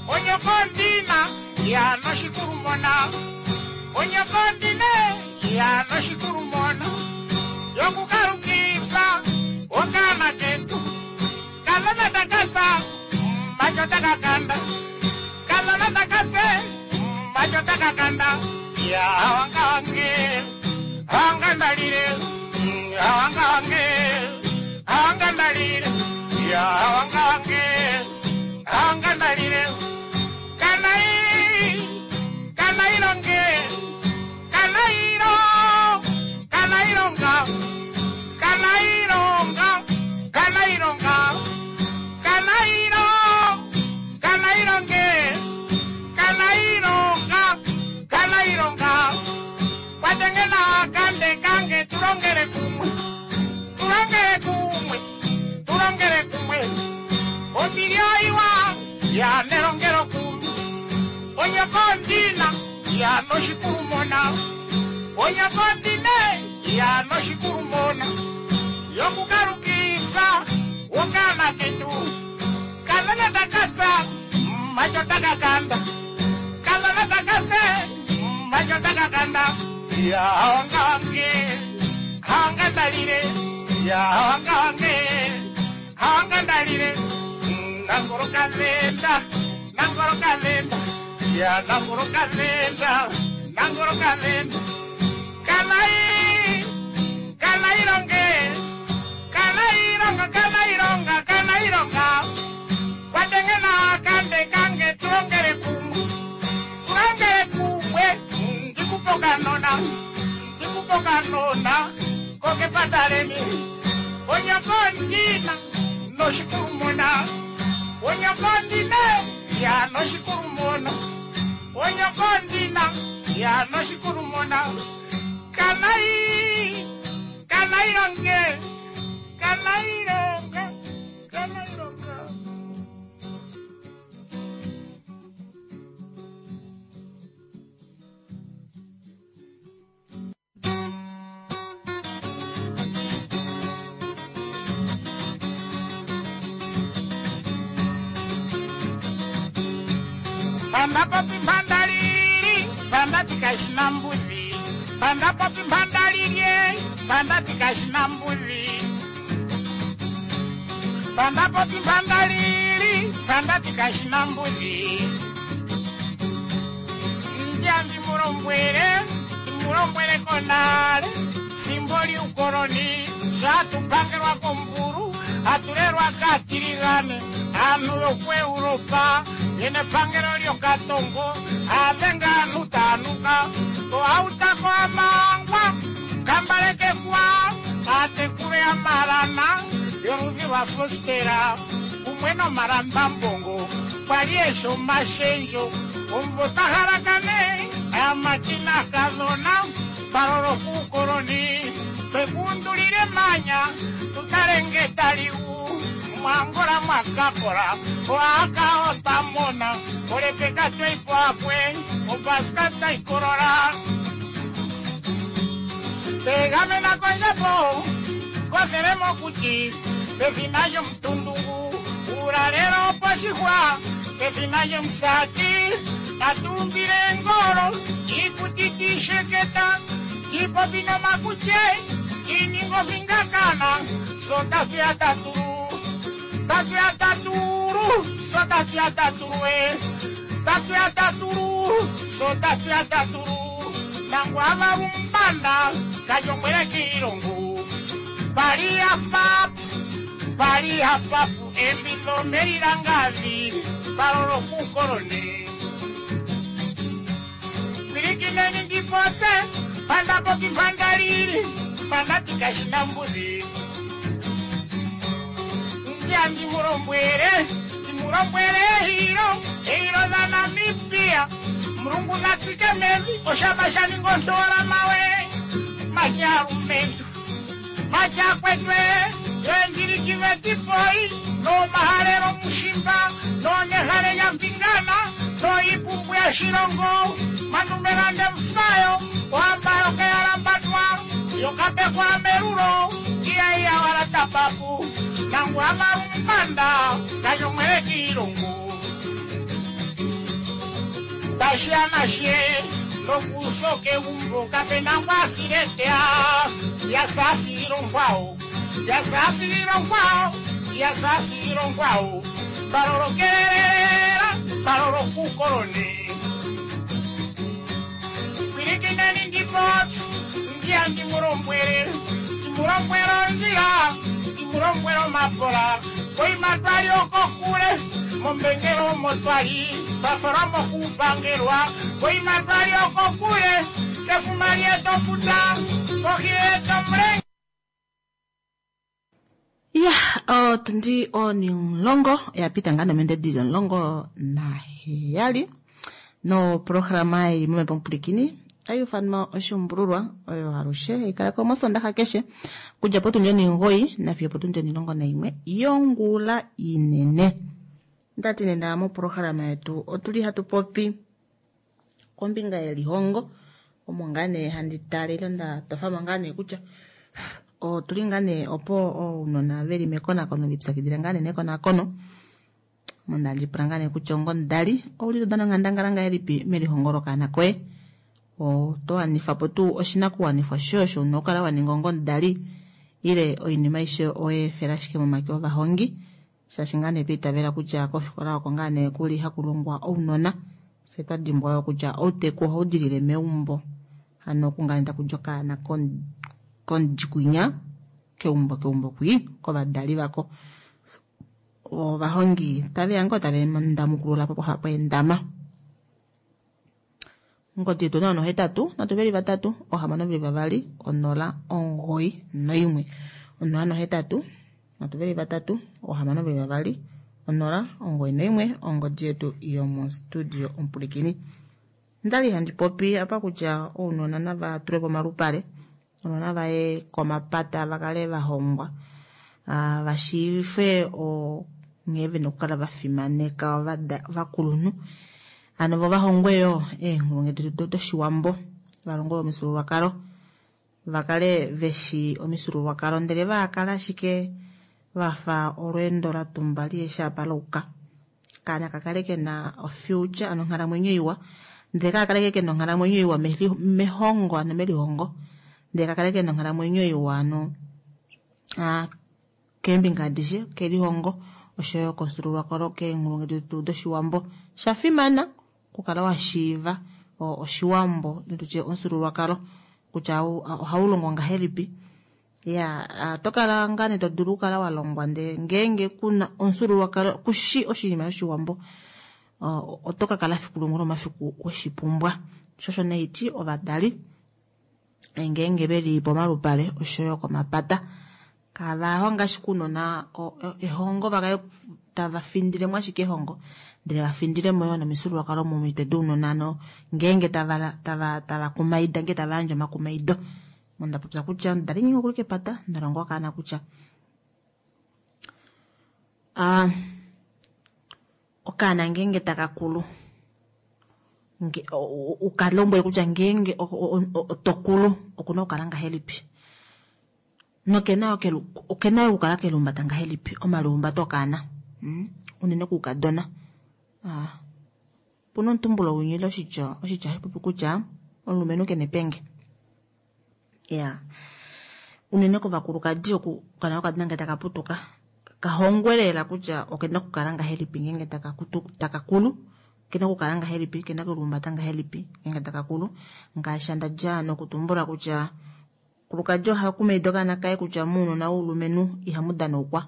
S1: onyokondina ya noshikulumona, onyokondine ya noshikulumona, yokukalukisa okana ketu, kanona takatsa macho takakanda, kanona takatse macho takakanda, ya wanga wange anga ndalile, wanga wange anga ndalile, ya wanga wange anga ndalile, kanai kanailonge, kanailo kanailonga, kanailonga, kanailonga, kanailo kanailonge, kanailonga, kanailonga, watengena kande kange tulongele kumwe, tulongele kumwe, tulongele kumwe, omilioiwa ya nelongelo kumwe, onyokondina ya noshikulumona, onyokondine ya noshikulumona, yokukalukisa okana ketu, kanona takatsa macho takakanda, kanona takatse macho takakanda, ya wanga wange anga ndalile, Ya hawanga wange, hawanga ndalile. Nangolo kalenda, nangolo kalenda. Ya nangolo kalenda, nangolo kalenda. Kanai, kanai longe. Kanai longa, kanai longa, kanai longa. Kwatengena kande kange tulongele kumwe. Tulongele kumwe, ndikupokanona. Ndikupokanona, koke pataleni. Onyakondina, noshikurumona. Onyakondina, ya noshikurumona. Onyakondina, ya noshikurumona. Kanai, kanai longe, kanai longa, kanai longa. Panda popi mpandalili, panda tikashina mbuzi. Panda popi mpandalili, panda tikashina mbuzi. Panda popi mpandalili, panda tikashina mbuzi. Njambi mulombwele, mulombwele konale. Simbo lyukoloni, zatupangelwa komburu, atulelwa katiligane. Anu yokweuropa, yene pangelo lyokatongo, avenga anu tanuka. Oautako amangwa, kambalekekwa, atekule amalana, yoludhi lwa fostera, kumwe nomalambambongo, kwali esho mashenjo, omvo tahalakane, amatina kadhona, palolo kukoloni, twekundulile manya, tutalenge taliu, mwangola mwakakola, oaka otamona, olepeka tweipo apwe, opaska taikolola. Tegamena kondjapo, kothele mokuti, pefina lyomutundungu, ulalelo poshihwa, pefina lyomusati, tatumbile ngolo, ikuti tisheketa, tipopi nomakutye, tiningo vingakana, sotafya taturu, tafya taturu, sotafya taturu, tafya taturu, sotafya taturu, nangwa varumbanda, kajongwele kiilongo, pali apapu, pali apapu, embilo melilangavi, palolo kukoloni. Pilikineni ndipotse, panda popi pandalili, panda tikashina mbuzi. Ndya ndimulombwele, ndimulombwele hilo, hilo la Namibia. Mulungu natsike mevi, oshaba shaningontola mawe. Machalumentu, machakwetwe, yendilikive tipoi, no mahalelo mushimba, no nehale ya mpingana, no ipumbu ya shilongo, manumelande mfayo, wambayo keyalambatwa, yokapekwa merulo, iya iya wala tapapu, nangu amarumbanda, kanyomwele kiilongo. Tashia nashe, nokusoke umbo, kapena ngwasiletea, yasafiro nkwao, yasafiro nkwao, yasafiro nkwao, balolokelelera, balolokukoloni. Pilikineni ndipotsi, ndiya ndimulombwele, ndimulombwele onjila, ndimulombwele omapola, koima twali okokule, mombengelo omotwali, twafalwa mokupangelwa, koima twali okokule, kefuma lyetofuta, kohi yetomulenge.
S2: Ya, otundi onimulongo yapita ngaa nomende dili 17 no programa ili momepo mupulikini ayufanwa oshumbululwa oyo alushe ikalako mosondaha keshe kudja potundi 9 nafiyo potundi 11 yongula inene. Ndati nena moprograma yetu otuli hatu popi kombinga yelihongo omo ngaa nee handi tale nda tofamo ngaa nee kutya otuli ngaa nee opo ounona veli mekonakono lipyakidila ngaa nee nekonakono. Monda ndipula ngaa nee kutya ongomudali ouli to dana onghandangala ngahelipi melihongo lokaana koye, oto wanifa po tuu oshinakuwanifwa shoye osho una okukala wa ninga ongomudali, Ile oinima aishe owe efela ashike momake ovahongi, shaashi ngaa nee twa itavela kutya kofikola oko ngaa nee kuli haku longwa ounona, fye twa dimbwa yo kutya outeku ohau dilile meumbo. Hano oku ngaa nee taku di okaana komudikwinya keumbo keumbo kwii kovadali vako. Ovahongi tave ya ngoo tave ndamukulula po poha poendama. Ongodi yetu 083 3 622 091. 083 3 622 091 ongodi yetu yomostudio omupulikini. Ndali handi popi apa kutya ounona nava tulwe pomalupale, ounona vaye komapata va kale va hongwa, va shiivifwe nghee vena okukala va fimaneka ovakulunhu. Hano vo vahongwe yo eenghulunghedi doshiwambo, va longwe omifyuululwakalo, va kale veshi omifyuululwakalo, ndele va kala ashike vafa olweendo la tumba liheshi apa lauka. Kaana ka kale kena ofuture, ano onghalamwenyo iwa, ndele ka kale kena onghalamwenyo iwa mehongo, ano melihongo, ndele ka kale kena onghalamwenyo iwa ano keembinga adishe, kelihongo oshoyo komufyuululwakalo, keenghulunghedi doshiwambo. Sha fimana okukala wa shiiva oshiwambo, tutye omufyuululwakalo kutya ohau longo ngahelipi. Ya oto kala ngaa nee to dulu okukala wa longwa, ndele ngeenge kuna omufyuululwakalo, kushi oshinima shoshiwambo, oto ka kala fiku limwe lomafiku weshipumbwa. Sho osho nee iti ovadali ngeenge veli pomalupale oshoyo komapata, kava honga ashike ounona ehongo, va kale tava findilemo ashike ehongo, ndele va findilemo yo nomifyuululwakalo momitwe dounona, ano ngeenge tava kumaida, ngeenge tava yandje omakumaido. Onda popya kutya omudali ngeenge okuli kepata, nda longa okaana kutya okaana ngeenge taka kulu, uka lombwele kutya ngeenge oto kulu okuna okukala ngahelipi, nokena okena okukala kelumbata ngahelipi, omalihumbato okaana, unene kuukadona. Opuna omutumbulo winyile oshitya hashi popi kutya omulumenhu kena epenge. Ya unene kovakulukadi oku kana okadona ngee taka putuka kahongwe lela kutya okena okukala ngahelipi ngeenge taka kulu, okena okukala ngahelipi, okena okulihumbata ngahelipi ngeenge taka kulu. Ngaashi ndadja nokutumbula kutya kulukadi oha kumaida okaana kaye kutya mounona woulumenhu ihamu danaukwa.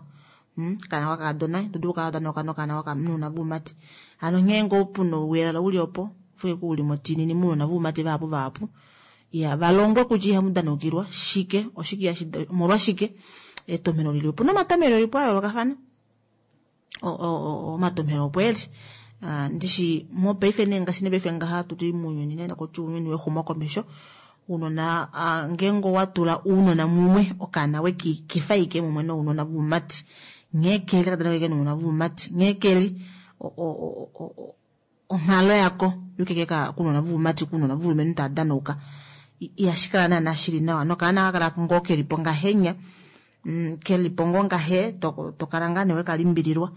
S2: Okaana kokakadona ito dulu okukala wa danauka nokaana nounona voumati. Hano nghee ngoo puna ouyelele uli opo ufike uli motinini mounona voumati vahapu vahapu. Ya valongwe kutya ihamu danaukilwa shike, oshike omolwashike etomheno lili. Opuna omatomheno elipo a yoolokafana, omatomheno opo eli. Ndishi mopaife nee ngaashi nepaife ngaha tuli mounyuni nee nakutya ounyuni wexumokomesho, ounona ngeenge owa tula ounona mumwe, okaana wekikifa ike mumwe nounona voumati, nghee keli taka danauka nounona voumati, nghee keli onghalo yako yukeke kunona voumati, kunona voulumenhu tava danauka, ihashi kala naana shili nawa, nokaana ka kala ngoo kelipo ngahenya, kelipo ngoo ngahe, to kala ngaa nee wekalimbililwa.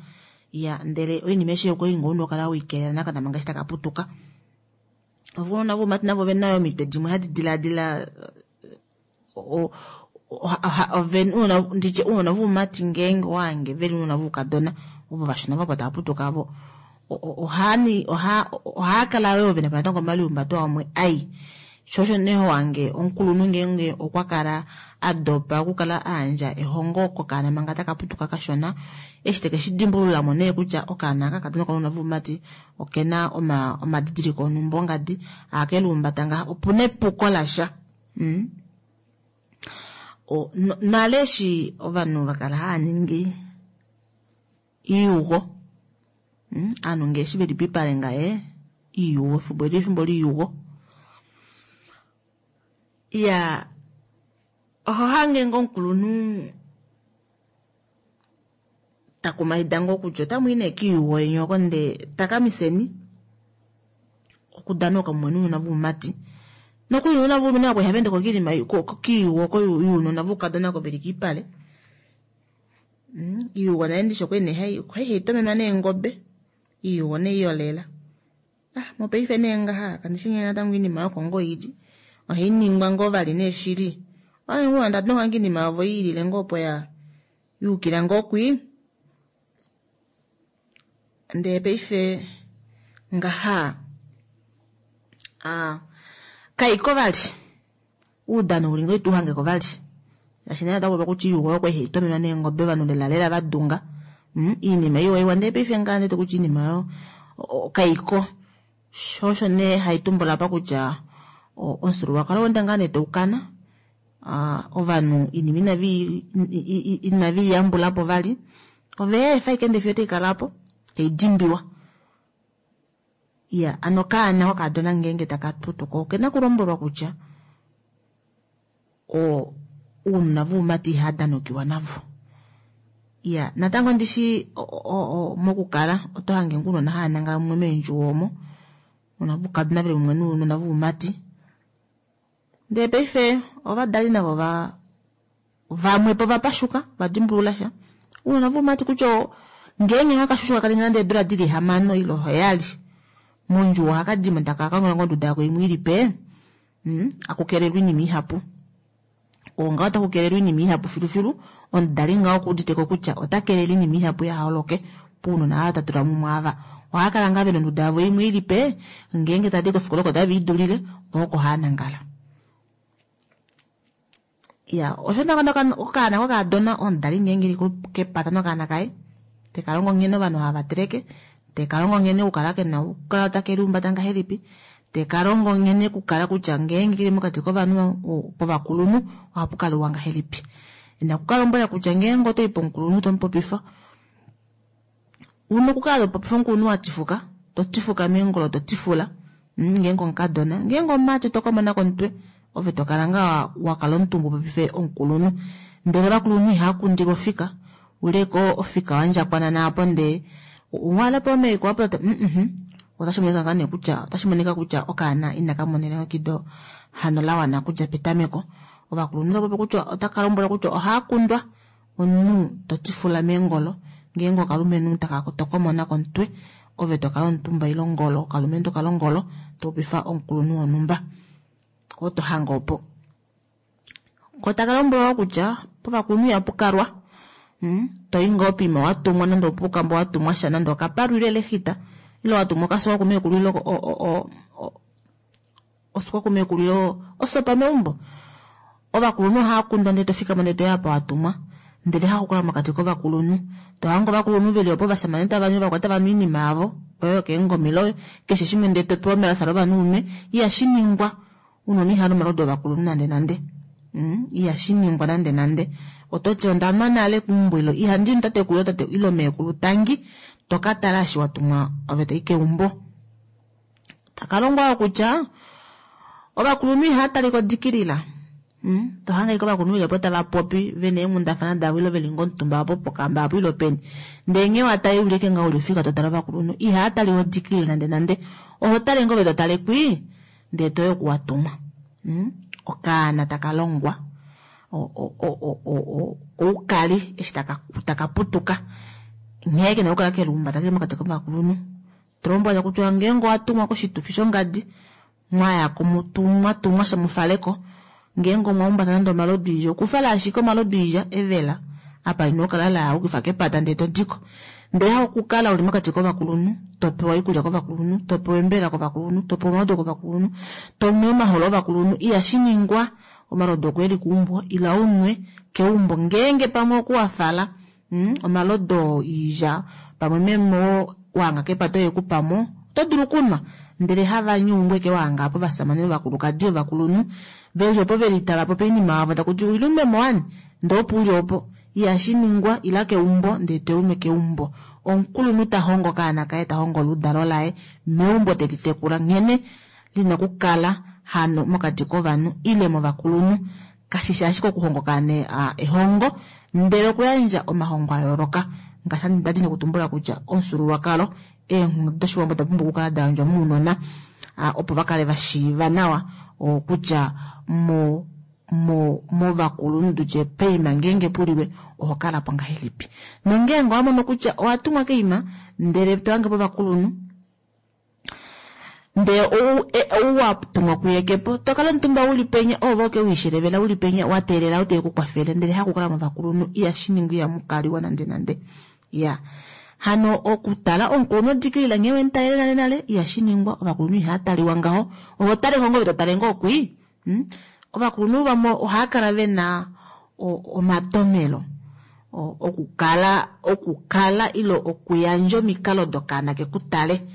S2: Ya ndele oinima eshe okwali ngoo una okukala weikelela nakana manga eshi taka putuka. Ounona voumati navo ovena yo omitwe dimwe hadi dilaadila, nditye ounona voumati ngeenge owange veli ounona voukadona ovo vashona vapo tava putuka avo, ohaa kala yo vena natango omalihumbato amwe ai. Sho osho nee wange omukulunhu ngeenge okwa kala a dopa okukala a yandja ehongo kokaana manga taka putuka kashona, eshi teke shi dimbululamo nee kutya okaana aka kadona kounona voumati okena omadidiliko onhumba ongadi, akelumbata ngaha, opuna epuko lasha. Nale eshi ovanhu va kala hava ningi iiyugo, ovanhu ngee eshi veli pipale ngaye iiyugo, efimbo eli efimbo liiyugo. Ya oho hange ngoo omukulunhu takumaida ngoo kutya otamui nee kiiyugo yeni oko ndee takamiseni okudanauka mumwe nounona voumati. Nokuli nounona voulumenhu avo ihava ende ko kiinima kiiyugo oko younona voukadona oko veli kiipale. Iiyugo naye ndishi okwali nee hai tomenwa neengobe, iiyugo nee iyolela. Mopaife nee ngaha kandishi nghee natango oinima yoko ngoo ili, ohai ningwa ngoo vali nee shili. Ndati inima yavo iilile ngoo opo ya yukila ngoo kwii. Ndee paife ngaha kaiko vali uudano uli ngoo ituhangeko vali shaashi nee otakupopiwa kutya iiyugo oyo kwali haitomenwa neengobe ovanhu lela lela vadunga iinima iwa iwa ndee paife ngaha ndiwete kutya iinima oyo kaiko sho osho nee haitumbula apa kutya omufyuululwakalo oweenda ngaa nee taukana ovanhu iinima inaveiyambulapo vali oveefa ashike ndee fiyo otaikala aapo taidimbiwa. Iya ano okaana kokadona ngeenge taka putuka okena okulombwelwa kutya ounona voumati ihadanokiwa navo. Iya natango ndishi mokukala oto hange ngoo ounona hava nangala mumwe meendjuwo omo ounona voukadona veli mumwe nounona voumati. Ndee paife ovadali navo vamwepo vapashuka vadimbulula sha ounona voumati kutya ngeenge okashushu kakaninga nande eedula dili 6 ile 7 mondjuwo ohakadimo taka kongela ngoo onduda yako imwe ilipe akukelelwa oinima ihapu. Ongaho otakukelelwa oinima ihapu filufilu omudali ngaho okuuditeko kutya otakelele oinima ihapu yaholoke pounona ava tatula mumwe ava. Ohakala ngaa vena onduda yavo imwe ilipe ngeenge tadi kofikola oko tave idulile vo oko haanangala. Iya osho okaana kokadona omudali ngeenge eli kepata nokaana kaye tekalongo nghene ovanhu hava teleke tekalongo nghene okukala kena okukala take lihumbata ngahelipi tekalongo nghene okukala kutya ngeenge keli mokati kovanhu povakulunhu ohapukaliwa ngahelipi. Ina kukalombwela kutya ngeenge otoyi pomukulunhu tomupopifa una okukala topopifa omukulunhu watifuka totifuka meengolo totifula ngeenge omukadona ngeenge omumati otokomona komutwe ove tokala ngaa wakala omutumba upopife omukulunhu. Ndele ovakulunhu ihakundilwa ofika uleko ofika wandjakwana naapo ndee walapo omeiko wapo otashi monika ngaa nee kutya otashi monika kutya okaana inaka mona elongekido hano lawana okudja petameko. Ovakulunhu otapopi kutya otaka lombwelwa kutya ohakundwa omunhu totifula meengolo ngeenge okalumenhu tokomona komutwe ove tokala omutumba ile ongolo okalumenhu tokala ongolo topopifa omukulunhu wonhumba oto hange opo. Ko taka lombwelwa kutya povakulunhu ihapukalwa toyi ngoo poima watumwa nande opuukambo watumwa sha nande okapalu ile elexita ile watumwa okasuka kumeekulu ile osuka kumeekulu ile osopa meumbo. Ovakulunhu ohakundwa ndee tofikama ndee toya apa watumwa ndele hakukala mokati kovakulunhu tohange ovakulunhu veli opo ovashamane tavanu ovakwati tavanu oinima yavo oyo keengomelo keshe shimwe ndee topewa omelasa lovanhu unwe ihashiningwa. Ounona ihanu omalodu ovakulunhu nande nande ihashiningwa nande nande. Ototi ondanwa nale keumbo ilo ihandi tatekulu tate ile meekulu tangi tokatala eshi watumwa ove toyi keumbo. Takalongwa kutya ovakulunhu ihatalika odikilila tohange ashike ovakulunhu veli opo tava popi vena eenghundafana davo ile veli ngoo omutumba opo pokamba apo ile peni ndee nghee watali ulike ngaho uli ofika totala ovakulunhu ihaataliwa odikilila nande nande oho tale ngoo ove totale kwii ndee toyi oku watumwa. Okaana taka longwa oukali eshi taka putuka nghee kena okukala kelihumbata keli mokati kovakulunhu. Tolombwela kutya ngeenge owatumwa koshitufi shongadi mwayako mwatumwa sha mufaleko ngeenge omwahumbata nande omalodu oilya okufala ashike omalodu oilya evela apa lina okukala layukifa kepata ndee todiko. Ndele hakukala uli mokati kovakulunhu topewa oikulya kovakulunhu topewa embela kovakulunhu topewa omalodu kovakulunhu tonwe omaholo ovakulunhu ihashiningwa. Omalodu okweeli keumbo ila unwe keumbo ngeenge pamwe okuwafala omalodu oilya pamwe memo wahanga kepata oye kupamo oto dulu okunwa ndele havanyu eke wahanga apo ovasamane ovakulukadi ovakulunhu veli opo veli tava popi oinima yavo takuti ila unwemo wani ndee opo uli opo ihashiningwa ila keumbo ndee tounwe keumbo. Omukulunhu tahongo okaana kaye tahongo oludalo laye meumbo telitekula nghene lina okukala hano mokati kovanhu ile movakulunhu. Kashishi ashike okuhonga okaana ehongo ndele okuyandja omahongo ayooloka ngaashi ndadi nokutumbula kutya omufyuululwakalo eenghedi doshiwambo oda pumbwa okukala dayandjwa mounona opo vakale vashiiva nawa kutya movakulunhu tutye peima ngeenge puliwe oho kalapo ngahelipi. Nongeenge owamono kutya owatumwa keima ndele tohange povakulunhu. Ndee ou wa tumwa kuye ke po, to kala omutumba u li penya, ove oke wiishelevela u li penya, wa teelela ou te ku kwafele, ndele hakukala movakulunhu, ihashi ningwa, ihamu kaliwa nande nande. Ya. Hano okutala omukulunhu odikilila nghee we mu talele nale nale, ihashi ningwa, ovakulunhu ihava taliwa ngaho. Oho tale ngoo ove to tale ngoo kwii. Ovakulunhu vamwe ohava kala ve na omatomhelo okukala okukala ile okuyandja omikalo dokaana ke ku tale.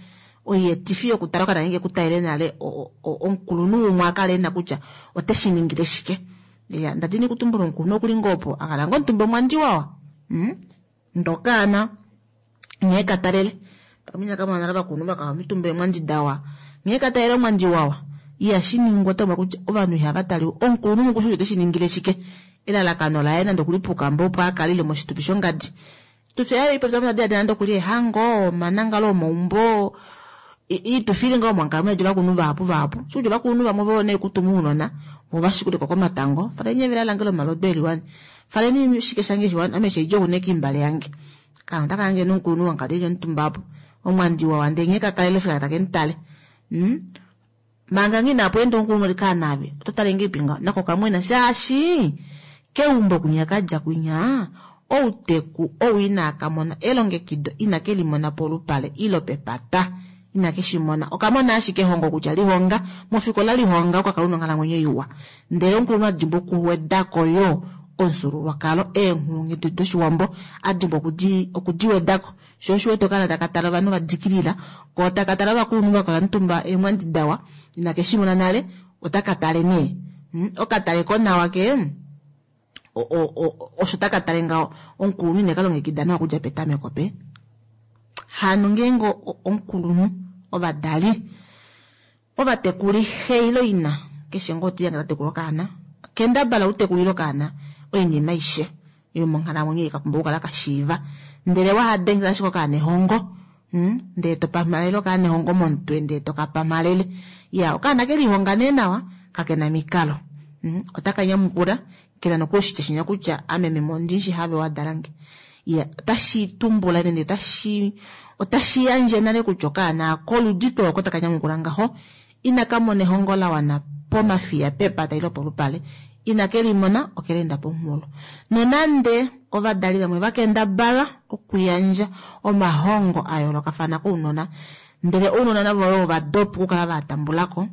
S2: Oyeetifi yokutala okaana ke ku talele nale omukulunhu umwe a kale e na kutya ote shi ningile shike. Ya, nda dini kutumbula omukulunhu okuli ngoo opo a kala ngoo omutumba omwandi wawa. Ndokaana nghee ka talele pamwe inaka mona nale ovakulunhu va kala omitumba eemwandi dawa, nghee ka talele omwandi wawa ihashi ningwa. Otaumwa kutya ovanhu ihava taliwa omukulunhu mukushu ote shi ningile shike, elalakano laye nande okuli puukamba opo a kale ile moshitufi shongadi. Oshitufi ayo ipopya mona nande okuli ehango, omanangalo omaumbo, iitufi ili ngaho monkalamwenyo yetu ovakulunhu vahapu vahapu. Shikutya ovakulunhu vamwe vo nee kutuma ounona vo va shikuleko komatango, faleni evela lange lomalodu eliwani, faleni shike shange shiwani, ame sheidja okuneka imbale yange. Kaana otaka hange nomukulunhu wankadi eli omutumba apo, omwandi wawa ndee nghee ka kalele fika take mu tale. Manga nghi inapu enda omukulunhu oti kaana ave, oto tale ngeipi ngaho, nako kamwena shaashi keumbo kwinya ka dja kwinya, outeku ou inaa ka mona elongekido inake li mona polupale ilo pepata. Inake shi mona. Oka mona ashike ehongo kutya lihonga, mofikola lihonga oka kala una onghalamwenyo iwa. Ndele omukulunhu a dimbwa okuwedako yo omufyuululwakalo, eenghulunghedi doshiwambo a dimbwa okudi wedako. Sho osho wete okaana taka tala ovanhu va dikilila, ko taka tala ovakulunhu va kala omutumba eemwandi dawa, inake shi mona nale, otaka tale nee. Okatale ko nawa ke osho taka tale ngaho, omukulunhu ine ka longekida nawa okudja petameko pe. Hano ngeenge omukulunhu, ovadali, ovatekuli, xe ile ina, keshe ngoo oti yange ta tekula okaana, kendabala u tekulile okaana oinima aishe yomonghalamwenyo ei ka pumbwa okukala ka shiiva. Ndele waha dengela ashike okaana ehongo, ndele to pamhalele okaana ehongo momutwe, ndele to ka pamhalele. Ya, okaana ke lihonga nee nawa, kake na mikalo. Otaka nyamukula, kena nokuli oshitya shinya kutya ame meme ondi shi have wa dalange. Ya, otashi tumbula nende otashi yandje nale kutya okaana koludi tuu oko taka nyamukula ngaho, inaka mona ehongo la wana pomafiya pepata ile polupale, inake limona okeleenda pomunghulo. Nonande ovadali vamwe va kendabala okuyandja omahongo a yoolokafana kounona, ndele ounona navo yo ova dopa okukala va tambulako,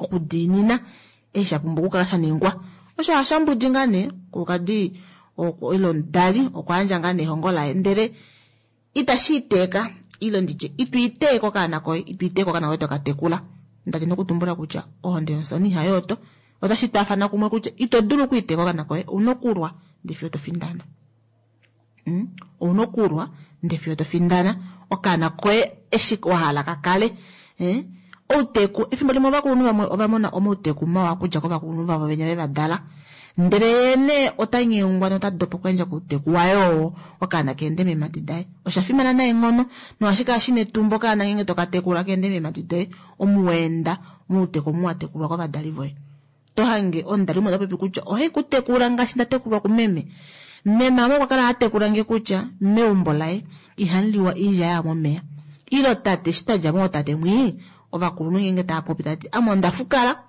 S2: okudiinina eshi sha pumbwa okukala sha ningwa. Osho hashambudi ngaa nee omukulukadi ile omudali okwa yandja ngaa nee ehongo laye, ndele itashi iteeka ile nditye itu iteeka okaana koye, itu iteeka okaana koye toka tekula. Ndati nokutumbula kutya ohonde yomufyani ihayooto, otashi twaafana kumwe kutya ito dulu okuiteeka okaana koye, ouna okulwa ndee fiyo to findana. Ouna okulwa ndee fiyo to findana okaana koye eshi wa hala ka kale. Outeku, efimbo limwe ovakulunhu vamwe ova mona omauteku mawa okudja kovakulunhu vavo venya ve va dala, ndele ye nee ota nyengwa nota dopa okuyandja kouteku waye oo okaana keende meemhadi daye. Osha fimana neenghono nohashi kala shina etumba okaana ngeenge toka tekula keende meemhadi doye, omu wa enda mouteku omu wa tekulwa kovadali voye. To hange omudali umwe ota popi kutya ohai ku tekula ngaashi nda tekulwa kumeme. Meme ame okwa kala ha tekula nge kutya meumbo laye ihamu liwa oilya ya momeya. Ilo tate eshi twa dja mootate mwii, ovakulunhu ngeenge tava popi tava ti ame onda fukala.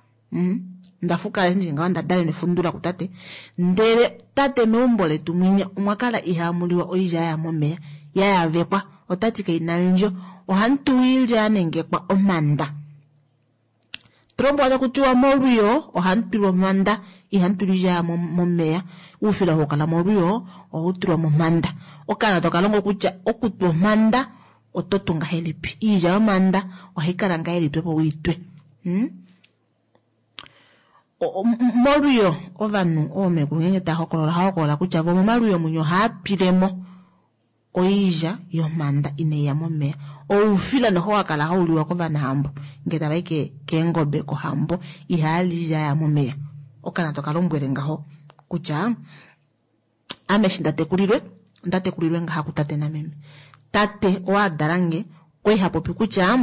S2: Onda fukala eshi ndili ngaho onda dalelwa nefundula kutate. Ndele tate meumbo letu mwinya omwa kala ihamu liwa oilya ya momeya ya yavekwa. Ota ti kaina ndjo. Ohamu tuwa oilya ya nengekwa omhanda. Tulombwelwa taku tiwa molwiyo ohamu tulwa omhanda, ihamu tulwa oilya ya momeya. Oufila oo kala molwiyo ohau tulwa momhanda. Okaana toka longo kutya okutwa omhanda oto tu ngahelipi. Oilya yomhanda ohai kala ngahelipi opo uitwe. Molwiyo ovanhu oomekulu ngeenge tava hokolola ohava hokolola kutya vo momalwiyo mwinya ohava twilemo oilya yomhanda inai ya momeya. Oufila noho wa kala hau liwa kovanahambo ngee tava i keengobe kohambo, ihava li oilya ya momeya. Okaana toka lombwele ngaho kutya ame eshi nda tekulilwe, onda tekulilwe ngaha kutate nameme. Tate oo a dala nge okwali ha popi kutya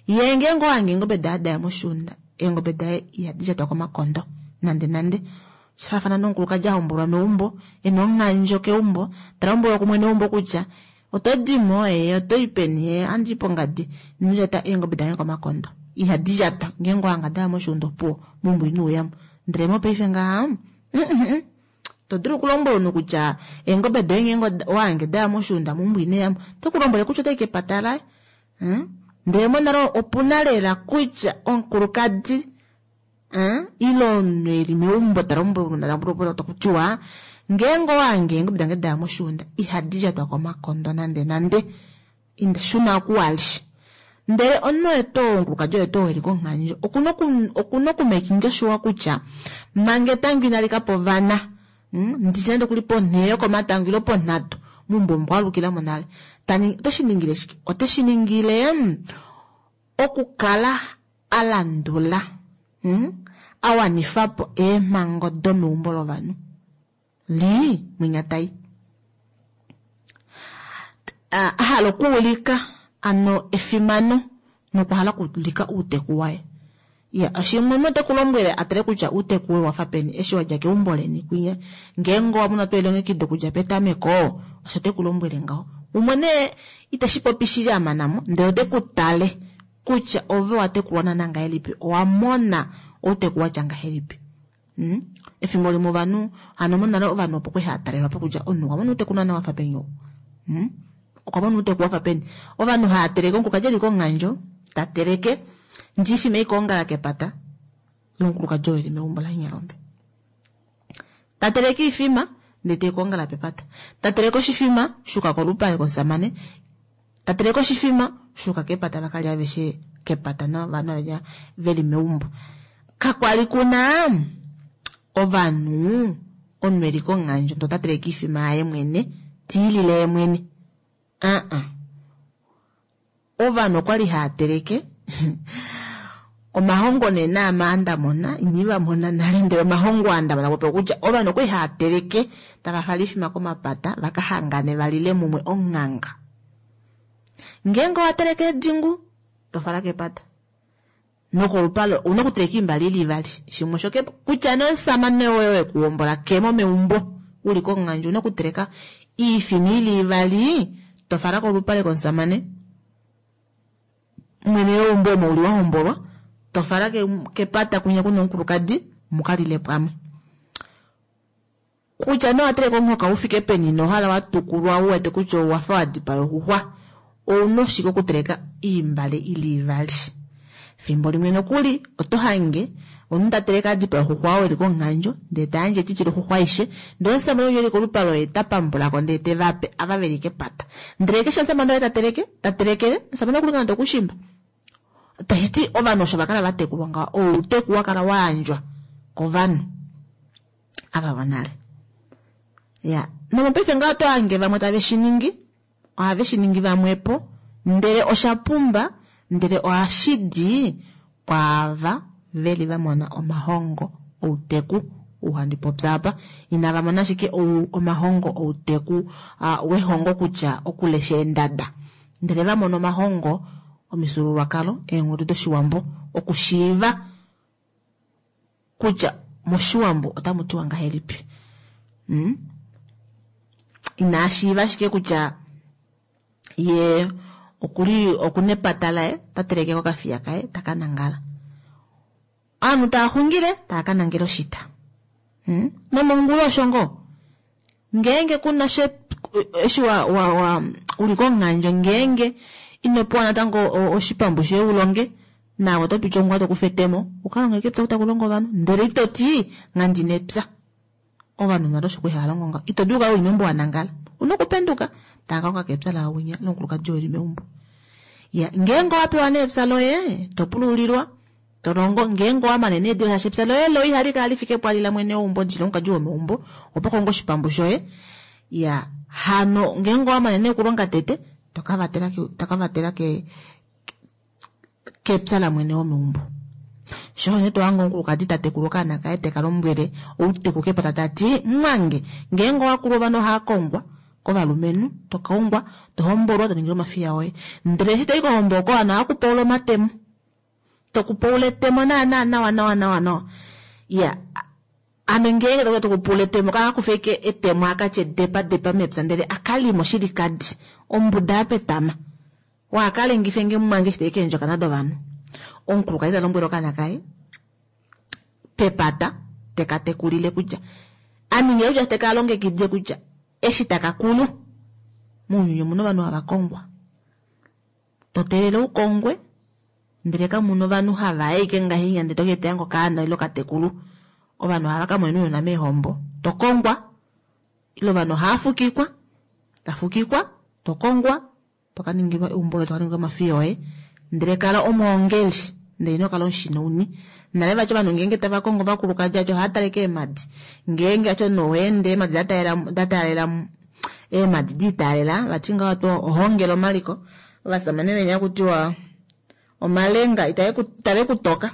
S2: ye ngeenge owa hange eengobe daye daya moshuunda, eengobe daye ihadi lyatwa komakondo nande nande. Sha faafana nomukulukadi a hombolwa meumbo, e na onghandjo keumbo, ta lombwelwa kumwene weumbo kutya oto di mo, ee, oto i peni, ee, ohandi i pongadi, ino lyata eengobe dange komakondo. Ihadi lyatwa ngeenge owahanga daya moshiunda opuwo meumbo ino uyamo. Ndele mopaife ngaha to dulu okulombwela omunhu kutya eengobe doye ngeenge owahange daya moshiunda meumbo ino yamo, ote ku lombwele kutya otai kepata laye. Ndele monale opuna lela kutya omukulukadi ile omunhu eli meumbo ta lombwelwa taku tiwa ngeenge owahange eengobe dange daya moshiunda ihadi lyatwa komakondo nande nande, inda shuna oku wali. Ndele omunhu oye tuu omukulukadi oye tuu eli konghandjo okuna okumakinga sure kutya manga etango inali kapa ovana, nditye nande okuli ponhee yokomatango ile ponhatu meumbo omo kwalukilamo nale. Ote shi ningile shike? Ote shi ningile okukala a landula a wanifa po eemhango domeumbo lovanhu li mwinya tai a hala okuulika ano efimano nokuhala okuulika outeku waye. Ya, shimwe omunhu ote ku lombwele a tale kutya outeku woye wafa peni eshi wadja keumbo leni kwinya. Ngeenge owa mona elongekido okudja petameko, osho te ku lombwele ngaho. Umwe nee iteshi popi shili a mana mo, ndele ote ku tale kutya ove wa tekulwa naana ngahelipi, owa mona outeku watya ngahelipi. Efimbo limwe ovanhu, hano monale ovanhu opo kwali hava talelwa po kutya omunhu okwa mona outeku naana wafa peni ou. Okwa mona outeku wafa peni. Ovanhu hava teleke, omukulukadi eli konghandjo, ta teleke, ndiifima ikoongala kepata lomukulukadi oo eli meumbo laNyalombe. Ta teleke iifima, ndee teikoongala pepata. Ta teleke oshifima, shuka kolupale komusamane. Ta teleke oshifima, shuka kepata vakalya aveshe kepata novanhu aveshe veli meumbo. Kakwali kuna ovanhu omunhu eli konghandjo ndee ota teleke iifima yaye mwene, tiilile ye mwene. Ovanhu okwali hava teleke omahongo nee naama ndamona iniva mona nale, ndele omahongo aa ndamona popi okutya ovanhu okwali hava teleke tava fala oifima komapata vaka hangane valile mumwe onghanga. Ngeenge owa teleke edingu tofala kepata nokolupale ouna okuteleka oimbale ili ivali, shimwe osho kutya nee omusamane woye wekuhombola kemo meumbo uli konghandjo ouna okuteleka iifima ili ivali tofala kolupale komusamane mwene weumbo omo uli wahombolwa, tofala kepata kwinya kuna omukulukadi mukalile pamwe. Kutya nee owateleka omuhoka ufike peni nohala watukulwa uwete kutya owafa wadipaya oxuxwa, ouna ashike okuteleka oimbale ili ivali. Fimbo limwe nokuli oto hange omunhu ta teleke adipaya oxuxwa oo eli konghandjo ndee tayandje etiti loxuxwa aishe, ndee omusamane ou eli kolupale oye ta pambulako ndee tevape ava veli kepata. Ndele keshe omusamane oye ta teleke, ta telekele, omusamane okuli nande okushimba. Tashiti ovanhu osho vakala vatekulwa ngaho, outeku wakala wayandjwa kovanhu ava vonale. Ya, nomopaife ngaho oto hange vamwe tave shi ningi, ohave shi ningi vamwepo, ndele osha pumba, ndele ohashi di kwaava veli va mona omahongo outeku ou handi popi apa. Inava mona ashike omahongo outeku wehongo kutya okulesha eendada, ndele va mona omahongo omifyuululwakalo, eenghedi doshiwambo, okushiiva kutya moshiwambo otamu tiwa ngahelipi. Ina shiiva ashike kutya ye okuli okuna epata laye, ota teleke kokafiya kaye taka nangala. Ovanhu tava xungile tava ka nangela oshita. Nomongula osho ngoo. Ngeenge kuna eshi uli konghandjo, ngeenge ino pewa natango oshipambu shoye ulonge, naave oto piti ongula tokufa etemo uka longe kepya taku longo ovanhu, ndele ito ti nghandina epya. Ovanhu nale osho kwali hava longo ngaho. Ito dulu okukala uli meumbo wa nangala, una okupenduka tava ka longa kepya lawinya lomukulukadi oo eli meumbo. Ya, ngeenge owa pewa nee epya loye, to pululilwa, to longo, ngeenge owa mane nee diva shaashi epya loye lo ihali kala lifike pwali la mwene weumbo ndili lomukadi womeumbo, opo konga oshipambu shoye. Ya, hano ngeenge owa mane nee okulonga tete, to ka vatela kepya la mwene womeumbo. Sho nee to hange omukulukadi ta tekula okaana kaye teka lombwele outeku kepata ta ti, mwange, ngeenge owa kulu ovanhu ohava kongwa kovalumenhu, to kaungwa, to hombolwa, to ningilwa omafiya oye. Ndele eshi toi kohombo oko ovanhu ohava kupaula omatemo. To kupaula etemo naana nawa nawa nawa nawa. Ya, ame ngeenge takuya tokupaula etemo, kaka kufe ashike etemo akatye depa depa mepya, ndele akalima oshilikadi, ombuda ya petama. Wakalengife nge mwange eshi tai keendjokana dovanhu. Omukulukadi ta lombwele okaana kaye pepata teka tekulile kutya a ninge kutya teka longekidile kutya eshi taka kulu mounyuni omuna ovanhu hava kongwa. To teelele u kongwe ndele kamuna ovanhu hava ashike ngahenya ndele to keetela ngo okaana ile okatekulu. Ovanhu ohava ka mona ounona meehombo. To kongwa ile ovanhu ohava fukikwa, ta fukikwa, to kongwa, to ka ningilwa eumbo loye, to ka ningilwa omafiya oye. Ndele kala omwoongeli ndele ino kala omushinauni. Nale vati ovanhu ngeenge tava kongo ovakulukadi vati ohava tale keemadi. Ngeenge vati omunhu owa ende eemadi da taalela da taalela eemadi di taalela vati ngaho oto ohongele omaliko. Ovasamane venya kutiwa omalenga itave ku toka.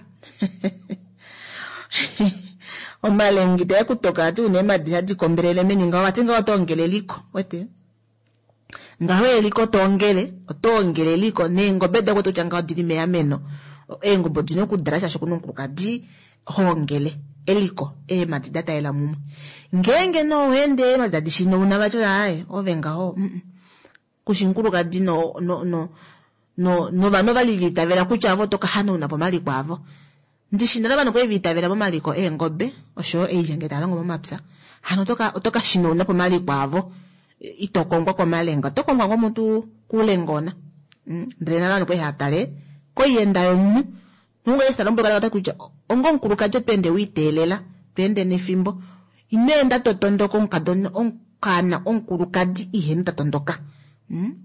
S2: Omalenga itave ku toka vati una eemadi hadi kombelele meni ngaho vati ngaho oto ongele eliko. Wete? Ngaho eliko to ongele, oto ongele eliko neengobe doye kutya ngaho odili meameno. Eengobe odina okudala shaashi okuna omukulukadi hoongele eliko eemadi da talela mumwe. Ngeenge nee owa ende eemadi tadi shinauna vati aaye ove ngaho kushi omukulukadi no no no no novanhu ovali va itavela kutya avo oto ka hanauna po omaliko avo. Ndishi nale ovanhu kwali va itavela momaliko eengobe oshoyo oilya ngee tava longo momapya. Hano oto ka oto ka shinauna po omaliko avo. Ito kongwa komalenga, oto kongwa ngoo mutu kulengona. Ndele nale ovanhu kwali hava tale koiyenda yomunhu. Nonga eshi ta lombwelwa ota kutya onga omukulukadi oto ende wa iteelela, to ende nefimbo. Ino enda to tondoka omukadona okaana omukulukadi iheni ta tondoka.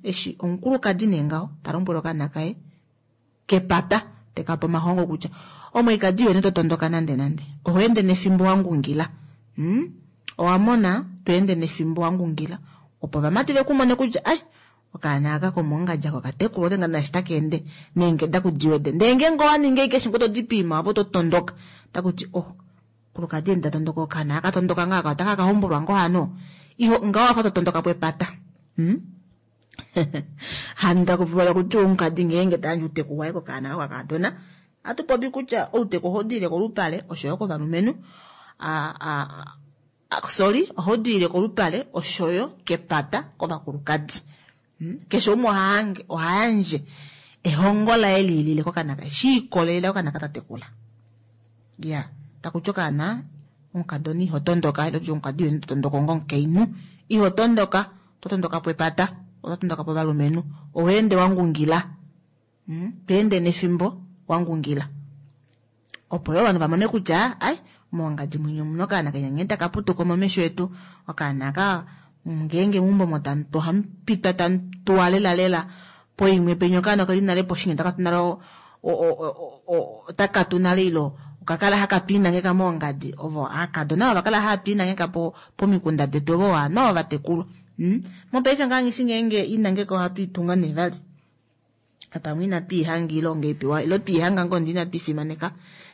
S2: Eshi omukulukadi nee ngaho ta lombwele okaana kaye kepata teka pe omahongo kutya omweikadi iheni to tondoka nande nande. Oho ende nefimbo wa ngungila. Owa mona to ende nefimbo wa ngungila opo ovamati ve ku mone kutya ai okaana aka komoongadja ko okatekulwa ote nga naashi taka ende neengeda kudiwede. Ndele ngeenge owa ninga ashike eshi ngoo to dipiima opo to tondoka takuti oh kulukadi enda tondoka okaana aka tondoka ngaaka otaka ka hombolwa ngoo hano. Iho ngaho wafa to tondoka po epata. Hano taku kutya omukadi ngeenge ta yandje outeku waye kokaana kako kakadona ohatu popi kutya outeku ohau diile kolupale oshoyo kovalumenhu. Sorry, ohau diile kolupale oshoyo kepata kovakulukadi. Keshe umwe oha yandje ehongo laye liilile kokaana kaye shi ikolelela kokaana ka ta tekula. Ya, takuti okaana omukadona iho tondoka ile tutye omukadi iho tondoka onga omukainhu iho tondoka, oto tondoka po epata, oto tondoka po ovalumenhu. Oho ende wa ngungila. To ende nefimbo wa ngungila. Opo yo ovanhu va mone kutya ai mongadi mwenye omuna okaana kenya nghee taka putuka momesho etu. Okaana aka ngeenge meumbo omo ohamu pitwa tamu tuwa lela lela poimwe penya okaana okeli nale poshinya taka tu nale otaka tu nale ilo okakala haka twiinangeka moongadi. Ovo aakadona ova kala hava twiinangeka pomikunda detu ovo ovanhu ava vatekulwa. Mopaife ngaa nghishi ngeenge inangeka ohatu itunga nee vali. Pamwe inatu ihanga ile ongeipiwa ilo twiihanga ngoo ndee inatu ifimaneka.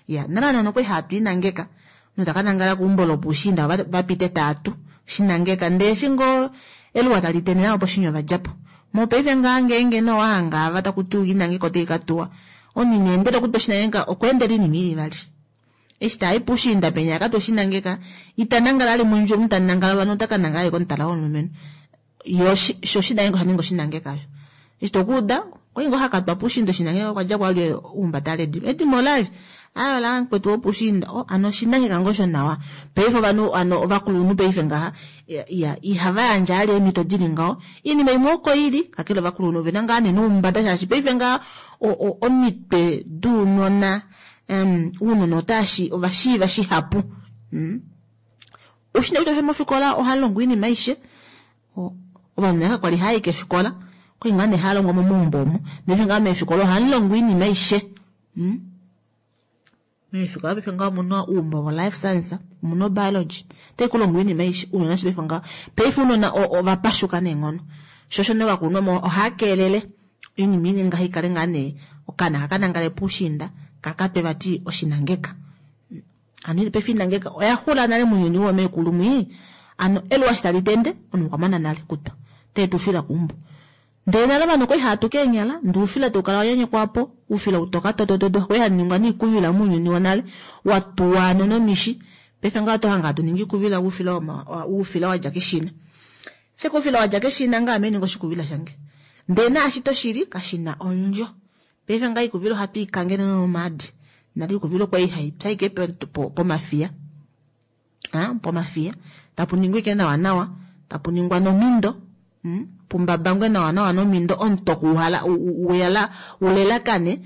S2: Ya, nale nano okwali hatu inangeka. Omunhu taka nangala keumbo lopuushiinda va pite taatu shinangeka ndee eshi ngoo eluwa tali tende navo poshinya ova djapo. Mopaife ngaa ngeenge nee owa hanga ava taku tiwa inangeka otai ka tuwa. Omunhu ina endela okutwa oshinangeka okwa endela oinima ili vali. Eshi tai puushiinda penya akatwa oshinangeka ita nangala ali mondjuwo omunhu ta nangala ovanhu ota ka nangala ali komutala womulumenhu. Yo sho oshinangeka osha ninga oshinangeka osho. Eshi tokuuda okwali ngoo hakatwa puushiinda oshinangeka okwa dja kwali uhumbata ale edimo. Edimo olali aaye ola mukwetu wopuushiinda oh hano oshinangeka ngoo shonawa. Paife ovanhu hano ovakulunhu paife ngaha ya ihava yandje ali eemhito dili ngaho. Oinima imwe oko ili kakele ovakulunhu ovena ngaa nee noumbada shaashi paife ngaha omitwe dounona ounona otaashi ova shiiva shihapu. Oushina kutya mofikola oha longwa oinima aishe. Ovanhu nale kakwali hava i kefikola okwali ngaa nee hava longwa momaumbo omo. Ndele ngaa meefikola ohamu longwa oinima aishe. Meefikola paife ngaho omuna oumbo vo life science, omuna biology. Otai ku longwa oinima aishe ounona eshi paife ngaho. Paife ounona ova pashuka neenghono. Sho osho nee ovakulunhu ohava keelele oinima inini ngaho ikale ngaa nee okaana haka nangale puushiinda kakatwe vati oshinangeka. Hano paife inangeka oya xula nale mounyuni woomeekulu mwii. Hano eluwa eshi tali tende omunhu okwa mana nale kutwa. Ote tu ufila keumbo. Ndele nale ovanhu okwali hava tu keenyala ndee oufila taukala wa nyanyekwa po oufila utoka totototo okwali haningwa niikuvila mounyuni wonale wa tuwa hano nomishi. Paife ngaho oto hange hatu ningi iikuvila oufila oufila wadja keshina. Sheke oufila wadja keshina ngaho ame ninga oshikuvila shange. Ndele naashi toshili kashina ondjo. Paife ngaa iikuvila ohatu i kangele nomaadi. Nale iikuvila okwa li hai pya ashike pomafiya. Pomafiya. Tapu ningwa ashike nawa nawa, tapu ningwa nomindo, pumbabangwe nawa nawa nomindo, omutoko uhala uyala ulelakane,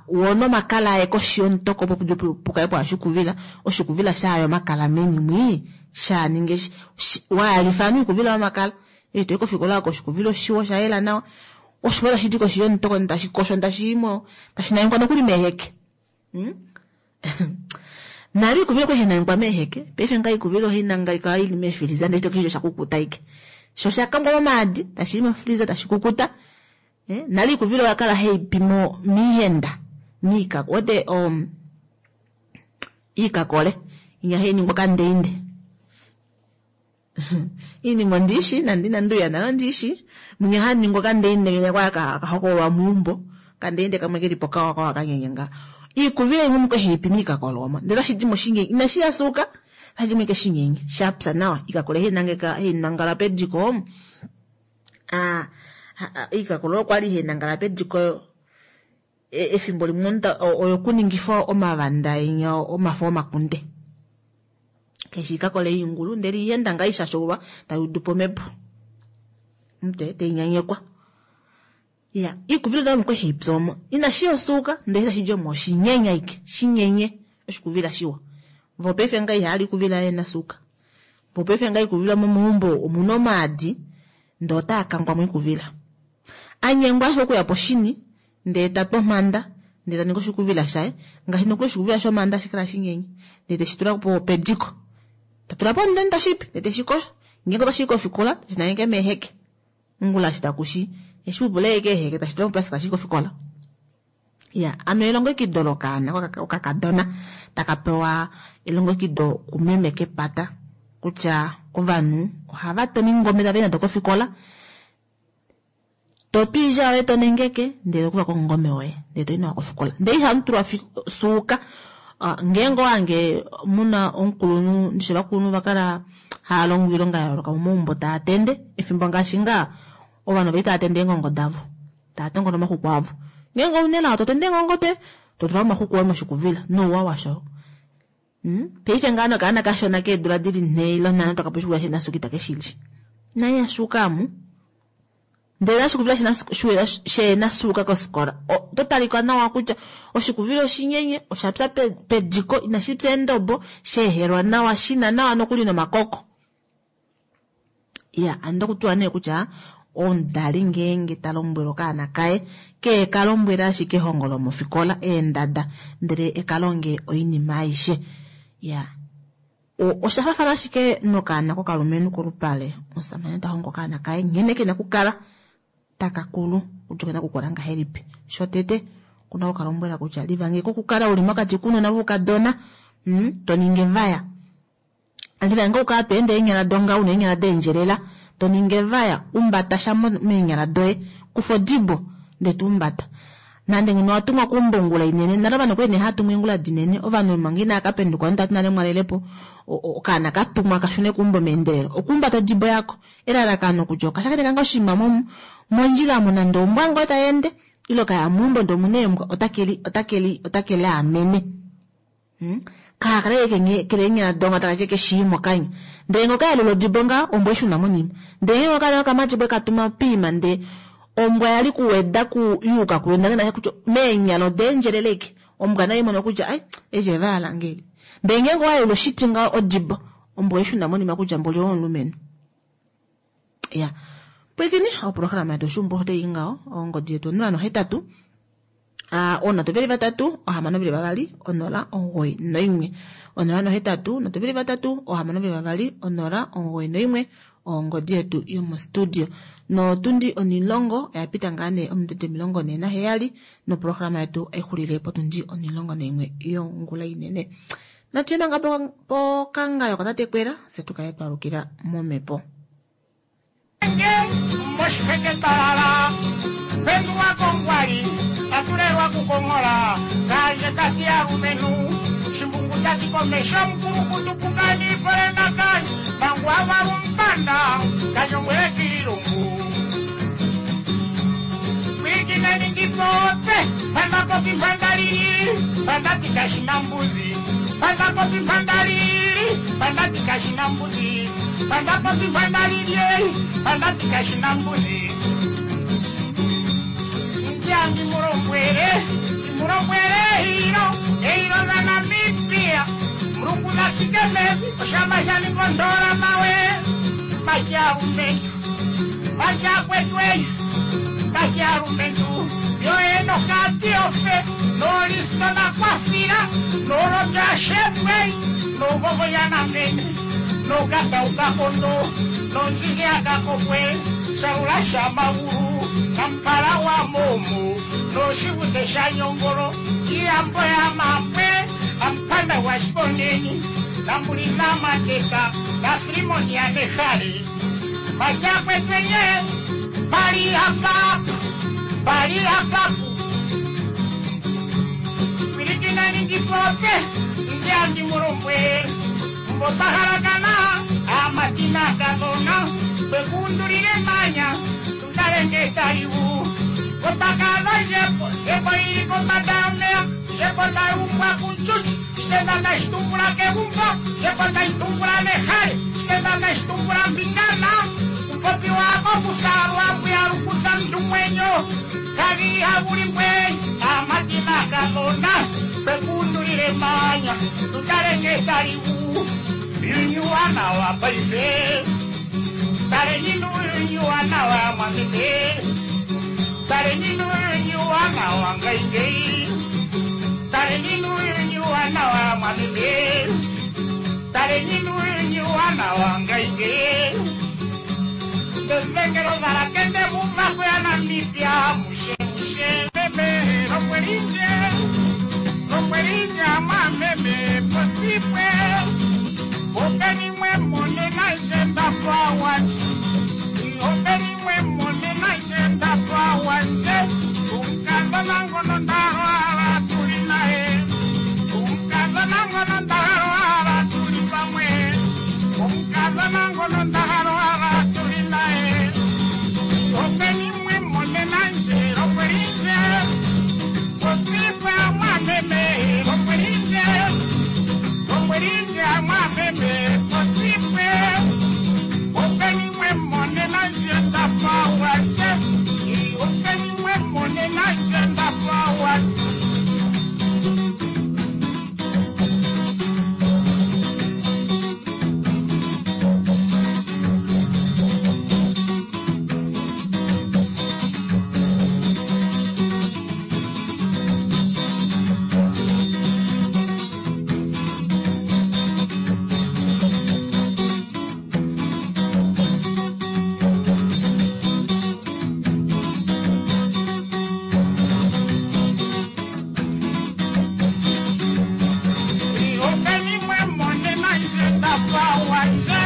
S2: wo nomakala aye koshi yomutoko opo pukale pwa oshikuvila, oshikuvila shaya omakala meni mwii, sha ninge waalifa anu iikuvila yomakala. Eshi toyi kofikola oko oshikuvila oshiwa osha yela nawa. Oshiwa tashi di koshi yomutoko tashi kosho tashi imo tashi nangekwa nokuli meeheke. Nale iikuvila okwali hai nangekwa meeheke, paife ngaa iikuvila ohai nangekwa ili meefiliza ndele keshe osha kukuta ashike. Sho osha kangwa momaadi tashi i mofiliza tashi kukuta. Nale iikuvila oya kala hai pi miihenda, miikako wete iikakole inya hai ningwa okandeinde. Iinima ondiishi nande inandi uya nale ondiishi. Mwinya haningwa okandeinde kenya kwa kahokololwa meumbo. Okandeinde kamwe keli po kawa kawa kanyenye nga. Iikuvila imwe omu kwali hai pi miikakolo omo. Ndele otashi di mo shinyenye. Inashi ya suuka, otashi di mo ashike shinyenye. Sha pya nawa. Iikakolo hai nangeka hai nangala pediko. Iikakolo okwali hai nangala pediko efimbo limwe oyokuningifa omavanda enya omafo omakunde. Keshe iikakolo ingulu ndele ihenda ngaa ishashoulwa tai udu po omhepo. Omutwe tai nyanyekwa. Ya, iikuvila oda omu kwali hai pi omo. Inashi ya osuuka ndele tashi di omo oshinyenye ashike. Shinyenye oshikuvila shiwa. Vo paife ngaa ihali ikuvila ye nasuuka. Vo paife ngaa ikuvila momaumbo omuna omaadi ndee otaa kangwa moikuvila. Anyengwa ashike okuya poshini ndee ta twa omhanda ndee ta ningi oshikuvila shaye. Ngaashi nokuli oshikuvila shomhanda hashi kala shinyenye. Ndee teshi tula pediko. Ta tula po omundeni tashi pi ndee teshi kosho. Ngeenge otashi i kofikola teshi nangeke meeheke. Ongula eshi takushi eshi pupula ashike eeheke tashi tula moplastika tashi i kofikola. Ya, ano elongekido lokaana okakadona taka pewa elongekido kumeme kepata kutya ovanhu ohava tu omingome tava i nado kofikola. To tu oilya yoye to nengeke ndele to kufa ko omungome woye ndele to i nawa kofikola. Ndele ihamu tulwa suuka. Ngeenge owange muna omukulunhu ndishe ovakulunhu va kala hava longo oilonga ya yooloka momaumbo taa tende efimbo ngaashi ngaa ovanhu ovali tava tende eengongo davo tava tongola omaxuku avo. Ngeenge ouna elao to tende eengongo doye to tula omaxuku oye moshikuvila nouwa washo. Paife ngaa nokaana kashona keedula dili 4 ile 5 toka poshikuvila shena suuka itake shi li. Nai ashuuka amu. Ndele oshikuvila shena suuka kofikola oto talika nawa kutya oshikuvila oshinyenye osha pya pediko inashi pya eendobo sheehelwa nawa shina nawa nokuli nomakoko. Ya, ando kutiwa nee kutya omudali ngeenge ta lombwele okaana kaye ke ka lombwele ashike ehongo lomofikola eendada ndele eka longe oinima aishe. Ya, osha fafana ashike nokaana kokalumenhu kolupale. Omusamane ta hongo okaana kaye nghene kena okukala taka kulu kutya okena okukula ngahelipi. Shotete okuna okukalombwela kutya livange kokukala uli mokati kounona voukadona, to ningi evaya. Livange okukala to ende eenyala donga una eenyala deendjelela, to ningi evaya, umbata sha meenyala doye, kufa odibo ndele to umbata. Nande ngeno owa tumwa keumbo ongula inene, nale ovanhu okwali nee hava tumwa eengula dinene, ovanhu manga inava ka penduka ovanhu tava ti nale mwalelepo, okaana ka tumwa ka shune keumbo meendelelo, okuumbata odibo yako. Elalakano kutya okashakeneka ngoo oshinima mondjila omo nande ombwa ngoo tai ende, ile okaya meumbo ndee omuna eembwa, otake liamene. Kaa kale kele eenyala donga taka tye keshii mokanya. Ndele ngee okayalula odibo ngaho, ombwa ishuna monima. Ndele ngee okala okamati bwe katuma piima ndee ombwa yali kuweda ku yuuka kuyo ndele naye kutya meenyala odeendjelele ike. Ombwa nayo imono kutya ai eshi eva lange eli. Ndele ngeenge owayalula oshiti ngaho odibo, ombwa oishuna monima kutya mboli owo omulumenhu. Ya. Pwilikini, oprograma yetu oshuumbo otai i ngaho, ongodi yetu 0 8 03 6 2 0 9 1. 0 8 3 6 2 0 9 1 ongodi yetu yomostudio. Notundi 10 oya pita ngaa nee ominute 47 noprograma yetu aixulile potundi 11 yongula inene. Natu manga pokangayo katate Kwela fye tukale twalukila momhepo.
S1: Moshiheke talala pendulwa kongwali tatulelwa kukonghola kaanje kati alumenhu shimbungu tati komesho mukulukutu pukani polenakani mangu avalumpanda kanyongwele kiilungu pwikineni ndipotse. popi mpandalili pandati kashina mbuzi panda popi mpandalili pandati kashina mbuzi panda popi mpandalili pandati kashina mbuzi ndiangi mulombwele mulombwele eilo eilo la Namibia mulungu natsike mevi oshamba shaningondola mawe majalumentu majakwetweyi majalumentu yoenokatiofe nolisto nakwafila nolotashefwei novovoyanamene nokataukakondo nonjilyakakokwe shaula shamawulu nampala wa momo noshivute shanyongolo iyambo ya mapwe ampanda wa shiponeni nambulina mateka na filimoni ya nehale majakwetwenye pali apapu pali apapu pilikinani ndipotse ndiandi mulombwe mbotahalakana amatina kanona kwekundulile manya tutalenge taliwu kotakala jepo jepo ili kombada yomeya jepo tayumbwa kunchuchi shitenda ndashitumbula kegumbo jepo ndashitumbula nehale shitenda ndashitumbula mbingana upopi wako kusalwa mbuyalukuza mndu mwenyo kavili havulimbwe amatina kanona kwekundulile manya tutalenge taliwu yunyuwana wa paife taleninu yunyuwana wa mwameme taleninu yunyuwana wa ngaingei taleninu yunyuwana wa mwameme taleninu yunyuwana wa ngaingei ndevengelo valakende mumako ya Namibia mushe mushe meme lombwelinje lombwelinje mwameme posipwe openimwe monena nje ndapawanje openimwe monena nje ndapawanje umkazana ngono ndalwala tuli naye umkazana ngono ndalwala tuli pamwe umkazana ngono ndalwala tuli naye openimwe monena nje lombwelinje posipwe mwameme lombwelinje lombwelinje mwameme posipwe openimwe monena nje ndapawanje openimwe monena nje ndapawanje. Openimwe monena nje ndapawanje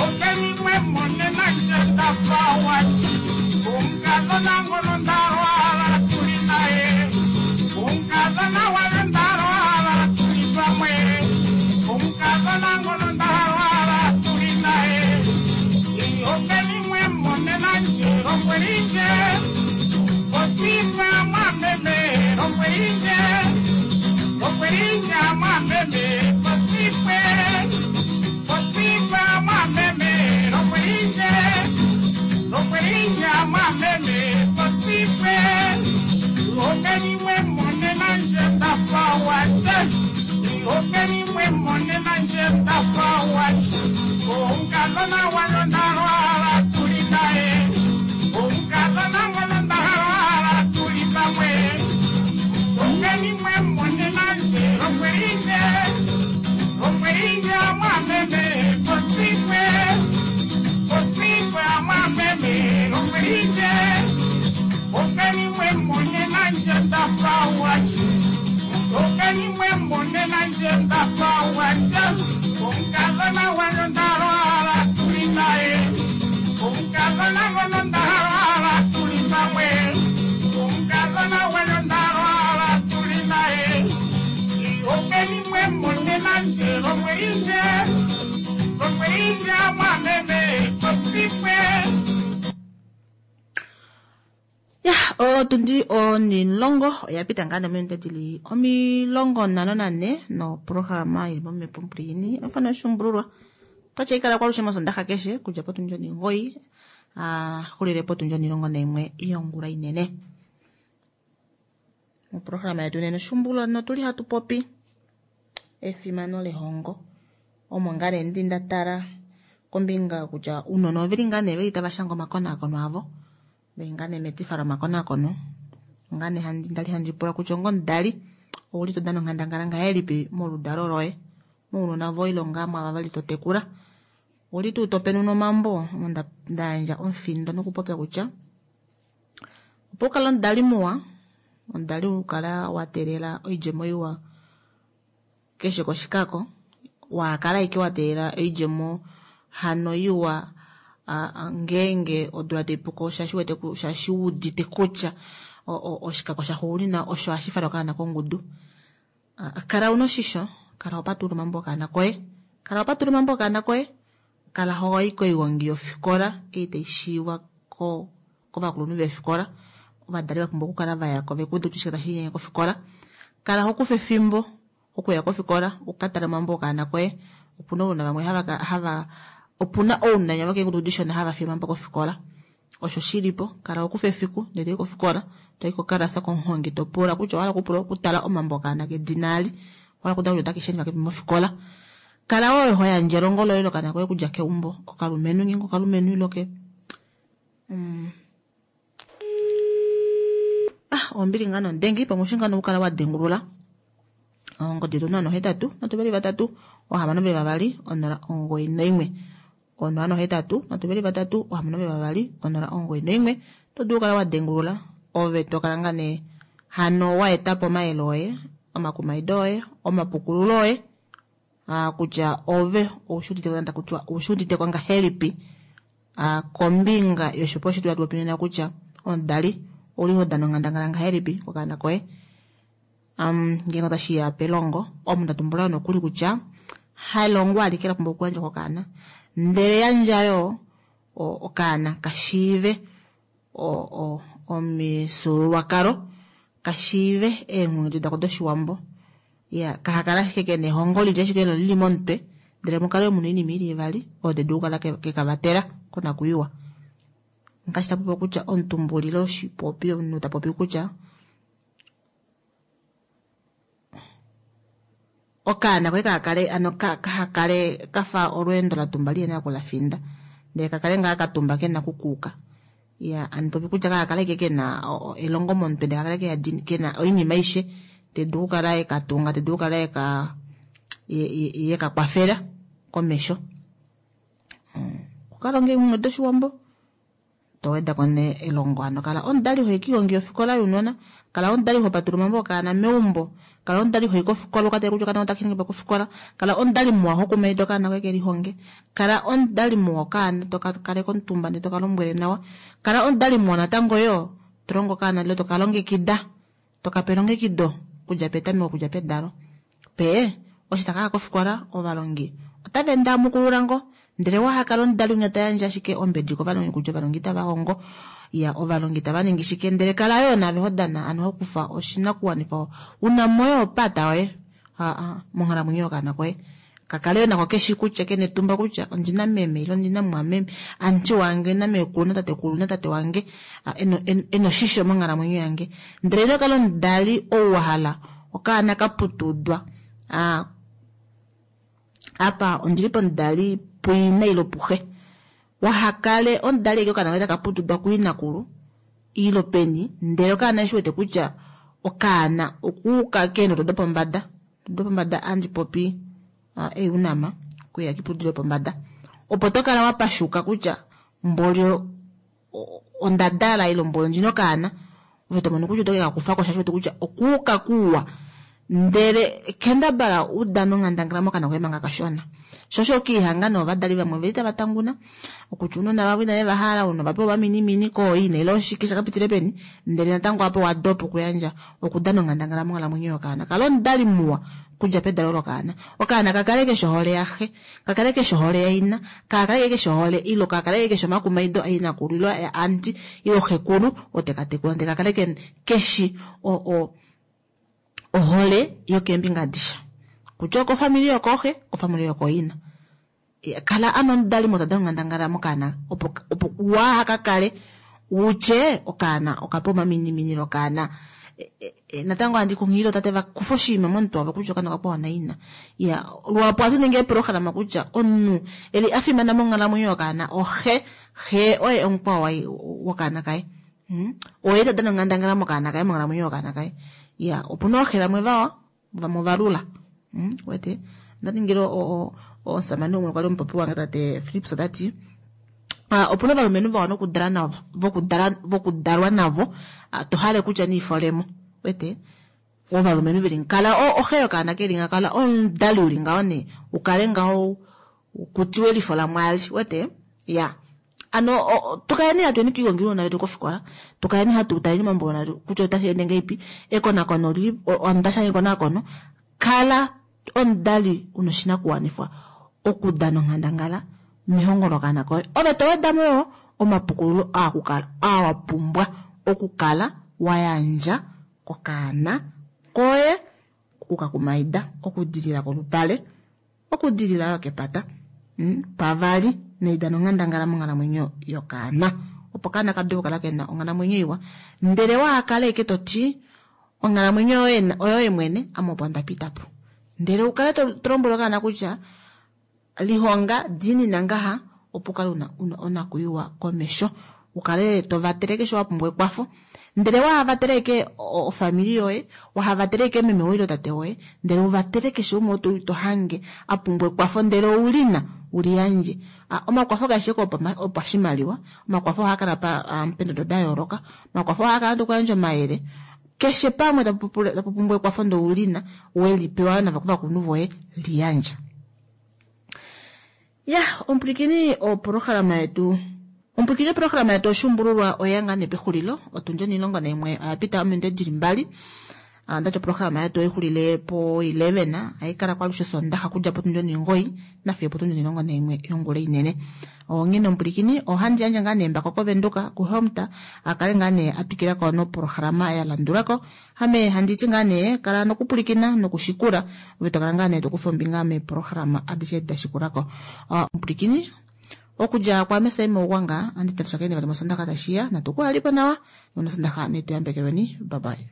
S1: openimwe monena nje ndapawanje umkazana ngono ndalwala tuli naye umkazana wale ndalwala tuli pamwe umkazana ngono ndalwala tuli naye openimwe monena nje lombwelinje otipa mwameme lombwelinje lombwelinje mwameme posipwe posipwe mwameme lombwelinje lombwelinje mwameme posipwe openimwe monena nje ndapawanje openimwe monena nje ndapawanje umkazana wayo ndalwala tuli naye umkazana ngono ndalwala tuli pamwe openimwe monena nje lombwelinje lombwelinje mwameme posipwe posipwe mwameme lombwelinje openimwe monena nje ndapawanje openimwe monena nje ndapawanje umkazana wayo ndalwala tuli naye umkazana ngono ndalwala tuli pamwe umkazana wayo ndalwala tuli naye openimwe monena nje lombwelinje lombwelinje mwameme posipwe.
S2: Ya Otundi onilongo oya pita ngaa nominute dili 54 noprograma ili momhepo mpwiini ofana oshumbululwa twatya ikala kwalushe mosondaxa keshe kudja potundi 9 xulile potundi 11 yongula inene. Moprograma yetu nena oshumbululwa notuli hatu popi efimano lehongo omo ngaa nee ndi nda tala kombinga kutya ounona oveli ngaa nee veli tava shanga omakonakono avo veli ngaa nee metifa lomakonakono ngaa nee ndali handi pula kutya onga omudali ouli to dana onghandangala ngahelipi moludalo loye mounona voye ile ngaa mwaava vali to tekula ouli tuu to penuna omambo omo nda yandja omufindo nokupopya kutya opo ukale omudali muwa omudali ukala wa teelela oidjemo iwa keshe koshikako wakala ashike wa teelela oidjemo hano iwa ngeenge odula taipuko shaashi udite kutya oshikako shaxuunina osho hashi fala okaana kongudu. Kala una oshisho, kala ho patulula omambo okaana koye, kala ho patulula omambo okaana koye, kala hoi koigongi yofikola ei taishiivwa kovakulunhu vefikola, ovadali vapumbwa okukala vayako vekuude kutya oshike tashi linyenge kofikola. Kala ho kufa efimbo okuya kofikola ukatale omambo okaana koye. Opuna ounona vamwe hava opuna ounona vokeengudu dishona hava fiye omambo kofikola. Osho shilipo, kala ho kufa efiku ndele toyi kofikola, toyi kokalasa komuhongi to pula kutya owahala okupula okutala omambo okaana kedina ali, owahala okutala kutya otake shendjwa kepi mofikola. Kala wo ho yandje elongo loye lokaana koye okudja keumbo, okalumenhu ngeenge okalumenhu ile ke ombili ngaa nondengi pamwe oshi ngaa nokukala wa dengulula ongodi yetu 083 3 622 091 083 3 622 091 to dulu kala wa dengulula ove to kala ngaa nee hano wa etapo omayele oye omakumaido oye omapukululo oye kutya ove oushudite ngahelipi kombinga yoshipo shetu hatu popi nena kutya omudali ouli ho dana onghandangala ngahelipi kokaana koye ngeenge otashiya pelongo omunhu tatumbula nokuli kutya halongo alike la pumbwa okuyandjwa kokaana ndele yandja yo okaana kashiive omifyuululwakalo kashiive eenghedi dako doshiwambo ya kahakala ashike kena ehongo lili ashike lili momutwe ndele mukale muna oinima ili ivali oyo tadulu okukala kekavatela konakuyiwa. Ngaashi tapopi kutya omutumbulilo oshipopi omunhu tapopi kutya okaana koye kakale ano kahakale kafa olweendo latumba liyena kulafinda ndele kakale ngaa katumba kena kukuuka ya anipopi kutya kakale ke kena elongo momutwe ndele kakale kena oinima aishe tedulu okukala ekatunga tedulu okukala yekakwafela komesho. Okukalonga eenghedi doshiwambo towedako nee elongo hano kala omudali hoyi koigongi yofikola younona, kala omudali ho patulula omambo okaana meumbo, kala omudali hoyi kofikola ukatale kutya okaana otaka shange kofikola, kala omudali muwa hokumaida okaana koye kelihonge, kala omudali muwa okaana toka kaleka omutumba ndee toka lombwele nawa, kala omudali muwa natango yoo tolongo okaana ile toka longekida tokape elongekido okudja petameko okudja pedalo pe osho takaya kofikola ovalongi otava ende amukulula ngo ndele wahakala omudali umwe tayandje ashike ombedi kovalongi kutya ovalongi itava hongo ya ovalongi tava ningi shike ndele kala yoo nave ho dana ano hokufa oshinakuwanifwa una moyo opata yoye monghalamwenyo yokaana koye kakale yoo nako keshi kutya kena etumba kutya ondina meme ile ondina mwameme anti wange nameekulu natatekulu natate wange ena oshisho monghalamwenyo yange ndele ino kala omudali ou wahala okaana kaputudwa apa ondili pomudali puina ile puxe wahakale omudali eke okaana koye takaputudwa kuinakulu ile peni ndele okaana eshi wete kutya okaana okuuka keendodo dopombada dopombada andi popi eunama kuya kiputudilo pombada opo tokala wapashuka kutya mbolyo ondadala ile mbolyo ndjina okaana ove tomono kutya otoke kakufako shaashi wete kutya okuuka kuwa ndele kendabala udana onghandangala mokana koye manga kashona shosho okiihanga novadali vamwe veli tava tanguna okutya ounona vavo inave vahala ounona vapewa ovaminimini kooina ile oshike shakapitile peni ndele natango apo wadopa okuyandja okudana onghandangala monghalamwenyo yokaana kala omudali muwa. Okudja pedalo lokaana. Okaana ka kale keshe ohole yaxe, ka kale keshe ohole yaina, ka kale keshe ohole ilo ka kale keshe omakumaido ainakulu ilo ya anti ilo xekulu oo teka tekula ndele ka kale keshi ohole yokeembinga adishe. Kutya okofamili yokooxe, okofamili yokooina. Kala ano omudali motada onghandangala mokaana opo waa ka kale utye okaana okape omaminimini lokaana. Natango handi kunghilile tate va kufe oshinima momutwe wavo kutya okaana okapewa naina. Ya luhapu ohatu ningi eeprograma kutya omunhu eli a fimana monghalamwenyo yokaana oxe, xe oye omukwao wokaana kaye. Oye ta dana onghandangala mokaana kaye monghalamwenyo yokaana kaye. Ya opuna ooxe vamwe vawa vamwe ovalula. Wete onda ningile omusamane umwe kwali omupopi wange tate Philips ota ti opuna ovalumenhu vawa nokudala navo, vokudalwa navo, to hale kutya niifolemo. Wete ovalumenhu veli kala oxe yokaana keli nga kala omudali uli ngaho nee ukale ngaho kutiwe elifo lamwaali. Wete ya ano tukaleni hatu eni kiigongi uunona wetu kofikola, tukaleni hatu taleni omambo uunona wetu kutya otashi ende ngahelipi, ekonakono lili onda shanga ekonakono. Kala omudali una oshinakuwanifwa okudana onghandangala mehongo lokaana koye. Ove to weda mo yo omapukululo aa wa pumbwa okukala wa yandja kokaana koye, okukakumaida, okudilila kolupale, okudilila yo kepata. Pavali neidano onghandangala monghalamwenyo yokaana opo kaana ka dule okukala kena onghalamwenyo iwa. Ndele waa kale eke to ti onghalamwenyo yoye oyoye mwene, ame opo nda pita po. Ndele ukale to lombwele okaana kutya lihonga diinina ngaha opo ukale una onakuyiwa komesho, ukale to vatele keshe wa pumbwa ekwafo. Ndele waa vatele eke ofamili yoye, waha vatele eke meme woye ile tate woye, ndele uvatele keshe umwe to hange a pumbwa ekwafo ndele oulina uliyandje. Omakwafo kaeshi eke opashimaliwa, omakwafo ohaa kala pendodo da yooloka, omakwafo ohaa kala tokuyandja omayele. Keshe pamwe tapu pumbwa ekwafo ndele oulina welipewa navo kovakulunhu voye, liyandja. Ya, omupulikini oprograma yetu. Omupulikini oprograma yetu oshuumbululwa oya ngaa nee pexulilo, otundi 11 oya pita ominute dili 2. Ndati oprograma yetu oixulile po 11, haikala kwalushe Sondaxa okudja potundi 9 nafiyo potundi 11 yongula inene. Onghene omupulikini ohandi yandje ngaa nee embako koVenduka kuHelmut akale ngaa nee atwikila ko noprograma ya landulako. Ame handi ti ngaa nee kala nokupulikina nokushikula, ove to kala ngaa nee tokufa ombinga meeprograma adishe dashikulako. Omupulikini okudja kwaame Saima Ugwanga andi tatushakeni vali mosondaxa tashiya, natukuhalipo nawa nosondaxa netuyambekelweni. Bye bye.